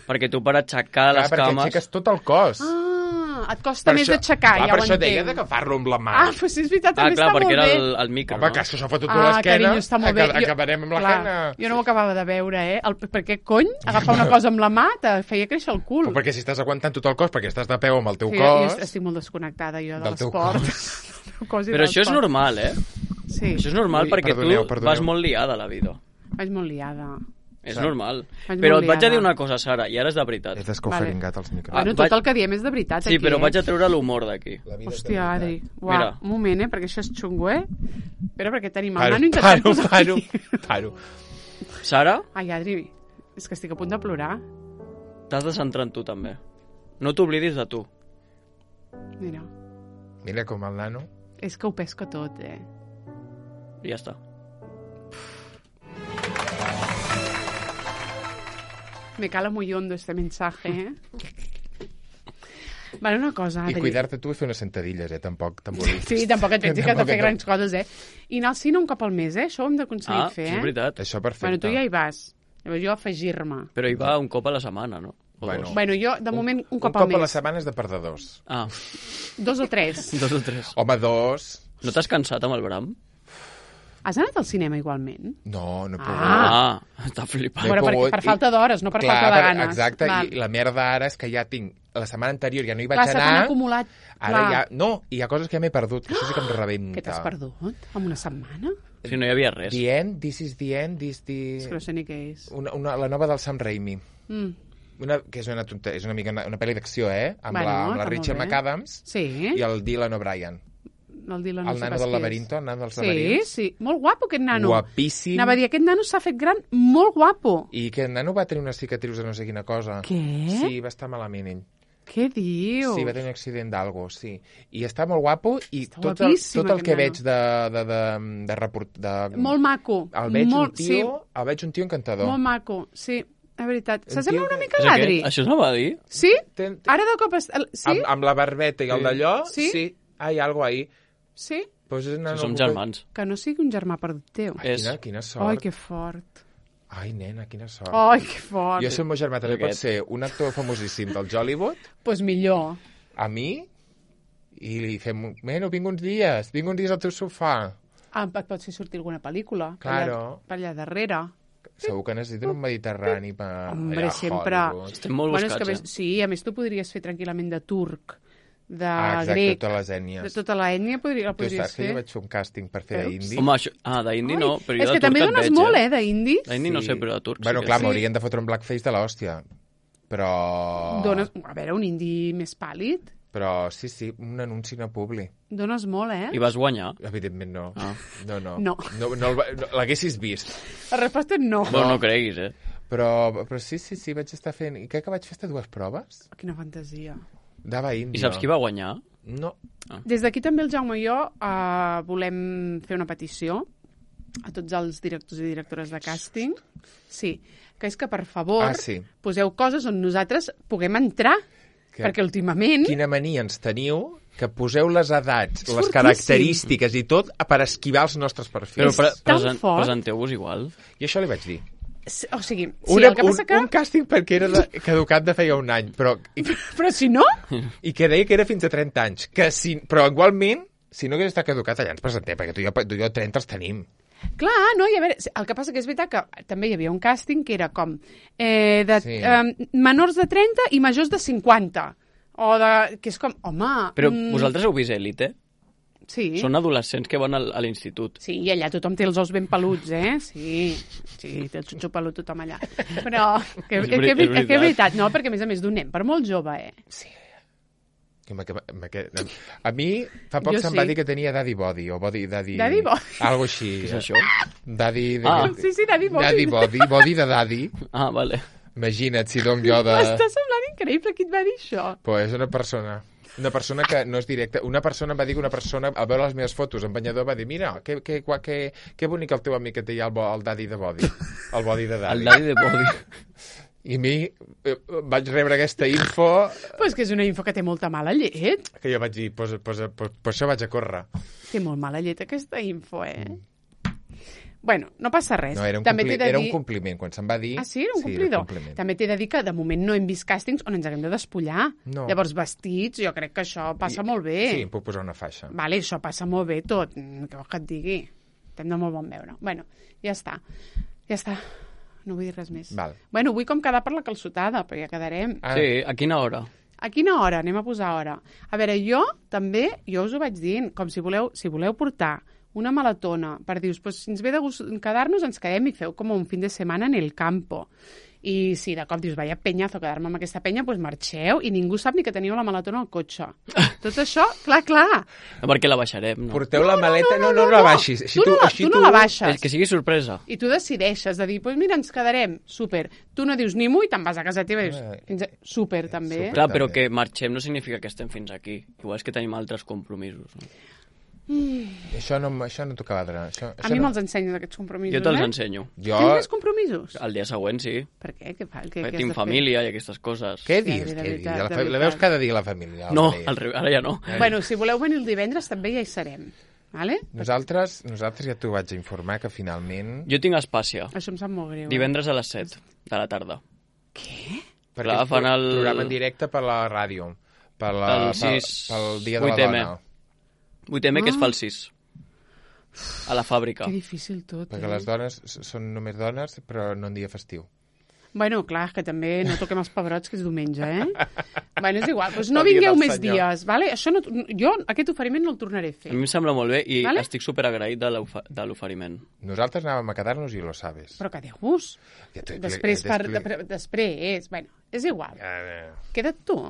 Perquè tu per aixecar Clar, les perquè cames... aixeques tot el cos. Ah, et costa més això- d'aixecar, clar, ja per ho això entenc. deia d'agafar-lo amb la mà. Ah, però sí, és veritat, Ah, també clar, està perquè molt era bé. el, el micro, Home, no? que això s'ho fot a Ah, l'esquena. carinyo, està molt bé. aca- Acabarem amb la clar, quena. Jo no ho acabava de veure, eh? El, per què cony? Agafar una cosa amb la mà te feia créixer el cul. Però perquè si estàs aguantant tot el cos, perquè estàs de peu amb el teu Sí, jo cos... estic molt desconnectada, jo, de Del teu l'esport. cos. Del teu cos i Però de això és l'esport. normal, eh? Sí, Això és normal Ui, perquè perdoneu, tu perdoneu. vas molt liada a la vida. vaig molt liada. És Sí. normal. Vaig Però molt et vaig a liada. dir una cosa, Sara, i ara és de veritat. És descoferingat els micros. Ah, Bueno, vaig- tot el que diem és de veritat, Sí, aquí, però eh? vaig a treure l'humor d'aquí. La vida és de Hòstia, veritat. Adri. Uau, Mira. un moment, eh? Perquè això és xungo, eh? Espera, perquè tenim el Paro, nano intentant paro, posar... paro, paro. Sara, Ai, Adri, és que estic a punt de plorar. t'has de centrar en tu també. No t'oblidis de tu. Mira, Mira com el nano. és que ho pesco tot, eh? I ja està. Me cala muy hondo este mensaje, eh? Vale, una cosa, I Adri. cuidar-te tu i fer unes sentadilles, eh? Tampoc t'embolis. Sí, tampoc et pensis que has de Tampoc fer et- grans coses, eh? I anar al cine un cop al mes, eh? Això ho hem d'aconseguir Ah, fer, sí, eh? és veritat. Això perfecte. Bueno, tu ja hi vas. Llavors jo afegir-me. Però hi va un cop a la setmana, no? O Bueno. dos. Bueno, jo, de moment, un, Un cop, cop al mes. a la setmana és de perdedors. Ah, Dos o tres. dos o tres. Home, dos... No t'has cansat amb el Bram? Has anat al cinema igualment? No, no he pogut. Ah, està flipant. No he Bueno, per, pogut per i- falta d'hores, no per Clar, falta de per- ganes. Exacte, Val. i la merda ara és que ja tinc... La setmana anterior ja no hi vaig Clar, se t'han anar. acumulat. Ara Clar. ja... No, hi ha coses que ja m'he perdut, que això sí que em rebenta. Què t'has perdut? En una setmana? Si no hi havia res. The End, This is the End, this the... És que no sé ni què és. Una, una, la nova del Sam Raimi. Mm. Una, que és una, tonte, és una, mica una, una pel·li d'acció, eh? Amb Bueno, la, amb la està Rachel molt bé. McAdams Sí, i el Dylan O'Brien. el Dylan El no sé nano pas del qui laberinto, és. el nano dels Sí, laberints. sí. Molt guapo, aquest nano. Guapíssim. Anava a dir, aquest nano s'ha fet gran molt guapo. I que el nano va tenir unes cicatrius de no sé quina cosa. Què? Sí, va estar malament ell. Què dius? Sí, va tenir un accident d'algo, sí. I està molt guapo i Està tot el, guapíssim, tot el que aquest veig de, de, de, de, report, de... Molt maco. El veig molt, un tio, el veig un tio Sí, encantador. molt maco, sí. La veritat. Un S'assembla tio una que- mica És a l'Adri. aquest? Això s'anava a dir? Sí? Ten- ten- Ara de cop... Es... el- Sí? Amb, amb la barbeta i el Sí. d'allò, Sí? sí. Hay algo ahí. Sí? Pues és una, Si som no- germans. Que no sigui un germà perdut teu. Ai, És- quina, quina sort. Ai, que fort. Ai, nena, quina sort. Ai, que fort. Jo, si el meu germà també pot Aquest. ser un actor famosíssim del Hollywood, Pues millor. a mi, i li fem... Bueno, vinc uns dies, vinc uns dies al teu sofà. Ah, et pot fer sortir alguna pel·lícula. per Claro. allà- Per allà darrere. Segur que necessiten un mediterrani per... Hombre, allà a sempre. Hollywood. Estem molt Bueno, és buscats, que, a més, eh? sí, a més tu podries fer tranquil·lament de turc, de Ah, exacte, grec, totes les de ètnies. tota la ètnia podria, la Tu podries saps que fer. jo vaig fer un càsting per fer Veus? d'indi? Home, això... Ah, d'indi Ai, no, però jo és de que també turc et dones veig, molt, eh? eh, d'indi. D'indi no sé, però de turc Bueno, sí que clar, sí. m'haurien de fotre un blackface de l'hòstia. Però... Dones, a veure, un indi més pàl·lid. Però sí, sí, un anunci no publi. Dones molt, eh? I vas guanyar? Evidentment no. Ah. No, no. No. no, no, el va- no L'haguessis vist. La resposta és no. Bueno, no creguis, eh? Però, però sí, sí, sí, vaig estar fent... I crec que vaig fer estas dues proves. Quina fantasia. Dava índio. I saps qui va guanyar? No. Des d'aquí també el Jaume i jo uh, volem fer una petició a tots els directors i directores de càsting. Sí, que és que, per favor, Ah, sí. poseu coses on nosaltres puguem entrar. Que- Perquè últimament... Quina mania ens teniu que poseu les edats, És les fortíssim. característiques i tot per esquivar els nostres Però perfils. pre tan presen fort. presenteu-vos igual. I això li vaig dir. Sí, O sigui, sí, Una, el que un, passa que... un càsting perquè era de, caducat de feia un any, però, i, Però si no... i que deia que era fins a trenta anys. Que si, però igualment, si no hagués estat caducat, allà ens presentem, perquè tu i jo, tu i jo trenta els tenim. Clar, no, i a veure, el que passa que és veritat que també hi havia un càsting que era com eh, de Sí. eh, menors de trenta i majors de cinquanta. O de... que és com, home... Però mm, vosaltres heu vist Elite? Sí. Són adolescents que van al, a l'institut. Sí, i allà tothom té els ous ben peluts, eh? Sí, sí, té el xutxo pelut tothom allà. Però, que, És que, veri- que, és que, que és veritat. veritat, no? Perquè, a més a més, d'un nen per molt jove, eh? Sí. Que me- que me- que- A mi fa poc Jo se'm sí. va dir que tenia daddy body, o body, daddy... Daddy body. Algo així. Què és això? Daddy... De... Ah. Sí, sí, Daddy Body. Daddy body, body de daddy. Ah, vale. Imagina't si dono jo de... M'està semblant increïble qui et va dir això. Pues és una persona... Una persona que no és directa. Una persona em va dir que una persona, al veure les meves fotos en banyador, va dir, mira, que, que, que, que, que bonic el teu amic que té ja el, bo, el daddy de body. El body de daddy. El daddy de body. I a mi eh, vaig rebre aquesta info Pues que és una info que té molta mala llet. que jo vaig dir, pues, pues, pues, pues això vaig a córrer. Té molt mala llet aquesta info, eh? Bueno, no passa res. No, era un, També compli... t'he de era dir... un compliment. Quan se'm va dir... Ah, sí? Era un sí, complidor? Era un compliment. També t'he de dir que de moment no hem vist càstings on ens haguem de despullar. No. Llavors, vestits, jo crec que això passa I- molt bé. Sí, em puc posar una faixa. Vale, això passa molt bé tot. Mm, Què vols que et digui? Estem de molt bon veure. Bueno, ja està. Ja està. No vull dir res més. Val. Bueno, vull com quedar per la calçotada, però ja quedarem. Ah, Sí, a quina hora? A quina hora? Anem a posar hora. A veure, jo també, jo us ho vaig dient, com si voleu, si voleu portar una malatona per dir, pues, si ens ve de gust quedar-nos, ens quedem i feu com un fin de setmana en el campo. I si de cop dius, vaya penyazo, quedar-me amb aquesta penya, doncs marxeu i ningú sap ni que teniu la malatona al cotxe. Tot això, clar, clar. No, perquè la baixarem, no? Porteu la maleta... No, no, no, la baixis. Així tu, no, la- així tu no la baixes. És que sigui sorpresa. I tu decideixes de dir, doncs pues mira, ens quedarem, súper. Tu no dius ni mu i te'n vas a casa teva i dius, Eh, fins a... súper, també. súper. Clar, però també. que marxem no significa que estem fins aquí. Igual és que tenim altres compromisos. No? Això no, això no t'ho quadra. Això, A això mi no... me'ls ensenyes aquests compromisos, Jo te'ls eh? ensenyo. Jo... Tens més compromisos? El dia següent, sí. Per què? Què fa? Què, Perquè què has tinc de fer? família i aquestes coses. Què Sí, dius? de Què veritat, dius? La, de fa... la veritat. veus cada dia, la família. No, Albert. al revés, ara ja no. Bueno, si voleu venir el divendres també ja hi serem. Vale? Nosaltres, nosaltres ja t'ho vaig a informar que finalment... Jo tinc Espàcia. Això em sap molt greu. eh? Divendres a les set de la tarda. Què? Perquè Clar, és fan pro- el- programa en directe per la ràdio. Per la, El pel, sis, pel dia de la vuit eme. dona. vuit eme que es Ah. fa el sis. A la fàbrica. Que difícil tot, Perquè eh? les dones s- són només dones, però no en dia festiu. Bueno, clar, que també no toquem els pebrots, que és diumenge, eh? Bueno, és igual, doncs no El dia vingueu del més senyor. dies, vale? Això no, jo aquest oferiment no el tornaré a A fer. mi em sembla molt bé i Vale. estic superagraït de l'ofa- de l'oferiment. Nosaltres anàvem a quedar-nos i lo sabes. Però que déu-vos. Ja t'ho he Després, expli- per, t'he expli- de- després, bueno, és igual. Eh, Queda't tu.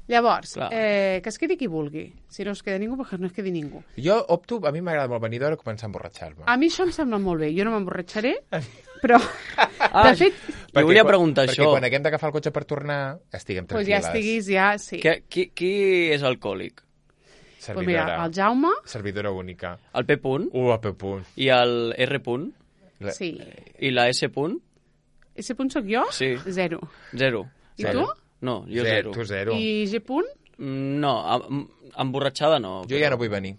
Llavors, Clar. eh, que es quedi qui vulgui. Si no es queda ningú, perquè no es quedi ningú. Jo opto, a mi m'agrada molt venir d'hora i començar a emborratxar-me. A mi això em sembla molt bé. Jo no m'emborratxaré, però, Ah, de fet, jo volia quan- preguntar perquè això. quan haguem d'agafar el cotxe per tornar, estiguem doncs ja tranquil·les. estiguis, ja, sí. Que, qui, qui és alcohòlic? Pues mira, Servidora. el Jaume, Servidora única. El P punt U a P punt. i el R punt La- sí. i la S punt? S punt soc jo? Sí. Zero. Zero. I Zero. tu? No, jo Zero, zero. tu zero. I G punt? Mm, No, em- emborratxada no. Jo ja no vull venir.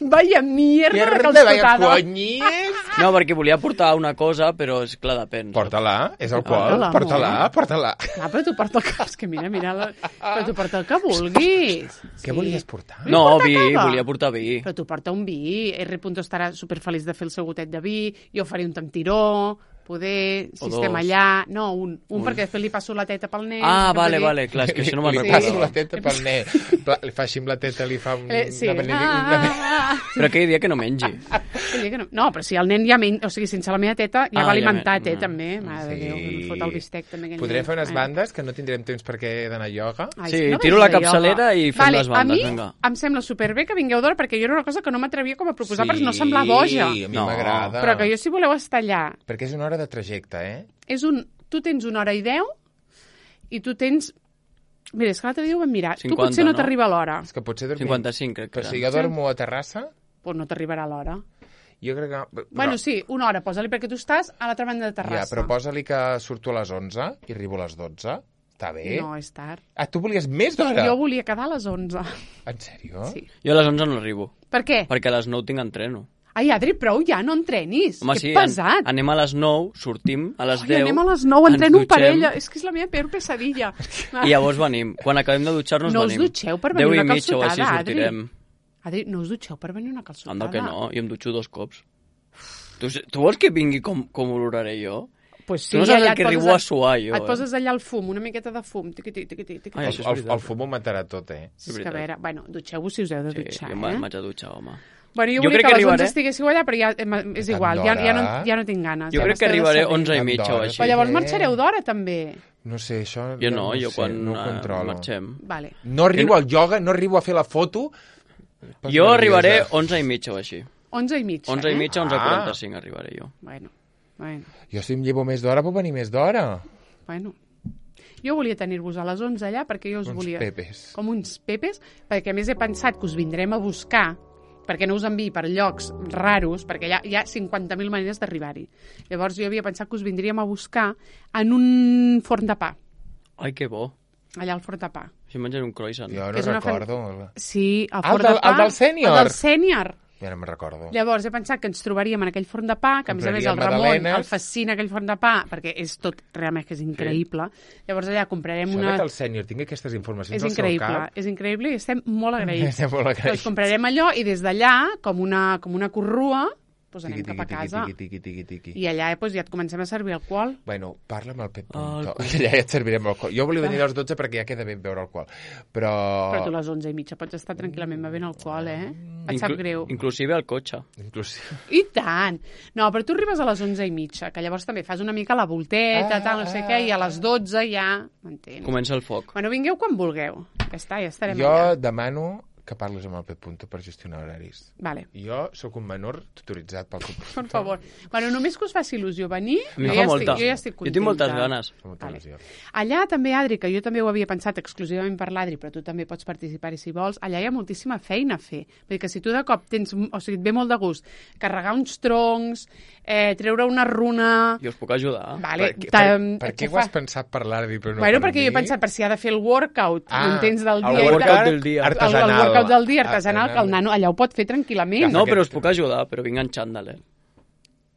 Vaya mierda, Mierda, que vaya els coñes! No, perquè volia portar una cosa, però és clar, depèn. Porta-la, és alcohol. Porta-la, Porta-la, amor. porta-la. Clar, però tu porta el que... És que mira, mira... La... Però tu porta el que vulguis. Què volies portar? No, portar vi, cava? volia portar vi. Però tu porta un vi. R. estarà superfeliç de fer el seu gotet de vi. Jo faré un tamtiró. Poder, si O estem dos. allà... No, un, un, un. perquè després li passo la teta pel nen. Ah, que vale, vull dir- vale, clar, és que això no me'n Li Sí. passo recordo. la teta pel nen. Pla- Li fa així amb la teta, li fa un... Eh, sí. una benedi- Ah, una- ah, ah. Però aquell dia que no mengi. Vull dir que no. no, però si el nen ja men... O sigui, sense la meva teta ja Ah, va ja alimentat, men- eh, també. Mare de Déu, que em fot el bistec, també. aquell Podrem nen. fer unes Eh. bandes que no tindrem temps perquè he d'anar a ioga. Ai, Sí, és que no tiro vaig la de ioga. capçalera i fem vale, les bandes, a mi vinga. em sembla superbé que vingueu d'hora, perquè jo era una cosa que no m'atrevia com a proposar per no semblar boja. Sí, a mi No. m'agrada. Però que jo, si voleu estar allà, Perquè és una hora de trajecte, eh? és un... Tu tens una hora i deu i tu tens... Mira, és que l'altre dia ho vam mirar. tu cinquanta, potser no, no? t'arriba l'hora. És que potser dormim... cinquanta-cinc, crec que Però si era. jo dormo a Terrassa, Pues no t'arribarà l'hora. jo crec que... Però, Bueno, sí, una hora, posa-li, perquè tu estàs a l'altra banda de Ja, Terrassa. però posa-li que surto a les onze i arribo a les dotze. Està bé? No, és tard. Ah, tu volies més d'hora? Jo volia quedar a les onze. En sèrio? Sí. Jo a les onze no arribo, Per què? perquè a les nou tinc entreno. Ai, Adri, prou ja, no entrenis. Home, que sí, pesat. an anem a les nou, sortim a les Ai, deu... anem a les nou, ens entreno en dutxem, parella. És que és la meva peor pesadilla. I llavors venim. Quan acabem de dutxar-nos, No us venim. dutxeu per venir Deu una i mitja o així calçotada, Adri. sortirem. Adri, no us dutxeu per venir una calçotada? Anda que no, jo em dutxo dos cops. Tu, tu vols que vingui com, com oloraré jo? Pues sí, Tu no saps allà el que et arribo poses a suar, jo, Et eh? poses allà el fum, una miqueta de fum. Tiqui, tiqui, tiqui, tiqui. Ai, El, això és el, veritat. el fum ho matarà tot, eh? És que, a veritat. veure, bueno, dutxeu-vos si us heu de Sí, dutxar, jo eh? m'haig de dutxar, home. Bueno, jo, Jo volia crec que a que les onze arribaré- estiguéssiu allà, però ja em- és Tant igual, ja, ja, no, d'hora? ja no tinc ganes. Jo ja crec que m'esteu de arribaré saber. onze i Tant mitja o d'hora, així. Però llavors Eh? marxareu d'hora, també. No sé, això... Jo no, jo sé, quan no ho eh, controlo. marxem. Vale. No arribo al ioga, no arribo a fer la foto. Pots Jo nerviosa. arribaré onze i mitja o així. onze i mitja, onze eh? i mitja, onze Ah. quaranta-cinc arribaré jo. Bueno, bueno, Jo si em llevo més d'hora, puc venir més d'hora. bueno. Jo volia tenir-vos a les onze allà perquè jo us Uns volia... pepes. Com uns pepes, perquè a més he pensat que us vindrem a buscar perquè no us enviï per llocs raros, perquè hi ha, hi ha cinquanta mil maneres d'arribar-hi. Llavors jo havia pensat que us vindríem a buscar en un forn de pa, Ai, que bo. allà al forn de pa. Si mengen un croissant. Jo no És una fan- recordo. Sí, el Ah, forn el del- de pa... el del sènior. El del sènior. Ja no me'n recordo. Llavors he pensat que ens trobaríem en aquell forn de pa, que a més a més el Compraríem Ramon magdalenes. el fascina aquell forn de pa, perquè és tot realment que és increïble. Llavors allà comprarem Això una... que el sènior tingui aquestes informacions És al seu increïble, cap... és increïble i estem molt agraïts. Estem molt agraïts. Doncs comprarem allò i des d'allà, com una, com una corrua, doncs anem Tiqui, cap a tiqui, casa. tiqui, tiqui, tiqui, tiqui. I allà doncs, ja et comencem a servir alcohol. Bueno, parla amb el Pep Ah, Punto. el Allà ja et servirem alcohol. Jo volia venir a les dotze perquè ja queda ben beure alcohol. Però... Però tu a les onze i mitja pots estar tranquil·lament bevent alcohol, eh? Et sap Inclu- greu. Inclusive al cotxe. Inclús... I tant! No, però tu arribes a les onze i mitja, que llavors també fas una mica la volteta, Ah, tal, no sé què, i a les dotze ja... M'entens? Comença el foc. Bueno, vingueu quan vulgueu. Ja està, ja estarem Jo allà. demano que parles amb el Pep Punto per gestionar horaris. Vale. Jo sóc un menor tutoritzat pel Pep Punto. Per favor. Bueno, només que us faci il·lusió venir, A mi jo, fa ja molta. estic, jo ja estic Jo contenta. tinc moltes ganes. Fa molta Vale. il·lusió. Allà també, Adri, que jo també ho havia pensat exclusivament per l'Adri, però tu també pots participar-hi si vols, allà hi ha moltíssima feina a fer. Vull dir que si tu de cop tens, o sigui, et ve molt de gust carregar uns troncs, eh, treure una runa... Jo us puc ajudar. Vale, Per, què- per, t'hem- per què t'ho ho has fa- pensat per l'Ardi però no Bueno, per perquè mi? jo he pensat per si ha de fer el workout, Ah, m'entens, del el dia. workout i tal. del dia. El, el Artesanal. workout del dia artesanal, que el Artesanal. nano allà ho pot fer tranquil·lament. Clar, No, aquest- però us puc ajudar, però vinc en xandall, eh?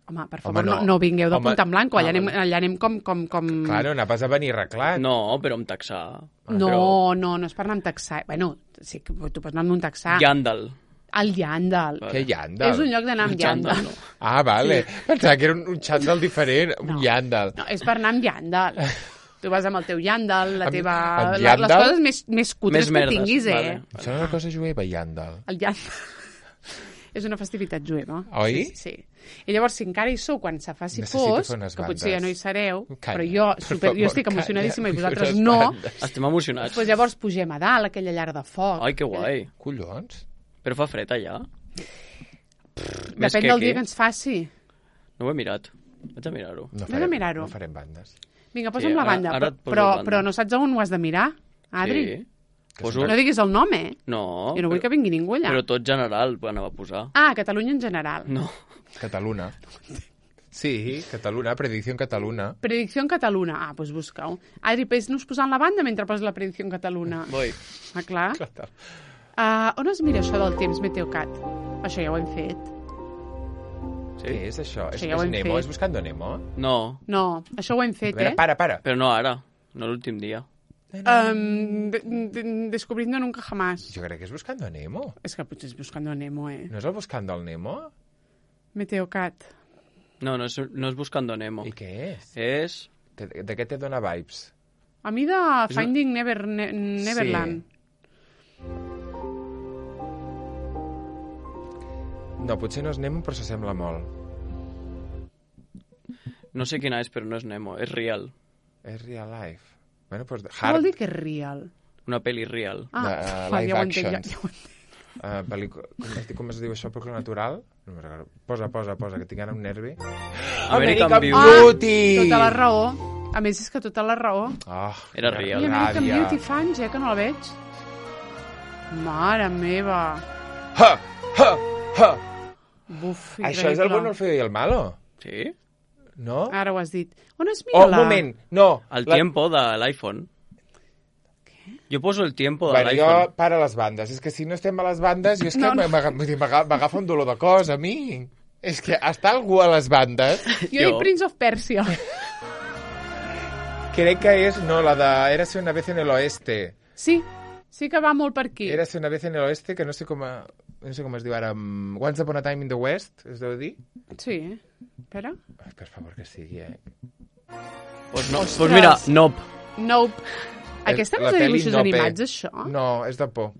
Home, per favor, Home, no. no. No, vingueu de Home, punta en blanco, allà, ah, anem, vale. allà anem com... com, com... Claro, anaves a venir arreglat. No, però amb taxar. No, Però... no, no és per anar amb taxar. Bueno, sí que tu pots anar amb un taxar. Llàndal. El Llàndal. Que llàndal. És un lloc d'anar amb Xandall, llàndal. no. Ah, vale. Pensava que era un, un xandall diferent, un No. llàndal. No, és per anar amb llàndal. Tu vas amb el teu llàndal, la Amb- teva... amb la, les llàndal? coses més, més cutres Més que merdes, tinguis, eh? vale. Em sembla una cosa jueva, llàndal. El llàndal. És una festivitat jueva. Oi? Sí, sí. I llavors, si encara hi sou quan se faci Necessito fos, fer unes que potser ja bandes. no hi sereu, Calla, però jo, per super, favor, jo estic calla, emocionadíssima i vull vosaltres unes no, bandes. Estem emocionats. doncs llavors pugem a dalt, aquella llar de foc. Ai, que guai. Collons. Però fa fred allà? Més Depèn que del aquí. dia que ens faci. No ho he mirat. Vaig a mirar-ho. No Anem a mirar-ho. no farem bandes. Vinga, Sí, posa'm la ara- banda. ara et poso però, la banda. però no saps on ho has de mirar, Adri? Sí. Poso... No diguis el nom, eh? No, Jo no vull però, que vingui ningú allà. però tot general ho anava a posar. Ah, Catalunya en general. No. Catalunya. Sí, Cataluna, predicció en Cataluna. Predicció en Cataluna. Ah, doncs busca-ho. Adri, pes-nos posant la banda mentre poses la predicció en Cataluna. Voy. Ah, clar. Clar. Uh, on es mira això del temps, Meteocat? Això ja ho hem fet. Sí? Què és això? És, Això ja ho és hem Nemo? fet. És Buscando Nemo? No, No, això ho hem A fet, veure, eh? para, para. però no ara, no l'últim dia. Um, de, de, descubriendo nunca jamás. Jo crec que és Buscando Nemo. És que potser és Buscando a Nemo, eh? No és el Buscando el Nemo? Meteocat. No, no és, no és Buscando Nemo. I què és? És... De, de què te dona vibes? A mi de És Finding Never, ne, Neverland. No, potser no és Nemo, però s'assembla molt. No sé quina és, però no és Nemo, és Real. És real life. Bueno, doncs... Què vol dir que és real? Una pel·li real. Ah, De, uh, fa, live ja ho entenc, ja, actions. ja ho entenc. Uh, pel·lícula... com, es, diu- com es diu això? Pel·lícula natural? No me'n recordo. Posa, posa, posa, que tinc ara un nervi. American Beauty. Ah, Beauty! tota la raó. A més, és que tota la raó. Oh, Era quina real. I American ràbia. Beauty fans, eh, que no la veig. Mare meva. Ha! Ha! Ha! Buf, Això és el bueno, el feo i el malo? Sí? No? Ara ho has dit. On es mira Oh, un la... moment, no. El La- tiempo de l'iPhone. Jo poso el tiempo de Bueno, jo l'iPhone. para les bandes. És que si no estem a les bandes, jo és que No, no. m'aga- vull dir, m'aga- m'agafa un dolor de cos, a mi. És que està algú a les bandes, Jo he dit Jo. Prince of Persia. crec que és, no, la de Érase una vez en el oeste. Sí, sí que va molt per aquí. Érase una vez en el oeste, que no sé com, a, no sé com es diu ara. um, Once Upon a Time in the West, es deu dir? Sí, eh? Espera. Ai, per favor, que sigui, eh? Pues, no, Ostres. pues mira, Nope. Nope. Aquesta no La és de peli dibuixos Nope. animats, això? No, és de por.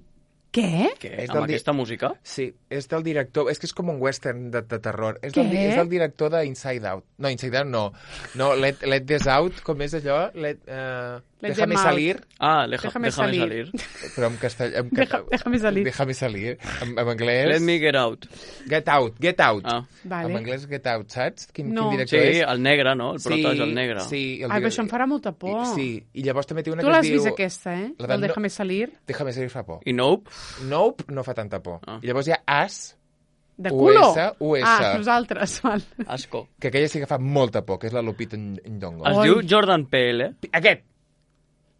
Què? Què? És Amb del di- aquesta música? Sí, és del director... És que és com un western de, de terror. És Què? del, di- és del director de Inside Out. No, Inside Out no. No, Let, let This Out, com és allò? Let, uh, Let Déjame them out. salir. Ah, leja, Déjame déjame, salir. salir. Però en castellà... En, Deja- déjame salir. Déjame salir. En, en anglès... Let me get out. Get Out, Get Out. Ah. Vale. En anglès Get Out, saps? Quin, No. quin Sí, director és? el negre, no? El prota és el negre. Sí, el Ai, però direc- això em farà molta por. I, sí, i llavors també té una Tu que es l'has diu... vist, aquesta, eh? La de El no- Déjame salir. Déjame salir fa por. I Nope? Nope no fa tanta por. Ah. I llavors hi ha As, De U culo. S, U S. Ah, nosaltres, val. Asco. que aquella sí que fa molta por, que és la Lupita Nyong'o. Es Oi. diu Jordan Peele. Aquest!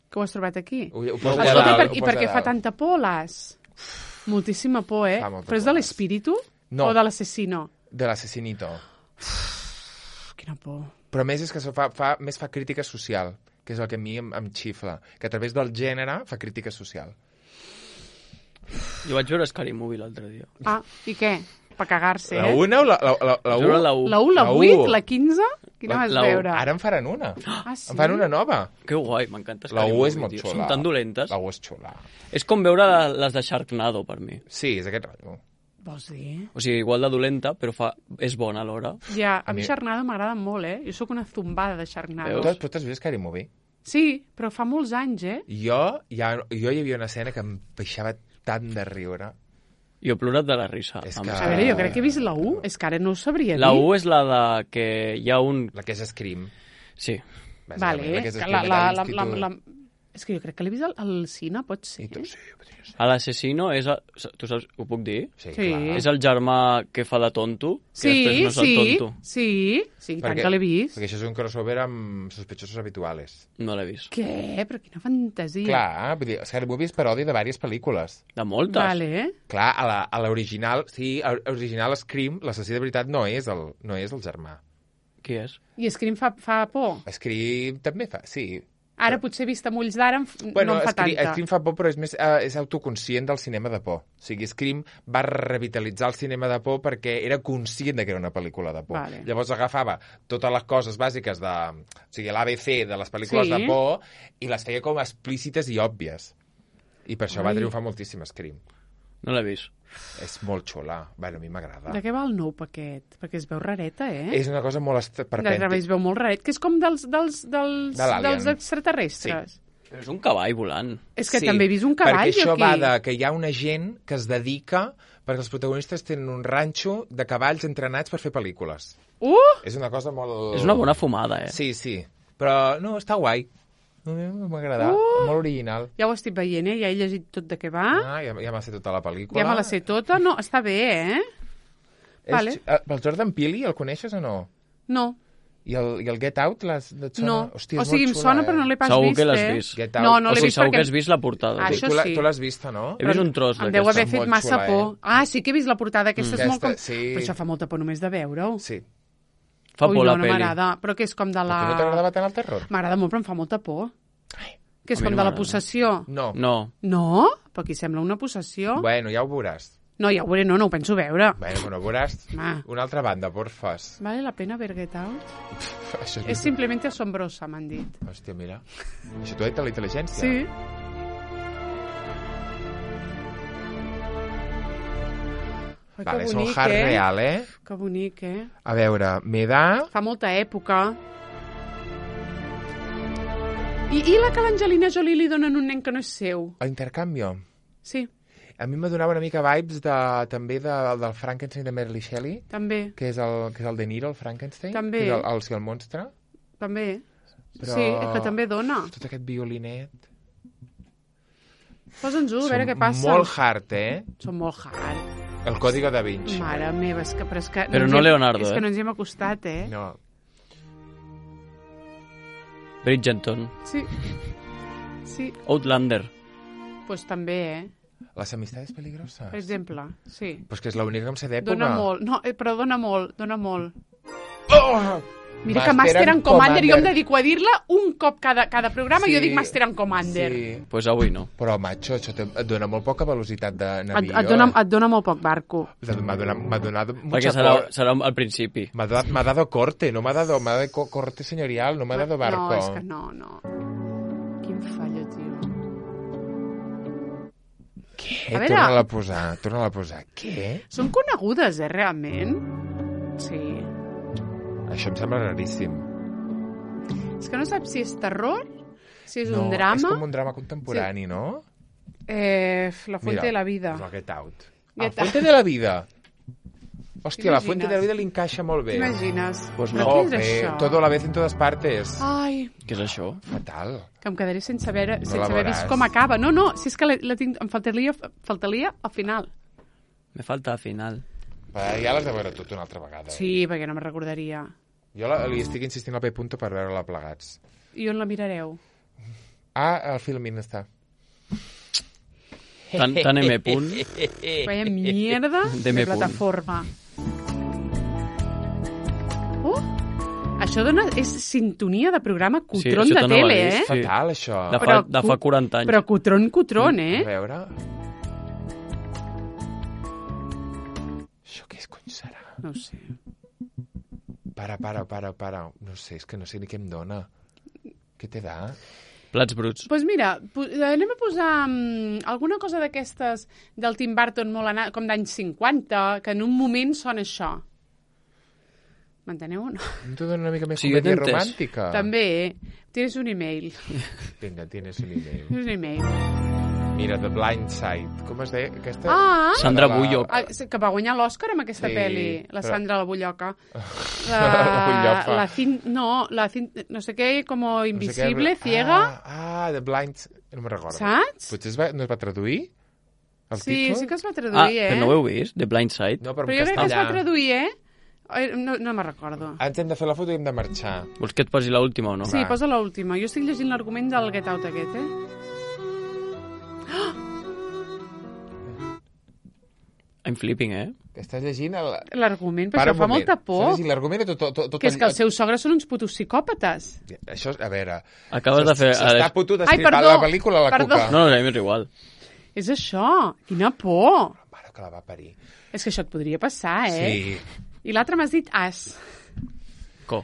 Que ho has trobat aquí? Ho, ho poso Escolta, a Escolta, dalt, per, ho i poso per a què fa dalt. tanta por, l'as? Moltíssima por, eh? Fa molta Però és por, de l'as. l'espíritu? No. O de l'assassino? De l'assassinito. Quina por. Però a més és que això fa, fa, més fa crítica social, que és el que a mi em, em xifla, que a través del gènere fa crítica social. Jo vaig veure Scary Movie l'altre dia. Ah, i què? Per cagar-se, La eh? una o la, la, la, la Vaig u? veure la U. La u, la La u. vuit, la quinze? Quina La- vas la u. veure? Ara en faran una. Ah, sí? En fan una nova. Que guai, m'encanta La Scary U Movie, és molt tio. xula. Són tan dolentes. La U és xula. És com veure les de Sharknado, per mi. Sí, és aquest rotllo. Vols dir? O sigui, igual de dolenta, però fa... és bona alhora. Ja, a A mi mi- Sharknado m'agrada molt, eh? Jo sóc una zumbada de Sharknado. Veus? Tu, tu t'has vist Scary Movie? Sí, però fa molts anys, eh? Jo, ja, jo hi havia una escena que em baixava tant de riure. Jo he plorat de la risa. És amb que- A veure, jo crec que he vist la u. És que ara no ho sabria La dir. U és la de que hi ha un... La que és Scream. Sí. Bàsicament, Vale, la que és que Scream la, allà la, a la, la, l'institut. la, és que jo crec que l'he vist al, al cine, pot ser. I tu, sí, podria ser. A l'assassino és... El... Tu saps? Ho puc dir? Sí, Sí. clar. És el germà que fa de tonto, que Sí, després no és sí, el tonto. sí, sí, i tant que l'he vist. Perquè això és un crossover amb sospechosos habituales. No l'he vist. Què? Però quina fantasia. Clar, vull dir, Scary Movie és paròdia de diverses pel·lícules. De moltes. Vale. Clar, a la- a l'original, sí, a l'original Scream, l'assassí de veritat no és el, no és el germà. Qui és? I Scream fa, fa por. Scream també fa, sí. Ara potser vist amb ulls d'ara em f- Bueno, no em fa Scream, tanta. Scream fa por, però és més uh, és autoconscient del cinema de por. O sigui, Scream va revitalitzar el cinema de por perquè era conscient de que era una pel·lícula de por. Vale. Llavors agafava totes les coses bàsiques de... O sigui, l'A B C de les pel·lícules Sí. de por i les feia com explícites i òbvies. I per això va Ai. triomfar moltíssim Scream. No l'he vist. És molt xula. Bueno, a mi m'agrada. De què va el nou paquet? Perquè es veu rareta, eh? És una cosa molt est- De perpèntica. es veu molt raret, que és com dels, dels, dels, De l'Alien. dels extraterrestres. Però és un cavall volant. És que també he vist un cavall, perquè això jo, aquí. va de que hi ha una gent que es dedica perquè els protagonistes tenen un ranxo de cavalls entrenats per fer pel·lícules. Uh! És una cosa molt... És una bona fumada, eh? Sí, sí. Però no, està guai. A mi M'ha agradat. Uh! Molt original. Ja ho estic veient, eh? Ja he llegit tot de què va. Ah, ja, ja m'ha sé tota la pel·lícula. Ja me la sé tota. No, està bé, eh? És, Vale. eh, el Jordan Peele, el coneixes o no? No. I el, i el Get Out l'has, et sona? No, Hòstia, o sigui, em xula, sona eh? però no l'he pas Segur vist, que l'has eh? vist. Get Out. No, no O l'he sigui, vist segur perquè... que has vist la portada. Ah, Sí. això tu, la, sí. tu l'has vista, no? He vist un tros Em deu haver d'aquesta. fet Molt massa xula, por. eh? Ah, sí que he vist la portada. Aquesta Mm. és molt com... Aquesta, sí. Però això fa molta por només de veure-ho. Sí. Fa Ui, por no, la no pel·li. m'agrada. Però que és com de la... A tu no t'agradava tant el terror? M'agrada molt, però em fa molta por. Que és a mi com no de la m'agrada. possessió. No. No. No? Però aquí sembla una possessió. Bueno, ja ho veuràs. No, ja ho veuré, no, no ho penso veure. Bueno, però ho veuràs. Ma. Una altra banda, porfas. Vale la pena ver Get Out? Això És simplemente asombrosa, m'han dit. Hòstia, mira. Això t'ho ha dit la intel·ligència? Sí. Ai, Vale, que són bonic, hard eh? real, eh? Que bonic, eh? A veure, me da... Fa molta època. I, i la que l'Angelina Jolie li donen un nen que no és seu? A intercanvio. Sí, A mi me donava una mica vibes de, també de, del Frankenstein de Mary Shelley, també, que és el, que és el De Niro, el Frankenstein. També. Que és el, el, sí, el monstre. també. Però- Sí, és que també dona. Tot aquest violinet. Posa'ns-ho, a veure què passa. Molt hard, eh? Són molt hard. El Código da Vinci. Mare meva, és que... Però, és que Però ens no hi hem- Leonardo, És eh? que no ens hi hem acostat, eh? No. Bridgerton. Sí. Sí, Outlander. pues també, eh? Las amistades peligrosas. Per exemple, sí. Pues que és l'única que em sé d'època. Dona molt. No, eh, però dona molt, dona molt. Oh! Mira que Master and Commander, jo em Commander. dedico a dir-la un cop cada, cada programa, Sí, jo dic Master and Commander. Sí. Pues avui no. Però, macho, això te- et dona molt poca velocitat de Et, navío. et, dona, eh? et dona molt poc barco. M'ha donat, m'ha donat Perquè mucha serà, cor- serà al principi. M'ha dado, m'ha dado corte, no m'ha dado, m'ha dado co- corte señorial, no m'ha dado barco. No, és que no, no. Quin fallo, tio. Què? A veure- Torna-la a posar, torna-la a posar. Què? Són conegudes, eh, realment? Sí. Això em sembla raríssim. És que no saps si és terror, si és no, un drama... és com un drama contemporani, sí. no? Eh, la fuente Mira, de la vida. És el Get Out. Get La fuente de la vida. Hòstia, la T'imagines? fuente de la vida li encaixa molt bé. T'imagines? Pues Però no. què és bé, això? todo a la vez en todas partes. Ai, Què és això? Fatal. que em quedaré sense haver, No sense la haver veuràs. vist com acaba. No, no, si és que la, la tinc, em faltaria, faltaria al final. Me falta al final. Però ja l'has de veure tot una altra vegada. eh? Sí, perquè no me'n recordaria. Jo la, li estic insistint al P. Punto per veure-la plegats. I on la mirareu? Ah, el Filmin està. Tan, tan M punt. Vaya mierda De de, me plataforma. Uh, això dona, és sintonia de programa cutron això de te no ho tele, he eh? vist. Sí. Fatal, això. De fa, Però de fa cu- quaranta anys. Però cutron, cutron, A eh? veure... Això què és, cony, serà? No ho sé. Para, para, para, para. No sé, és que no sé ni què em dona. Què te da? Plats bruts. Doncs pues mira, po- anem a posar um, alguna cosa d'aquestes del Tim Burton molt anat, com d'anys cinquanta, que en un moment sona això. M'enteneu o no? No te dona una mica més Sí, jo comèdia t'he entès. romàntica? També, eh? Tienes un email. Vinga, tienes un email. Tienes un email. Mira, The Blind Side. Com es deia? Aquesta... Ah! Sandra La- Bullock. Ah, que va guanyar l'Òscar amb aquesta Sí, pel·li, la però- Sandra la Bulloca. La, La Bulloca. la cin, no, la cin, no sé què, com No sé què- invisible, ciega, Ah, ah, The Blind... No me'n recordo. saps? Potser es va, no es va traduir? El Sí, títol? sí que es va Ah, traduir, eh? però no ho heu vist? The Blind Side? No, però, Però en jo crec que es va castellà. traduir, eh? Ai, No, no me'n recordo. Ens hem de fer la foto i hem de marxar. Vols que et posi l'última o no? Sí, va. posa l'última. Jo estic llegint l'argument del Get Out aquest, eh? I'm flipping, eh? Que estàs llegint... El... L'argument, però Para això un fa moment. molta por. Estàs llegint l'argument de tot, tot, tot Que és que els seus sogres són uns putos psicòpates. Això, a veure... Acabes de fer... S'està putut Ai, estripant perdó, la pel·lícula a la perdó. cuca. No, no, a mi m'és igual. És això. Quina por. Mare que la va parir. És que això et podria passar, eh? Sí. I l'altre m'has dit as. Co.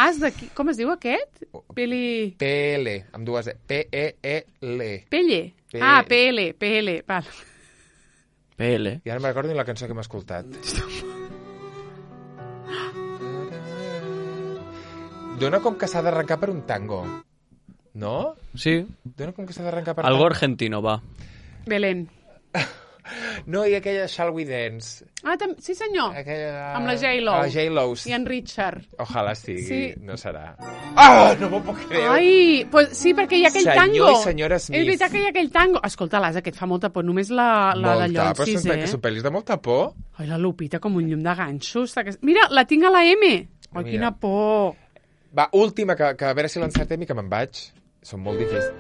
As de qui? Com es diu aquest? Peli... P L, amb dues E. P E E L. Pelle. P- Ah, P L, P L, val. P L. I ara no me'n recordo ni la cançó que hem escoltat. Dona com que s'ha d'arrencar per un tango. No? Sí, Dona com que s'ha d'arrencar per algo tango. argentino, va. Belén. No, i aquella Shall We Dance. Ah, tam... sí senyor. Aquella... Amb la J-Lo. La J-Lo. I en Richard. Ojalà sigui, Sí. no serà. Ah, no m'ho puc creure. Ai, pues sí, perquè hi ha aquell Senyor tango. i senyora Smith. És veritat que hi ha aquell tango. Escolta, l'Asa, que et fa molta por. Només la, la de Molta, però Llonsis, són, eh? que són pel·lis de molta por. Ai, la Lupita com un llum de ganxos. Mira, la tinc a la M. Ai, Mira. quina por. Va, última, que, que a veure si l'encertem i que me'n vaig. Són molt difícils.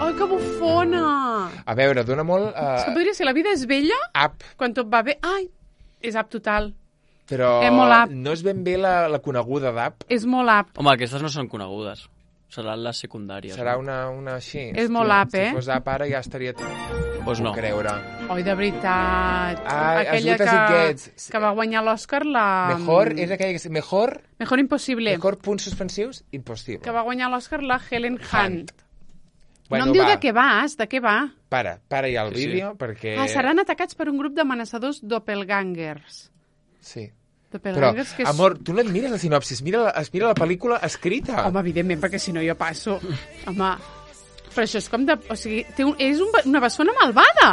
Ai, que bufona. A veure, dona molt... És que Uh, podria ser La vida és bella up, quan tot va bé. Ai, és app total. però És molt up. no és ben bé la, la coneguda d'app. És molt app. Home, aquestes no són conegudes. Seran les secundàries. Serà no? una, una així. És molt Hòstia, up, eh? Si fos app ara ja estaria... Pues no. Puc creure. Oi, de veritat. Ai, Aquella as good as it que, gets. que va guanyar l'Oscar, la... Mejor, és aquella que... Mejor, Mejor impossible. mejor punts suspensius, impossible. Que va guanyar l'Oscar la Helen Hunt. Bueno, no em diu va, de què vas, de què va. Para, para ja el Sí, sí. vídeo, perquè... Ah, seran atacats per un grup d'amenaçadors doppelgangers. Sí. Però, Doppelgangers que és... amor, tu no et mires la sinopsis, mira la, es mira la pel·lícula escrita. Home, evidentment, perquè si no jo passo. Home, però això és com de... O sigui, té un, és un, una bessona malvada.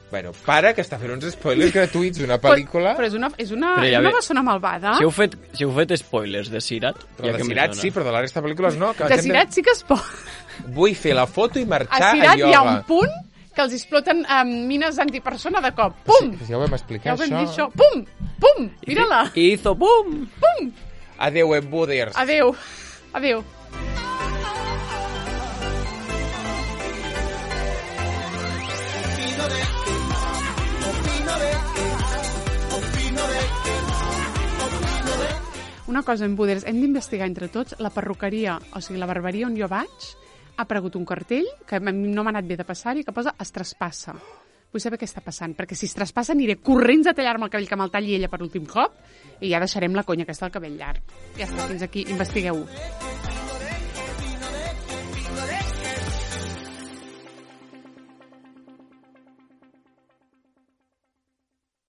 Bueno, para, que està fent uns spoilers gratuïts d'una pel·lícula. Però, però és una, és una, Però ja és una ve- bessona malvada. Si heu fet, si heu fet spoilers de Sirat... Però ja de que Sirat més sí, dona. però de la resta de pel·lícules no. Que la De gent Sirat sí que es pot. Vull fer la foto i A marxar a, Sirat ioga. hi ha un punt que els exploten um, mines antipersona de cop. Pum! Sí, ja ho vam explicar, Ja ho vam això. dir això. Pum! Pum! Mira-la. I hizo pum! Pum! Adéu, embuders. Adéu. Adéu. Una cosa, en Buders, hem d'investigar entre tots la perruqueria, o sigui, la barberia on jo vaig, ha aparegut un cartell que a mi no m'ha anat bé de passar-hi, que posa es traspassa. Vull saber què està passant, perquè si es traspassa aniré corrents a tallar-me el cabell que me'l talli ella per últim cop i ja deixarem la conya aquesta del cabell llarg. Ja està, fins aquí, investigueu-ho.